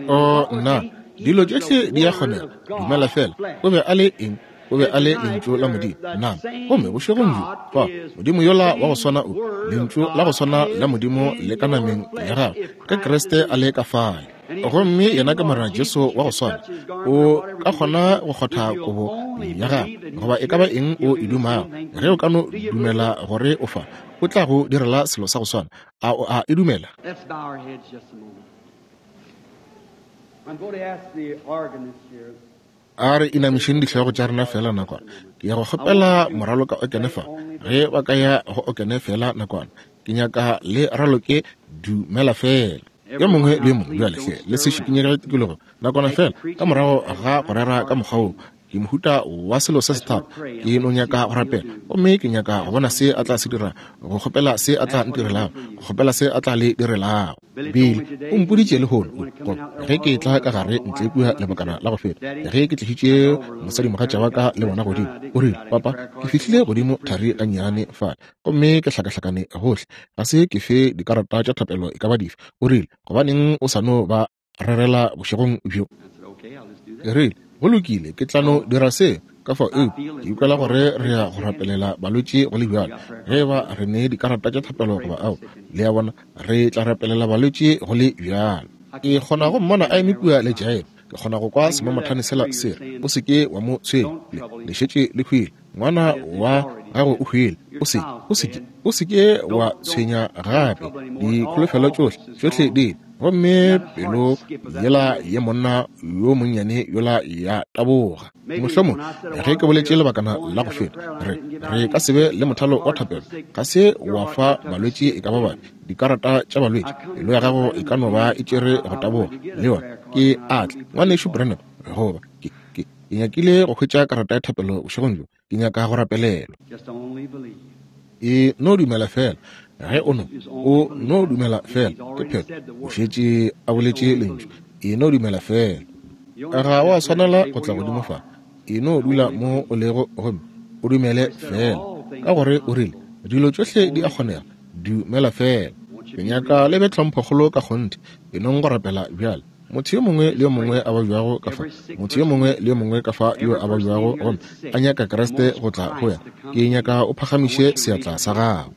Oh, nna, dilo tšohle di a kgonega. Dumela feela. O be a le eng? O be a le Lentšu la Modimo, nama. Gomme bošegong bjo, fa, Modimo yola wa go swana o, Lentšu la go swana la Modimo le ka nameng ya gagwe, ge Kriste a le ka fale. Gomme yena ke Morena Jesu wa go swana, o ka kgona go kgotha kobo ya gagwe, goba e ka ba eng o e dumago, ge o ka no dumela gore o fa, o tla go direla selo sa go swana. A o a e dumela? Let's bow our heads just a moment. I'm going to ask the organist here. A re inamišeng dihlogo tša rena feela nakwana. Ke ya go kgopela moraloka okene fa, ge ba ka ya go okene feela nakwana. Ke nyaka le raloke Dumela Feela. Yo mongwe le yo mongwe bjale, hle, le se šikinyege tikologo nakwana feela ka morago ga go rera ka mokgwa wo. Ke mohuta wa selo se sethata. Ke no nyaka go rapela, gomme ke nyaka go bona se A tla se dira, go kgopela se A tla ntirelago, go kgopela se A tla le direlago. Billy o mpoditše lehono, gore ge ke etla ka gare ntle kua lebakana la go feta, ge ke tlišitše mosadimogatša wa ka le bona godimo, o rile, Papa, ke fihlile godimo thari gannyane fale, gomme ke hlakahlakane gohle. Ga se ke fe dikarata tša thapelo e ka ba dife. O rile, Gobaneng o sa no ba rerela bošegong bjo? Ke rile, Go lokile, ke tla no dira se. Ka fao, eupša ke ikwela gore re ya go rapelela balwetši go le bjalo, ge eba re ne dikarata tša thapelo goba ao. Le a bona, re tla rapelela balwetši go le bjalo. Ke kgona go mmona a eme kua le Jairo. Ke kgona go kwa semamathane sela se re, O se ke wa mo tshwenya. Le, le šetše le hwile. Ngwana wa gago o hwile. O se, o se ke, o se ke wa tshwenya gape. Dikholofelo tšohle, tšohle di ile. Gomme pelo yela ye monna yo monnyane yola ya taboga. Mohlomongwe ge ke boletše lebakana la go feta, re, re ka se be le mothalo wa thapelo. Ga se wa fa balwetši e ka ba bafe dikarata tša balwetši. Pelo ya gago e ka no ba e tšere go taboga, le yona. Ke a tla, Ngwanešu Branham, goba ke, ke, ke nyakile go hwetša karata ya thapelo bošegong bjo. Ke nyaka go rapelelwa. E no dumela feela. Ge o no, o no dumela feela, ke phetho. O šetše a boletše lentšu. E no dumela feela. Ga wa swanela go tla godimo fa. E no dula mo o lego gomme o dumele feela. Ka gore o rile, Dilo tšohle di a kgonega. Dumela feela. Ke nyaka le be tlhomphokgolo ka kgonthe. E nong go rapela bjale. Motho yo mongwe le yo mongwe a babjago ka fa, motho yo mongwe le yo mongwe ka fa yo a babjago gomme a nyaka Kriste go tla go yena, ke nyaka o phagamiše seatla sa gago.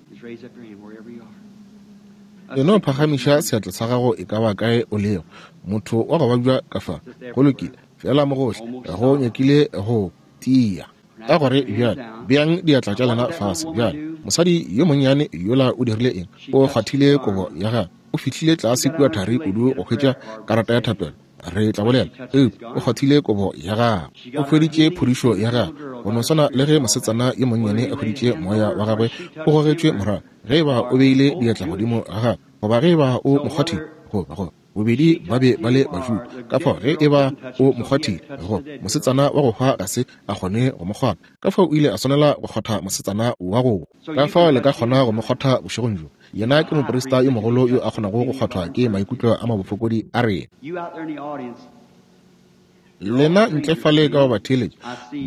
E no phagamiša seatla sa gago e ka ba kae o lego. Motho wa go babja ka fa, go lokile, feela mo gohle, go nyakile go tia. Ka gore bjale, beang diatla tša lena fase bjale. Mosadi yo monnyane yola o dirile eng? O kgwathile kobo ya gagwe. O fihlile tlase kua thari kudu go hwetša karata ya thapelo, re tla bolela, eupša o kgwathile kobo ya gagwe. O hweditše phodišo ya gagwe, go no swana le ge mosetsana yo monnyane a hweditše moya wa gagwe o gogetšwe morago, ge eba o beile diatla godimo ga gagwe, goba ge eba o mo kgwathile, goba, goba. Bobedi ba be ba le Bajuda. Ka fao ge e ba o mo kgwathile, go mosetsana wa go hwa ga se a kgone go mo kgwatha. Ka fao o ile a swanela go kgwatha mosetsana wa go hwa. Ka fao le ka kgona go mo kgwatha bošegong bjo. Yena ke moprista yo mogolo yo a kgonago go kgwathwa ke maikutlo a mabofokodi a rena. Lena ntle fale ka go batheeletši,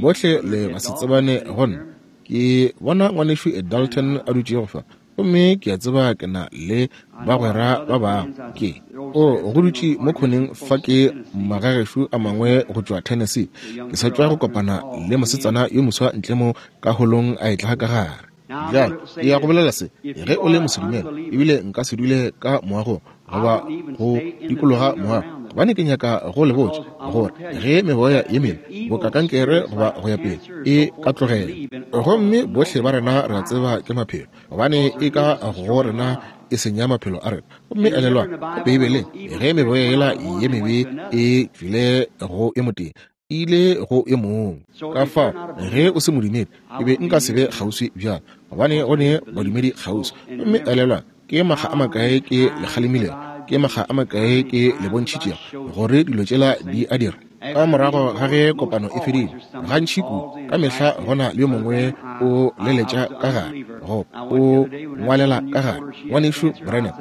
bohle le basetsebane go nna. Ke bona ngwanešu Ed Dalton a dutšego fa, gomme ke a tseba ke na le bagwera ba bangwe. Ke o go dutše mo khoneng fa ke magagešo a mangwe go tšwa Tennessee. Ke sa tšwa go kopana le mosetsana yo moswa ntle mo ka holong a etla ka gare. Bjale, ke ya go bolela se, ge o le mosedumele, ebile nka se dule ka moagong goba go dikologa moago, gobane ke nyaka go le botša gore ge meboya ye mebe boka kankere goba go ya pele e ka tlogela, gomme bohle ba rena re a tseba ke maphelo, gobane e ka go rena e senya maphelo a rena. Gomme elelwang, ka Beibeleng, ge meboya yela ye mebe e tšwile go yo motee, e ile go yo mongwe. Ka fao ge o se modumedi, ke be nka se be kgauswi bjalo, gobane go ne badumedi kgauswi. Gomme elelwang, ke makga a makae ke le kgalemilego, ke makga a makae ke le bontšhitšego gore dilo tšela di a dira. Ka morago ga ge kopano e fedile, gantši kudu ka mehla go na le yo mongwe o leletša ka gare, goba o ngwalela ka gare, Ngwanešu Branham,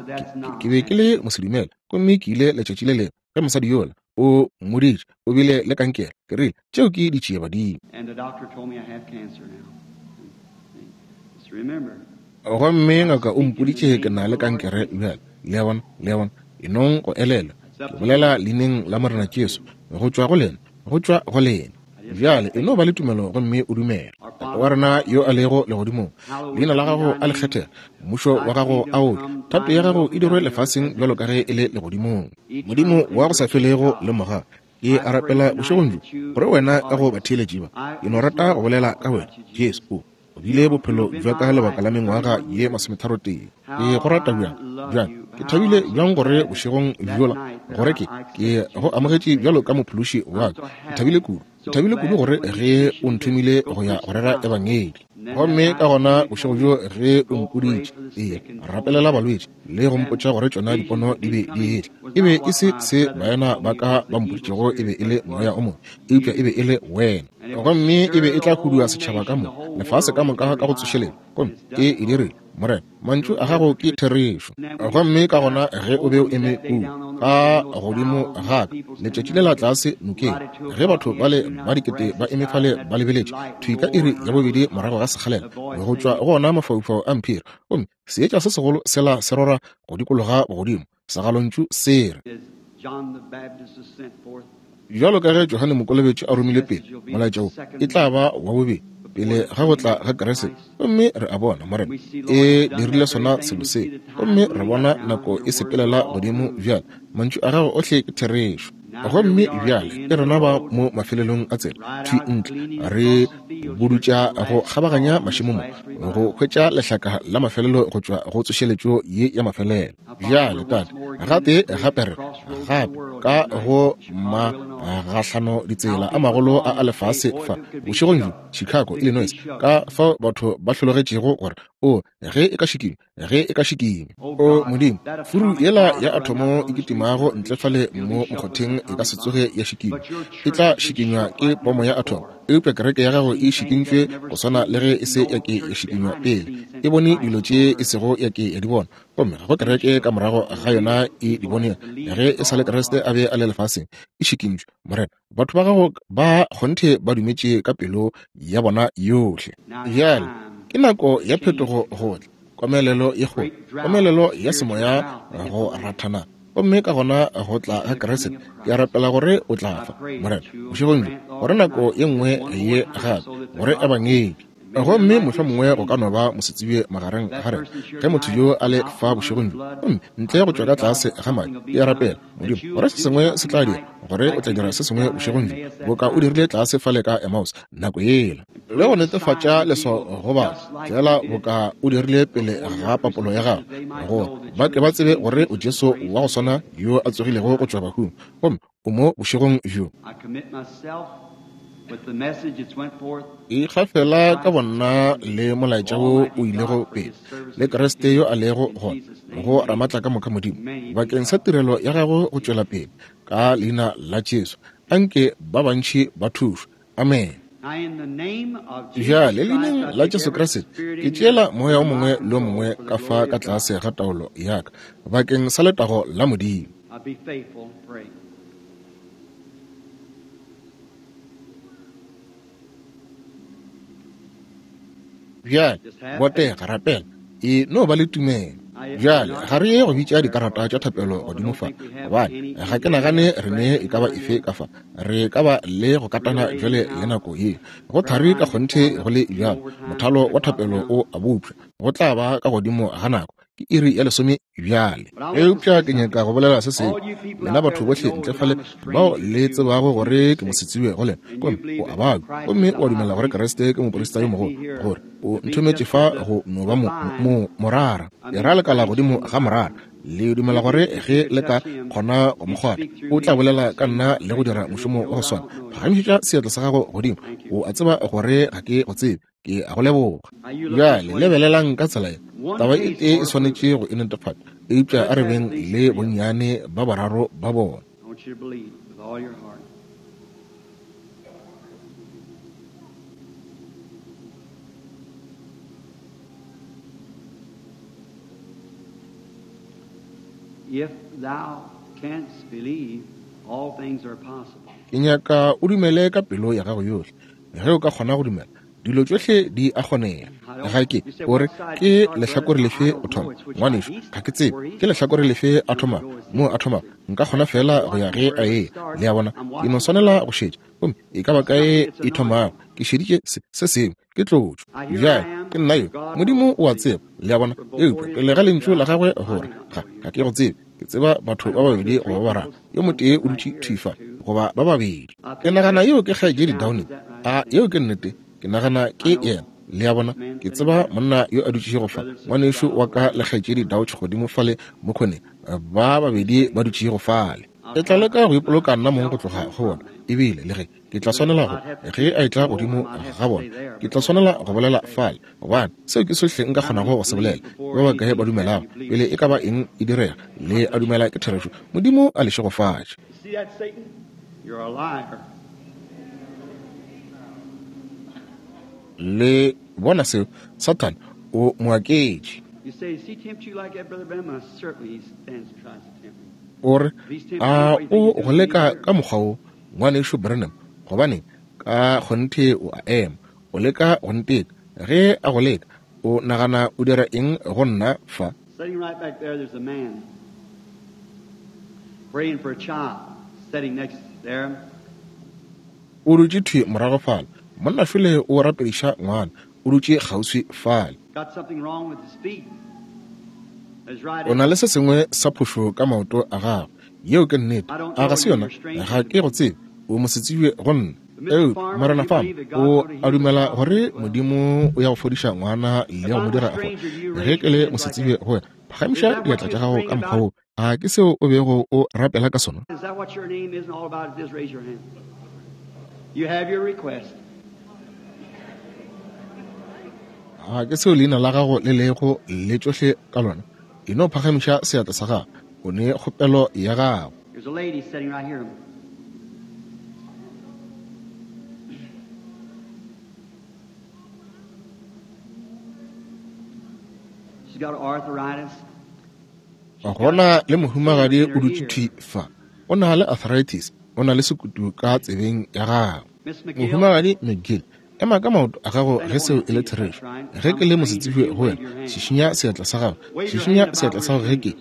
ke be ke le mosedumele, gomme ke ile letšatši le lengwe ge mosadi yola o mmoditše o bile le kankere. Ke rile, Tšeo ke ditšiebadimo. Gomme ngaka o mpoditše ke na le kankere bjale. Le a bona? Le a bona? E nong go elelwa, ke bolela Leineng la Morena Jesu, go tšwa go lena, go tšwa go lena. Bjale e no ba le tumelo gomme o dumele. Tate wa rena yo a lego legodimong, leina la gago a le kgethege, mmušo wa gago a o tle, thato ya gago e dirwe lefaseng bjalo ka ge e le legodimong. Modimo wa go sa felego le moga, ke a rapela bošegong bjo gore wena ka go batheeletši ba, ke no rata go bolela ka wena, Jesu, o O bile bophelo bja ka lebaka la mengwaga ye masometharotee. Ke go rata bjang, bjang. Ke thabile bjang gore bošegong bjola, gore ke, ke go amogetše bjalo ka Mophološi wa ka. Ke thabile kudu. Ke thabile kudu gore ge o nthomile go ya go rera Ebangedi. Gomme ka gona bošego bjo ge o mpoditše, ee, rapelela balwetši, le go mpotša gore tšona dipono di be di etla. E be e se se baena ba ka ba mpoditšego e be e le moya o mongwe, eupša e be e le wena. Gomme e be e tla hudua setšhaba ka moka, lefase ka moka ka go tsošeletša. Gomme e e dirile, Morena. Mantšu a gago ke therešo. Gomme ka gona ge o be o eme kua ka godimo ga ka letšatši le la tlase nokeng, ge batho bale ba dikete ba eme fale ba lebeletše thwi ka iri ya bobedi morago ga sekgalela, go tšwa go ona mafaufau a mphiri, gomme seetša se segolo sela se rora go dikologa bogodimo, segalontšu se re, Bjalo ka ge Johane Mokolobetši a romile pele molaetša wo, e tla ba wa bobedi pele ga go tla ga Kriste. Gomme re a bona, Morena, e dirile sona selo se. Gomme re bona nako e sepelela godimo bjale. Mantšu a gago ohle ke therešo. Gomme bjale ke rena ba mo mafelelong a tsela, thwi ntle, re budutša go kgabaganya mašemo mo, go hwetša lehlaka la mafelelo go tšwa go tsošeletšo ye ya mafelelo. Bjale, Tate, gape, gape re, gape, ka go magahlano ditsela a magolo a a lefase fa, bošegong bjo, Chicago, Illinois, ka fao batho ba hlologetšego gore, o, ge e ka šikinywa, ge e ka šikinywa. O Modimo, furu yela ya athomo e kitimago ntle fale mo mokgotheng e ka se tsoge ya šikinywa. E tla šikinywa ke pomo ya athomo, eupša kereke ya gago e šikintšwe go swana le ge e se ya ke ya šikinywa pele. E bone dilo tše e sego ya ke ya di bona, gomme ga go kereke ka morago ga yona e di bonego. Ge e sa le Kriste a be a le lefaseng, e šikintšwe. Morena, batho ba gago ba kgonthe ba dumetše ka pelo ya bona yohle. Bjale ke nako ya phetogo go tla, komelelo ye kgolo, komelelo ya semoya go rathana, gomme ka gona go tla ga Kriste. Ke a rapela gore o tla fa, Morena, bošegong bjo, gore nako ye nngwe ye gape, gore Ebangedi, Gomme mohlomongwe go ka no ba mosetsebje magareng ga rena, ge motho yo a le fa bošegong bjo, gomme ntle go tšwa ka tlase ga madi, ke a rapela, Modimo, gore se sengwe se tla dira, gore o tla dira se sengwe bošegong bjo, boka o dirile tlase fale ka Emmaus nako yela, le go netefatša leswao go batho, feela boka o dirile pele ga papolo ya gago, gore ba tle ba tsebe gore o Jesu wa go swana yo a tsogilego go tšwa bahung, gomme o mo bošegong bjo. Ikgafela ka bonna le molaetša wo o ilego pele, le Kriste yo a lego gona, go Ramatlakamoka Modimo, bakeng sa tirelo ya gago go tšwela pele, ka leina la Jesu. Anke ba bantši ba thušwe. Amen. Bjale, leineng la Jesu Kriste, ke tšeela moya o mongwe le o mongwe ka fa ka tlase ga taolo ya ka, bakeng sa letago la Modimo. Bjale, botega, rapela, e no ba le tumelo. Bjale, ga re ye go bitša dikarata tša thapelo godimo fa, gobane ga ke nagane re ne e ka ba efe ka fa. Re ka ba le go katana bjale le nako ye. Go thari ka kgonthe go le bjalo, mothalo wa thapelo o a bopša. Go tla ba ka godimo ga nako. Ke iri ya lesome bjale. Eupša ke nyaka go bolela se sengwe. Lena batho bohle ntle fale bao le tsebago gore ke mosetsebje go lena, gomme o a babja, gomme o a dumela gore Kriste ke moprista yo mogolo, gore o nthometše fa go no ba mo, mo, morara. Ke ra lekala godimo ga morara. Le dumela gore ge le ka kgona go mo kgwatha, o tla bolela ka nna le go dira mošomo wa go swana. Phagamišetša seatla sa gago godimo. O a tseba gore ga ke go tsebe. Ke a go leboga. Bjale lebelelang ka tsela ye. Taba e tee e swanetše go e netefatša, eupša a re beng le bonnyane ba bararo ba bona. Ke nyaka o dumele ka pelo ya gago yohle. Ge o ka kgona go dumela, dilo tšohle di a kgonega. Ga ke, o re, ke lehlakore lefe o thoma? Ngwanešu, ga ke tsebe ke lehlakore lefe a thoma, moo a thoma. Nka kgona feela go ya ge a eya. Le a bona? Ke no swanela go šetša. Gomme e ka ba kae e thomago, ke šeditše se, se sengwe, ke tlotšo. Bjale, ke nna yo. Modimo o a tseba, le a bona. Eupša pele ga Lentšu la Gagwe gore, ga, ga ke go tsebe. Ke tseba batho ba babedi goba ba bararo. Yo motee o dutše thwi fa, goba ba babedi. Ke nagana yeo ke Kgaetšedi Downing. A yeo ke nnete? Ke nagana ke yena. Le a bona? Ke tseba monna yo a dutšego fa, ngwanešu wa ka le Kgaetšedi Dauch godimo fale mo khoneng, ba babedi ba dutšego fale. Ke tla leka go ipoloka nna mong go tloga go bona, ebile le ge ke tla swanela go, ge a etla godimo ga bona, ke tla swanela go bolela fale, gobane seo ke sohle nka kgonago go se bolela. Ke ba bakae ba dumelago pele e ka ba eng e direga? Le a dumela ke therešo? Modimo a le šegofatše. Le bona seo? Sathane o moaketši. O re, A o go leka ka mokgwa wo, Ngwanešu Branham? Gobaneng, ka kgonthe o a ema. O leka go nteka. Ge a go leka, o nagana o dira eng go nna fa? Sitting right back there, there's a man praying for a child sitting next there. O dutše thwi morago fale. Monna šole o rapediša ngwana. O dutše kgauswi fale. Got something wrong with his feet. His right O na le se sengwe sa phošo ka maoto a gagwe. Yeo ke nnete. A ga se yona? Ga ke go tsebe. O mosetsebje go nna. Eupša, Morena Farmer, o a dumela gore Modimo o ya go fodiša ngwana le go mo dira a fole? Ge ke le mosetsebje go wena, phagamiša diatla tša gago ka mokgwa wo. A ke seo o bego o rapela ka sona? Is that what your name is and all about it? Just raise your hand. You have your request. A ke seo leina la gago le lego le tšohle ka lona? E no phagamiša seatla sa gago. O ne kgopelo ya gago. There's a lady sitting right here. She's got arthritis. Gona le mohumagadi o dutše thwi fa. O na le arthritis. O na le sekutu ka tsebeng ya gagwe. Mohumagadi McGill, ema ka maoto a gago ge seo e le therešo. Ge ke le mosetsebje go wena, šišinya seatla sa gago. Šišinya seatla sa gago ge ke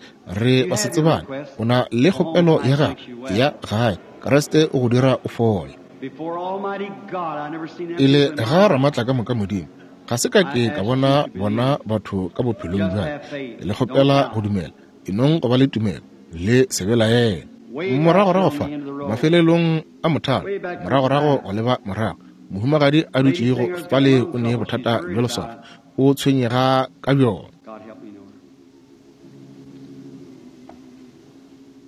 re basetsebane. O na le kgopelo ya gago ya gae. Kriste o go dira o fole. Before Almighty God, I never seen them Pele people in my ga life. Ramatlakamoka Modimo, ga se ka ke ka bona bona batho ka bophelong bja ka. Ke le kgopela go dumela. E nong go ba le tumelo, le se belaele. Moragorago fa, mafelelong a mothalo, moragorago go leba morago, mohumagadi a dutšego fale o ne bothata bja leswafo, o tshwenyega ka bjona. God help me know her.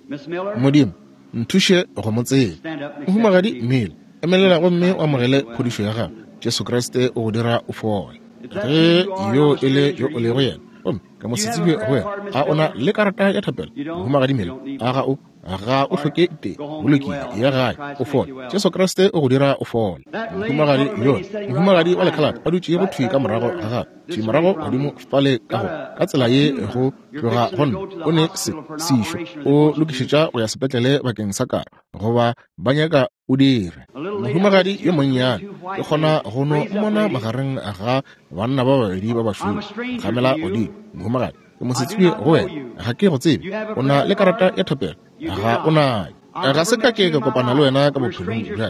Miss Miller, Modimo, nthuše go mo tseba. stand up and accept Mohumagadi Jesus. Miller, Emelela gomme o amogele phodišo ya gago. Jesu Kriste o go dira o fole. Ge yo e le yo o lego yena, gomme ka mo se tsebe go wena, a o na le karata ya thapelo, Mohumagadi Miller? A ga o? Ga o hloke tee. Go lokile, ya gae, o fole. Jesu Kriste o go dira o fole. Mohumagadi yola, mohumagadi wa lekhalate a dutšego thwi ka morago ga gagwe, thwi morago godimo fale ka go, ka tsela ye go tloga go nna, o ne se, sešo, o lokišetša go ya sepetlele bakeng sa karo, goba ba nyaka o dire. Mohumagadi yo monnyane, ke kgona go no mmona magareng ga banna ba babedi ba bašweu, gamela godimo. Mohumagadi, ke mosetsebje go wena, ga ke go tsebe. O na le karata ya thapelo, ga o nayo? Ga se ka ke ka kopana le wena ka bophelong bja ka.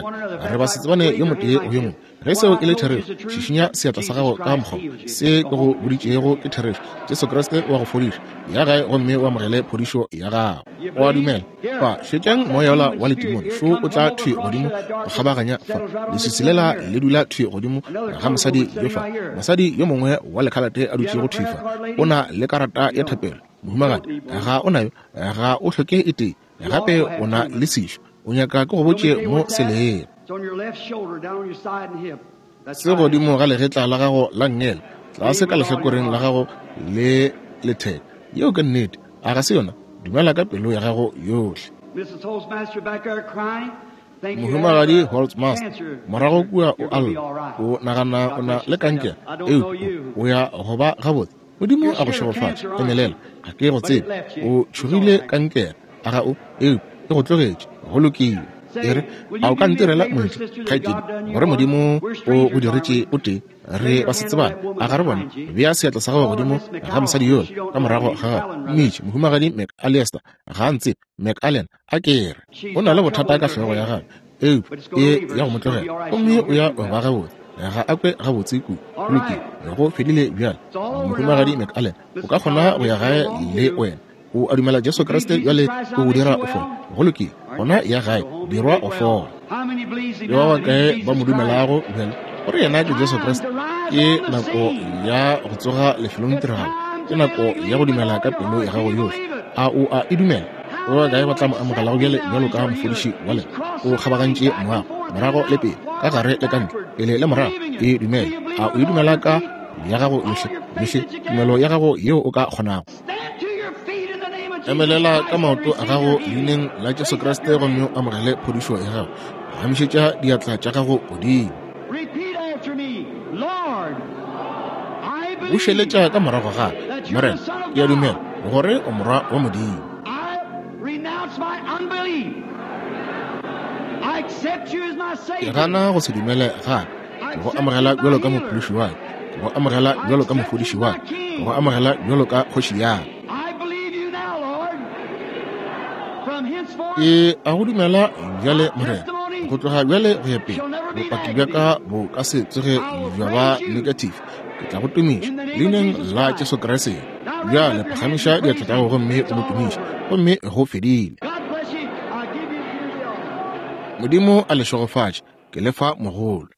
Re basetsebane yo motee go yo mongwe. Ge seo e le therešo, šišinya seatla sa gago ka mokgwa se ke go boditšego ke therešo. Jesu Kriste o a go fodiša. Ya gae gomme o amogele phodišo ya gago. O a dumela? Fa, šetšang moya wola wa letimone šo o tla thwi godimo go kgabaganya fa. Leswiswi lela le dula thwi godimo ga mosadi yo fa. Mosadi yo mongwe wa lekhalate a dutšego thwi fa, o na le karata ya thapelo. Mohumagadi, ga o nayo? Ga o hloke e tee. Gape o na le sešo. O nyaka ke go botše mo se lego. Se godimo ga legetla la gago la nngele, tlase ka lehlakoreng la gago le letheka. Yeo ke nnete, a ga se yona? Dumela ka pelo ya gago yohle. Mohumagadi Holtzmaster, morago kua o a lla, o nagana o na le kankere, eupša o ya go ba gabotse. Modimo a go šegofatše. Emelela. Ga ke go tsebe. O tšhogile kankere, a ga o? Eupša e go tlogetše. Go lokile. E re, a o ka ntirela moletlo, kgaetšedi, gore Modimo o go diretše o tee? Re basetsebane, a ga re bone? Bea seatla sa gago godimo ga mosadi yola ka morago ga gago. Mmitše, Mohumagadi McAllister. Ga a ntsebe. McAllen, a ke re. O na le bothata ka hlogo ya gagwe, eupša e ya go mo tlogela, gomme o ya go ba gabotse. Ga a kwe gabotse kudu. Go lokile, go fedile bjale. Mohumagadi McAllen, o ka kgona go ya gae le wena. O a dumela Jesu Kriste bjale o go dira o fole? Go lokile, gona ya gae, dirwa o fole. Ke ba bakae ba mo dumelago bjale gore yena ke Jesu Kriste? Ke nako ya go tsoga lefelong tiragalo. Ke nako ya go dumela ka pelo ya gago yohle. A o a e dumela? Ba bakae ba tla mo amogelago bjale bjalo ka mofodiši wa lena? O kgabagantše moago, morago le pele, ka gare le ka ntle, pele le morago. E dumele. A o e dumela ka ya gago yohle, yohle tumelo ya gago yeo o ka kgonago? Emelela ka maoto a gago leineng la Jesu Kriste gomme o amogele phodišo ya gago. Phagamišetša diatla tša gago godimo. Bušeletša ka morago ga ka, Morena, ke a dumela gore o Morwa wa Modimo. Ke gana go se dumele ga ka. Ke go amogela bjalo ka Mophološi wa ka. Ke go amogela bjalo ka Mofodiši wa ka. Ke go amogela bjalo ka Kgoši ya ka. Ke a go dumela bjale, Morena. Go tloga bjale go ya pele, bopaki bja ka bo ka se tsoge bja ba negative. Ke tla go tumiša leineng la Jesu Kriste. Bjale phagamiša diatla tša gago gomme o mo tumiše. Gomme go fedile. Modimo a le šegofatše. Ke le fa mogolo.